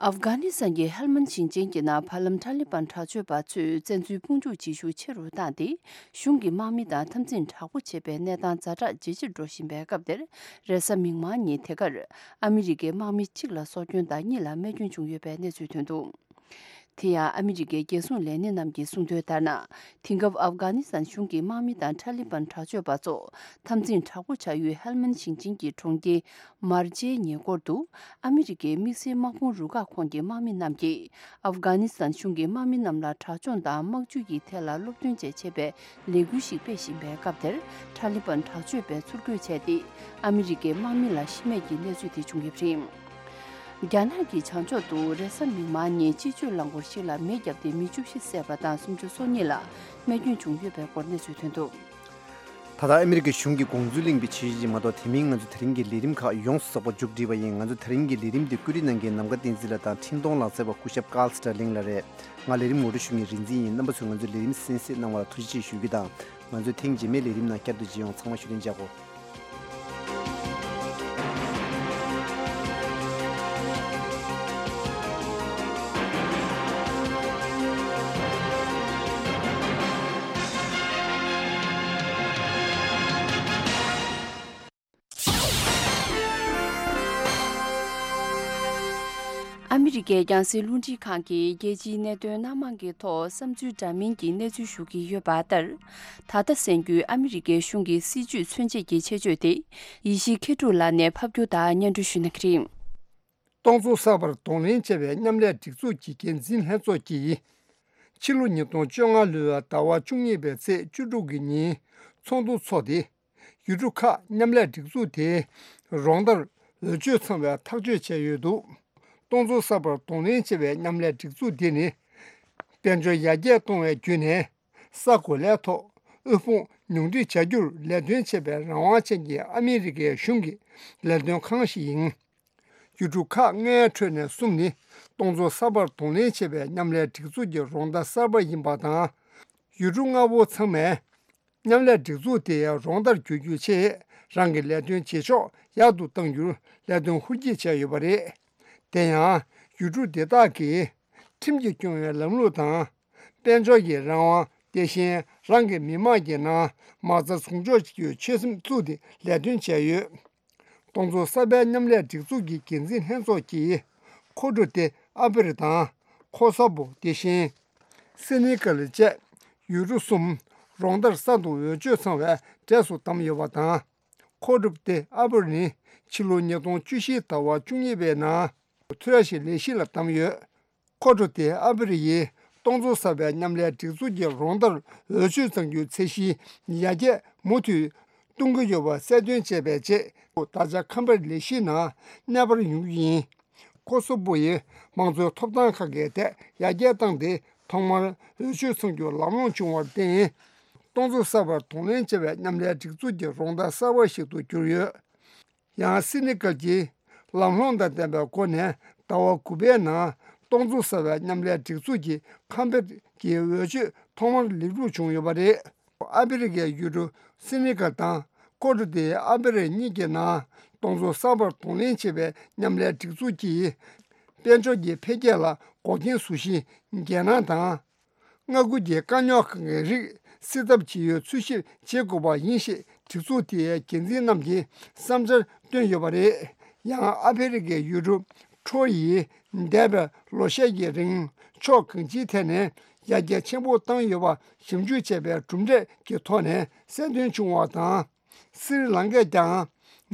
ཨབ་གྷ་ནི་སི་ཐན་གྱི་ཧེལ་མན་ཞིང་ཆེན་གྱི་ནང་བར་ལམ་ཐ་ལི་བན་དྲག་སྤྱོད་པ་ཚོས་བཙན་འཛུལ་དཔུང་འཇུག་བྱེད་ཤུགས་ཆེ་རུ་བཏང་སྟེ། གཞུང་གི་དམག་མི་དང་འཐབ་འཛིང་དྲག་པོ་བྱེད་པའི་གནས་སྟངས་ཛ་དྲག་ཇེ་ཆེར་འགྲོ་བཞིན་པའི་སྐབས་དེར། རེས་གཟའ་མིག་དམར་ཉིན་དེ་གར་ཨ་མི་རི་ཀའི་དམག་མི་གཅིག་ལ་སྲོག་སྐྱོན་དང་གཉིས་ལ་རྨས་སྐྱོན་བྱུང་ཡོད་པའི་གནས་ཚུལ་ཐོན་འདུག་དེ་ཡང་ཨ་མི་རི་ཀའི་རྒྱལ་སྲུང་ལས་སྣེ་རྣམས་ཀྱིས་གསུངས་དོན་ལྟར་ན། དེང་སྐབས་ཨབ་གྷ་ནི་སི་ཐན་གཞུང་གི་དམག་མི་དང་ཐ་ལི་བན་དྲག་སྤྱོད་པ་ཚོ་འཐབ་འཛིང་དྲག་པོ་བྱ་ཡུལ་ཧེལ་མན་ཞིང་ཆེན་གྱི་གྲོང་ཁྱེར་མར་ཇེའི་ཉེ་འཁོར་དུ། ཨ་མི་རི་ཀའི་དམིགས་བསལ་དམག་དཔུང་རུ་ཁག་ཁོངས་ཀྱི་དམག་མི་རྣམས་ཀྱིས་ཨབ་གྷ་ནི་སི་ཐན་གཞུང་གི་དམག་མི་རྣམས་ལ་དྲག་སྦྱོང་དང་དམག་ཇུས་ཀྱི་ཐད་ལ་སློབ་སྟོན་བཅས་བྱེད་པའི་ལས་འགུལ་ཞིག་སྤེལ་བཞིན་པའི་སྐབས་དེར། ཐ་ལི་བན་དྲག་སྤྱོད་པས་ཚུར་རྒོལ་བྱས་ཏེ། ཨ་མི་རི་ཀའི་དམག་མི་ལ་ཤི་རྨས་ཀྱི་གནས་ཚུལ་དེ་བྱུང་ཡོད་པ་རེད། རྒྱ་ནག་གི་བྱང་ཕྱོགས་སུ་རེས་གཟའ་མིག་དམར་ཉིན་སྤྱི་སྤྱོད་རླངས་འཁོར་ཞིག་ལ་མེ་བརྒྱབ་སྟེ་མི་བཅུ་བཞི་བསད་པ་དང་སུམ་ཅུ་སོ་གཉིས་ལ་རྨས་སྐྱོན་བྱུང་ཡོད་པའི་སྐོར་གནས་ཚུལ་ཐོན་འདུག་ད་ལྟ་ཨ་མི་རི་ཀའི་གཞུང་གིས་དགོངས་ཚུལ་གླེང་བའི་ཆེད་ཞིག་མ་གཏོགས། དེ་མིན་ང་ཚོ་དེ་རིང་གི་ལས་རིམ་ཁག་ཡོངས་སུ་རྫོགས་པ་མཇུག་སྒྲིལ་བ་ཡིན། ང་ཚོ་དེ་རིང་གི་ལས་རིམ་འདི་བཀོད་སྒྲིག་གནང་མཁན་ནམ་མཁའ་བསྟན་འཛིན་ལགས་དང་འཕྲིན་གཏོང་ལག་རྩལ་བ་སྐུ་ཞབས་ཀཱལ་སི་ཏྲ་ལིང་ལགས་རེད། ང་ལས་རིམ་ངོ་སྤྲོད་ཞུ་མཁན་རིག་འཛིན་ཡིན། རྣམ་པ་ཚོས་ང་ཚོའི་ལས་རིམ་གསན་གཟིགས་གནང་བ་ལ་ཐུགས་རྗེ་ཆེ་ཞུ་རྒྱུ་དང་། ང་ཚོས་ཐེངས་རྗེས་མའི་ལས་རིམ་ནང་བསྐྱར་དུ་མཇལ་ཡོང་། ཚང་མ་བཞུགས་གདན་འཇགས་གོ། ཨ་མི་རི་ཀའི་རྒྱང་སྲིང་རླུང་འཕྲིན་ཁང་གིས་རྒྱལ་སྤྱིའི་གནད་དོན་སྣ་མང་གི་ཐོག་བསམ་ཚུལ་འདྲ་མིན་གྱི་གནས་ཚུལ་ཞུ་གི་ཡོད་པ་ལྟར། ད་ལྟ་གསན་རྒྱུའི་ཨ་མི་རི་ཀའི་གཞུང་གི་སྲིད་ཇུས་མཚོན་བྱེད་ཀྱི་ཆེད་བརྗོད་དེ། ཡེ་ཤེས་མཁས་གྲུབ་ལགས་ནས་ཕབ་སྒྱུར་དང་སྙན་སྒྲོན་ཞུ་གནང་གི་རེད། སྟོང་ཚོ་གསར་པར་གདོང་ལེན་བྱས་པའི་མཉམ་ལས་སྒྲིག་འཛུགས་ཀྱི་འགན་འཛིན་ལྷན་ཚོགས་ཀྱིས། ཕྱི་ལོ་ཉིས་སྟོང་བཅོ་ལྔ་ལོའི་ཟླ་བ་བཅུ་གཉིས་པའི་ཚེས་བཅུ་དྲུག་གི་ཉིན་ཚོགས་འདུ་ཚོགས་ཏེ། ཡུལ་གྲུ་ཁག་མཉམ་ལས་སྒྲིག་འཛུགས་དེའི་རོགས་ཟླར་འོས་ཆོས་ཚང་བའི་ཐག་གཅོད་བྱས་ཡོད་འདུག་སྟོང་ཚོ་གསར་པར་གདོང་ལེན་བྱས་པའི་མཉམ་ལས་སྒྲིག་འཛུགས་འདི་ནི། དཔལ་འབྱོར་ཡར་རྒྱས་གཏོང་བའི་བརྒྱུད་ནས། ས་གོ་ལའི་ཐོག་དབུལ་ཕོངས་ཉུང་འཕྲི་བྱ་རྒྱུར་ལས་དོན་བྱེད་པའི་རང་དབང་ཅན་གྱི་ཨ་མི་རི་ཀའི་གཞུང་གི་ལས་དོན་ཁང་ཞིག་ཡིན། ཡུལ་གྲུ་ཁག་ལྔའི་ཁྲོད་ནས་གསུམ་ནི་སྟོང་ཚོ་གསར་པར་གདོང་ལེན་བྱེད་པའི་མཉམ་ལས་སྒྲིག་འཛུགས་ཀྱི་རོགས་ཟླ་གསར་པ་ཡིན་པ་དང་། ཡུལ་གྲུ་ལྔ་པོ་ཚང་མས་མཉམ་ལས་སྒྲིག་འཛུགས་དེའི་རོགས་ཟླར་གྱུར་རྒྱུའི་ཆེད་རང་གི་ལས་དོན་བྱེད་ཕྱོགས་ཡག་ཏུ་གཏང་རྒྱུར་ལས་དོན་ཧུར་སྐྱེད་བྱས་ཡོད་པ་རེད། དེ་ཡང་ཡུལ་གྲུ་དེ་དག་གིས་ཁྲིམས་ཀྱིས་སྐྱོང་བའི་ལམ་ལུགས་དང་། དཔལ་འབྱོར་གྱི་རང་དབང་། དེ་བཞིན་རང་གི་མི་དམངས་ཀྱི་ནང་མ་རྩ་ཟུང་འཇོག་བྱེད་རྒྱུའི་ཆོད་སེམས་བཙུགས་ཏེ་ལས་དོན་བྱས་ཡོད། སྟོང་ཚོ་གསར་པའི་མཉམ་ལས་སྒྲིག་འཛུགས་ཀྱི་འགན་འཛིན་ལྷན་ཚོགས་ཀྱིས་ཁོ་ཊོ་ཏེ་ཨ་བེ་རི་དང་ཁོ་སོ་བོ། དེ་བཞིན་སེ་ནི་གལ་བཅས་ཡུལ་གྲུ་གསུམ་རོགས་ཟླར་གསར་དུ་འོས་ཆོས་ཚང་བའི་གྲས་སུ་བདམས་ཡོད་པ་དང་། ཁོ་ཊོ་ཏེ་ཨ་བེ་རི་ནི་ཕྱི་ལོ་ཉིས་སྟོང་བཅུ་བཞི་ཟླ་བ་བཅུ་གཉིས་པའི་ནང་ཐོས་ཞིག་ལས་གཞི་ལ་བདམས་ཡོད། ཁོ་ཊོ་ཏེ་ཨ་བེ་རི་ཡིས་སྟོང་ཚོ་གསར་པའི་མཉམ་ལས་སྒྲིག་འཛུགས་ཀྱི་རོགས་ཟླར་འོས་ཆོས་གཙང་རྒྱུའི་ཚད་གཞིའི་ཡར་རྒྱས་མུ་མཐུད་གཏོང་གི་ཡོད་པ་གསལ་སྟོན་བྱས་པའི་རྗེས། ད་ཆ་ཁམས་པའི་ལས་གཞིའི་ནང་གནས་སྤར་ཡོང་རྒྱུ་ཡིན། ཁོ་སོ་བོ་ཡིས་མང་གཙོའི་ཐོབ་ཐང་ཁག་གི་ཐད་ཡར་རྒྱས་བཏང་སྟེ། ཐོག་མར་འོས་ཆོས་ཚང་རྒྱུ་ལམ་ལྷོང་བྱུང་བར་བརྟེན། སྟོང་ཚོ་གསར་པར་གདོང་ལེན་བྱེད་པའི་མཉམ་ལས་སྒྲིག་འཛུགས་ཀྱི་རོགས་ཟླ་གསར་པ་ཞིག་ཏུ་གྱུར་ཡོད། ཡང་སེ་ནི་གལ་གྱིས་ལམ་ལྷོང་དང་ལྡན་པའི་སྒོ་ནས་ཟླ་བ་དགུ་པའི་ནང་སྟོང་ཚོ་གསར་པའི་མཉམ་ལས་སྒྲིག་འཛུགས་ཀྱི་ཁམས་པའི་གི་འོས་ཆོས་ཐོག་མར་ལེགས་གྲུབ་བྱུང་ཡོད་པ་རེད། ཨ་ཕི་རི་ཀའི་ཡུལ་གྲུ་སེ་ནི་གལ་དང་ཁོ་ཊོ་ཏེ་ཨ་ཕི་རི་གཉིས་ཀྱི་ནང་སྟོང་ཚོ་གསར་པར་གདོང་ལེན་བྱེད་པའི་མཉམ་ལས་སྒྲིག་འཛུགས་ཀྱིས་དཔལ་འབྱོར་གྱི་འཕེལ་རྒྱས་ལ་འགོག་རྐྱེན་བཟོ་གཞི་འགན་ནང་དང་། མངའ་ཁུལ་གྱི་དཀའ་རྙོག་ཁག་གི་རིགས་སེལ་ཐབས་ཇི་ཡོད་འཚོལ་ཞིབ་བྱེད་དགོས་པ་ཡིན་ཞེས་སྒྲིག་འཛུགས་དེའི་འགན་འཛིན་རྣམས་ཀྱིས་བསམ་འཆར་བཏོན་ཡོད་པ་རེད། ཡང་ཨ་ཕི་རི་ཀའི་ཡུལ་གྲུ་ཁྲོ་ཡིས་འདས་པའི་ལོ་ཤས་ཀྱི་རིང་ཕྱོགས་གང་ཅིའི་ཐད་ནས་ཡར་རྒྱས་ཆེན་པོ་བཏང་ཡོད་པ་ཞིབ་འཇུག་བྱས་པའི་གྲུབ་འབྲས་ཀྱི་ཐོག་ནས་གསལ་སྟོན་བྱུང་བ་དང་། སི་རི་ལང་ཀས་ཀྱང་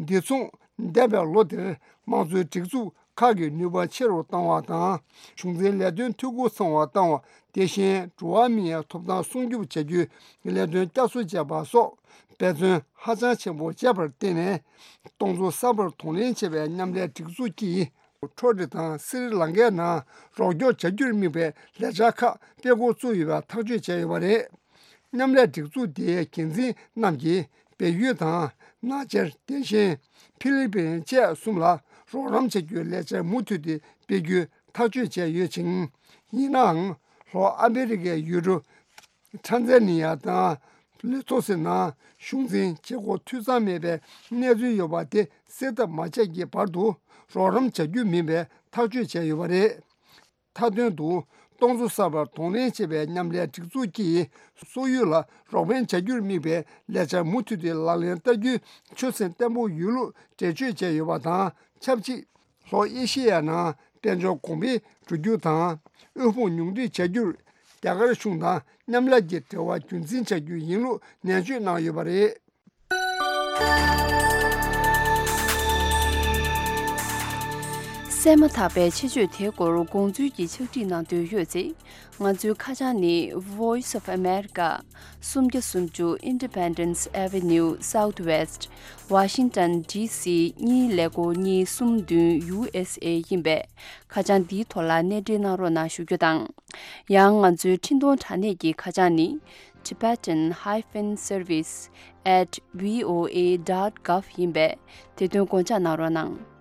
འདི་མཚུངས་འདས་པའི་ལོ་འདིར་དམངས་གཙོའི་སྒྲིག་འཛུགས་ཁག་གི་ནུས་པ་ཆེ་རུ་བཏང་བ་དང་། གཞུང་འཛིན་ལས་དོན་འཐུས་སྒོ་ཚང་བ་བཏང་བ། དེ་བཞིན་འགྲོ་བ་མིའི་ཐོབ་ཐང་སྲུང་སྐྱོབ་བྱ་རྒྱུའི་ལས་དོན་བསྐྱར་གསོ་བྱས་པ་སོགས་འབད་བརྩོན་ཧ་ཅང་ཆེན་པོ་བྱས་པར་བརྟེན་ནས། སྟོང་ཚོ་གསར་པར་གདོང་ལེན་བྱེད་པའི་མཉམ་ལས་སྒྲིག་འཛུགས་ཀྱིས་ཁྲོ་ཊི་དང་སི་རི་ལང་ཀའི་ནང་རོགས་སྐྱོར་བྱ་རྒྱུར་དམིགས་པའི་ལས་འཆར་ཁག་སྤེལ་འགོ་བཙུགས་ཡོད་པ་ཐག་གཅོད་བྱས་ཡོད་པ་རེད། མཉམ་ལས་སྒྲིག་འཛུགས་དེའི་འགན་འཛིན་རྣམས་ཀྱིས་བལ་ཡུལ་དང་ནག་ཆར། དེ་བཞིན་ཕི་ལི་པིན་བཅས་གསུམ་ལ་རོགས་རམ་བྱ་རྒྱུའི་ལས་འཆར་མུ་མཐུད་དེ་སྤེལ་རྒྱུའི་ཐག་གཅོད་བྱས་ཡོད་ཅིང་། ཡིན་ནའང་ལྷོ་ཨ་མེ་རི་ཀའི་ཡུལ་གྲུ་ཊན་ཛ་ནི་ཡ་དང་ལེ་སོ་ཐོ་ནང་གཞུང་འཛིན་བྱེད་སྒོ་འཐུས་ཚང་མེད་པའི་གནས་ཚུལ་ཡོད་པ་དེ་སེལ་ཐབས་མ་བྱས་ཀྱི་བར་དུ་རོགས་རམ་བྱ་རྒྱུ་མིན་པའི་ཐག་གཅོད་བྱས་ཡོད་པ་རེད། མཐའ་དོན་དུ། སྟོང་ཚོ་གསར་པར་གདོང་ལེན་བྱེད་པའི་མཉམ་ལས་སྒྲིག་འཛུགས་ཀྱིས་སོག་ཡུལ་ལ་རོགས་ཕན་བྱ་རྒྱུར་དམིགས་པའི་ལས་འཆར་མུ་མཐུད་དེ་ལག་ལེན་བསྟར་རྒྱུའི་ཆོད་སེམས་བརྟན་པོ་ཡོད་ལུགས་འགྲེལ་བརྗོད་བྱས་ཡོད་པ་དང་ཆབས་ཅིག་ལྷོ་ཨེ་ཤེ་ཡ་ནང་དཔལ་འབྱོར་གོང་འཕེལ་འགྲོ་རྒྱུ་དང་། དབུལ་ཕོངས་ཉུང་འཕྲི་བྱ་རྒྱུར་རྒྱ་གར་གཞུང་དང་མཉམ་ལས་ཀྱི་འབྲེལ་བ་རྒྱུན་འཛིན་བྱ་རྒྱུ་ཡིན་ལུགས་ནན་བརྗོད་གནང་ཡོད་པ་རེད། གསན་མ་ཐག་པའི་ཆེད་བརྗོད་དེའི་སྐོར་དགོངས་ཚུལ་གྱི་ཕྱག་བྲིས་གནང་འདོད་ཡོད་ཚེ། ང་ཚོའི་ཁ་བྱང་ནི། Voice of America། སུམ་བརྒྱ་སུམ་ཅུ་Independence Avenue Southwest། Washington D C གཉིས་ཀླད་ཀོར་གཉིས་གསུམ་བདུན། U S A ཡིན་པས། ཁ་བྱང་འདིའི་ཐོག་ལ་གནས་འབྲེལ་གནང་རོགས་གནང་ཞུ་རྒྱུ་དང་། ཡང་ང་ཚོའི་འཕྲིན་གཏོང་དྲ་གནས་ཀྱི་ཁ་བྱང་ནི། Tibetan hyphen service at V O A dot gov ཡིན་པས། དེ་དོན་དགོངས་འཇགས་གནང་རོགས་གནང་།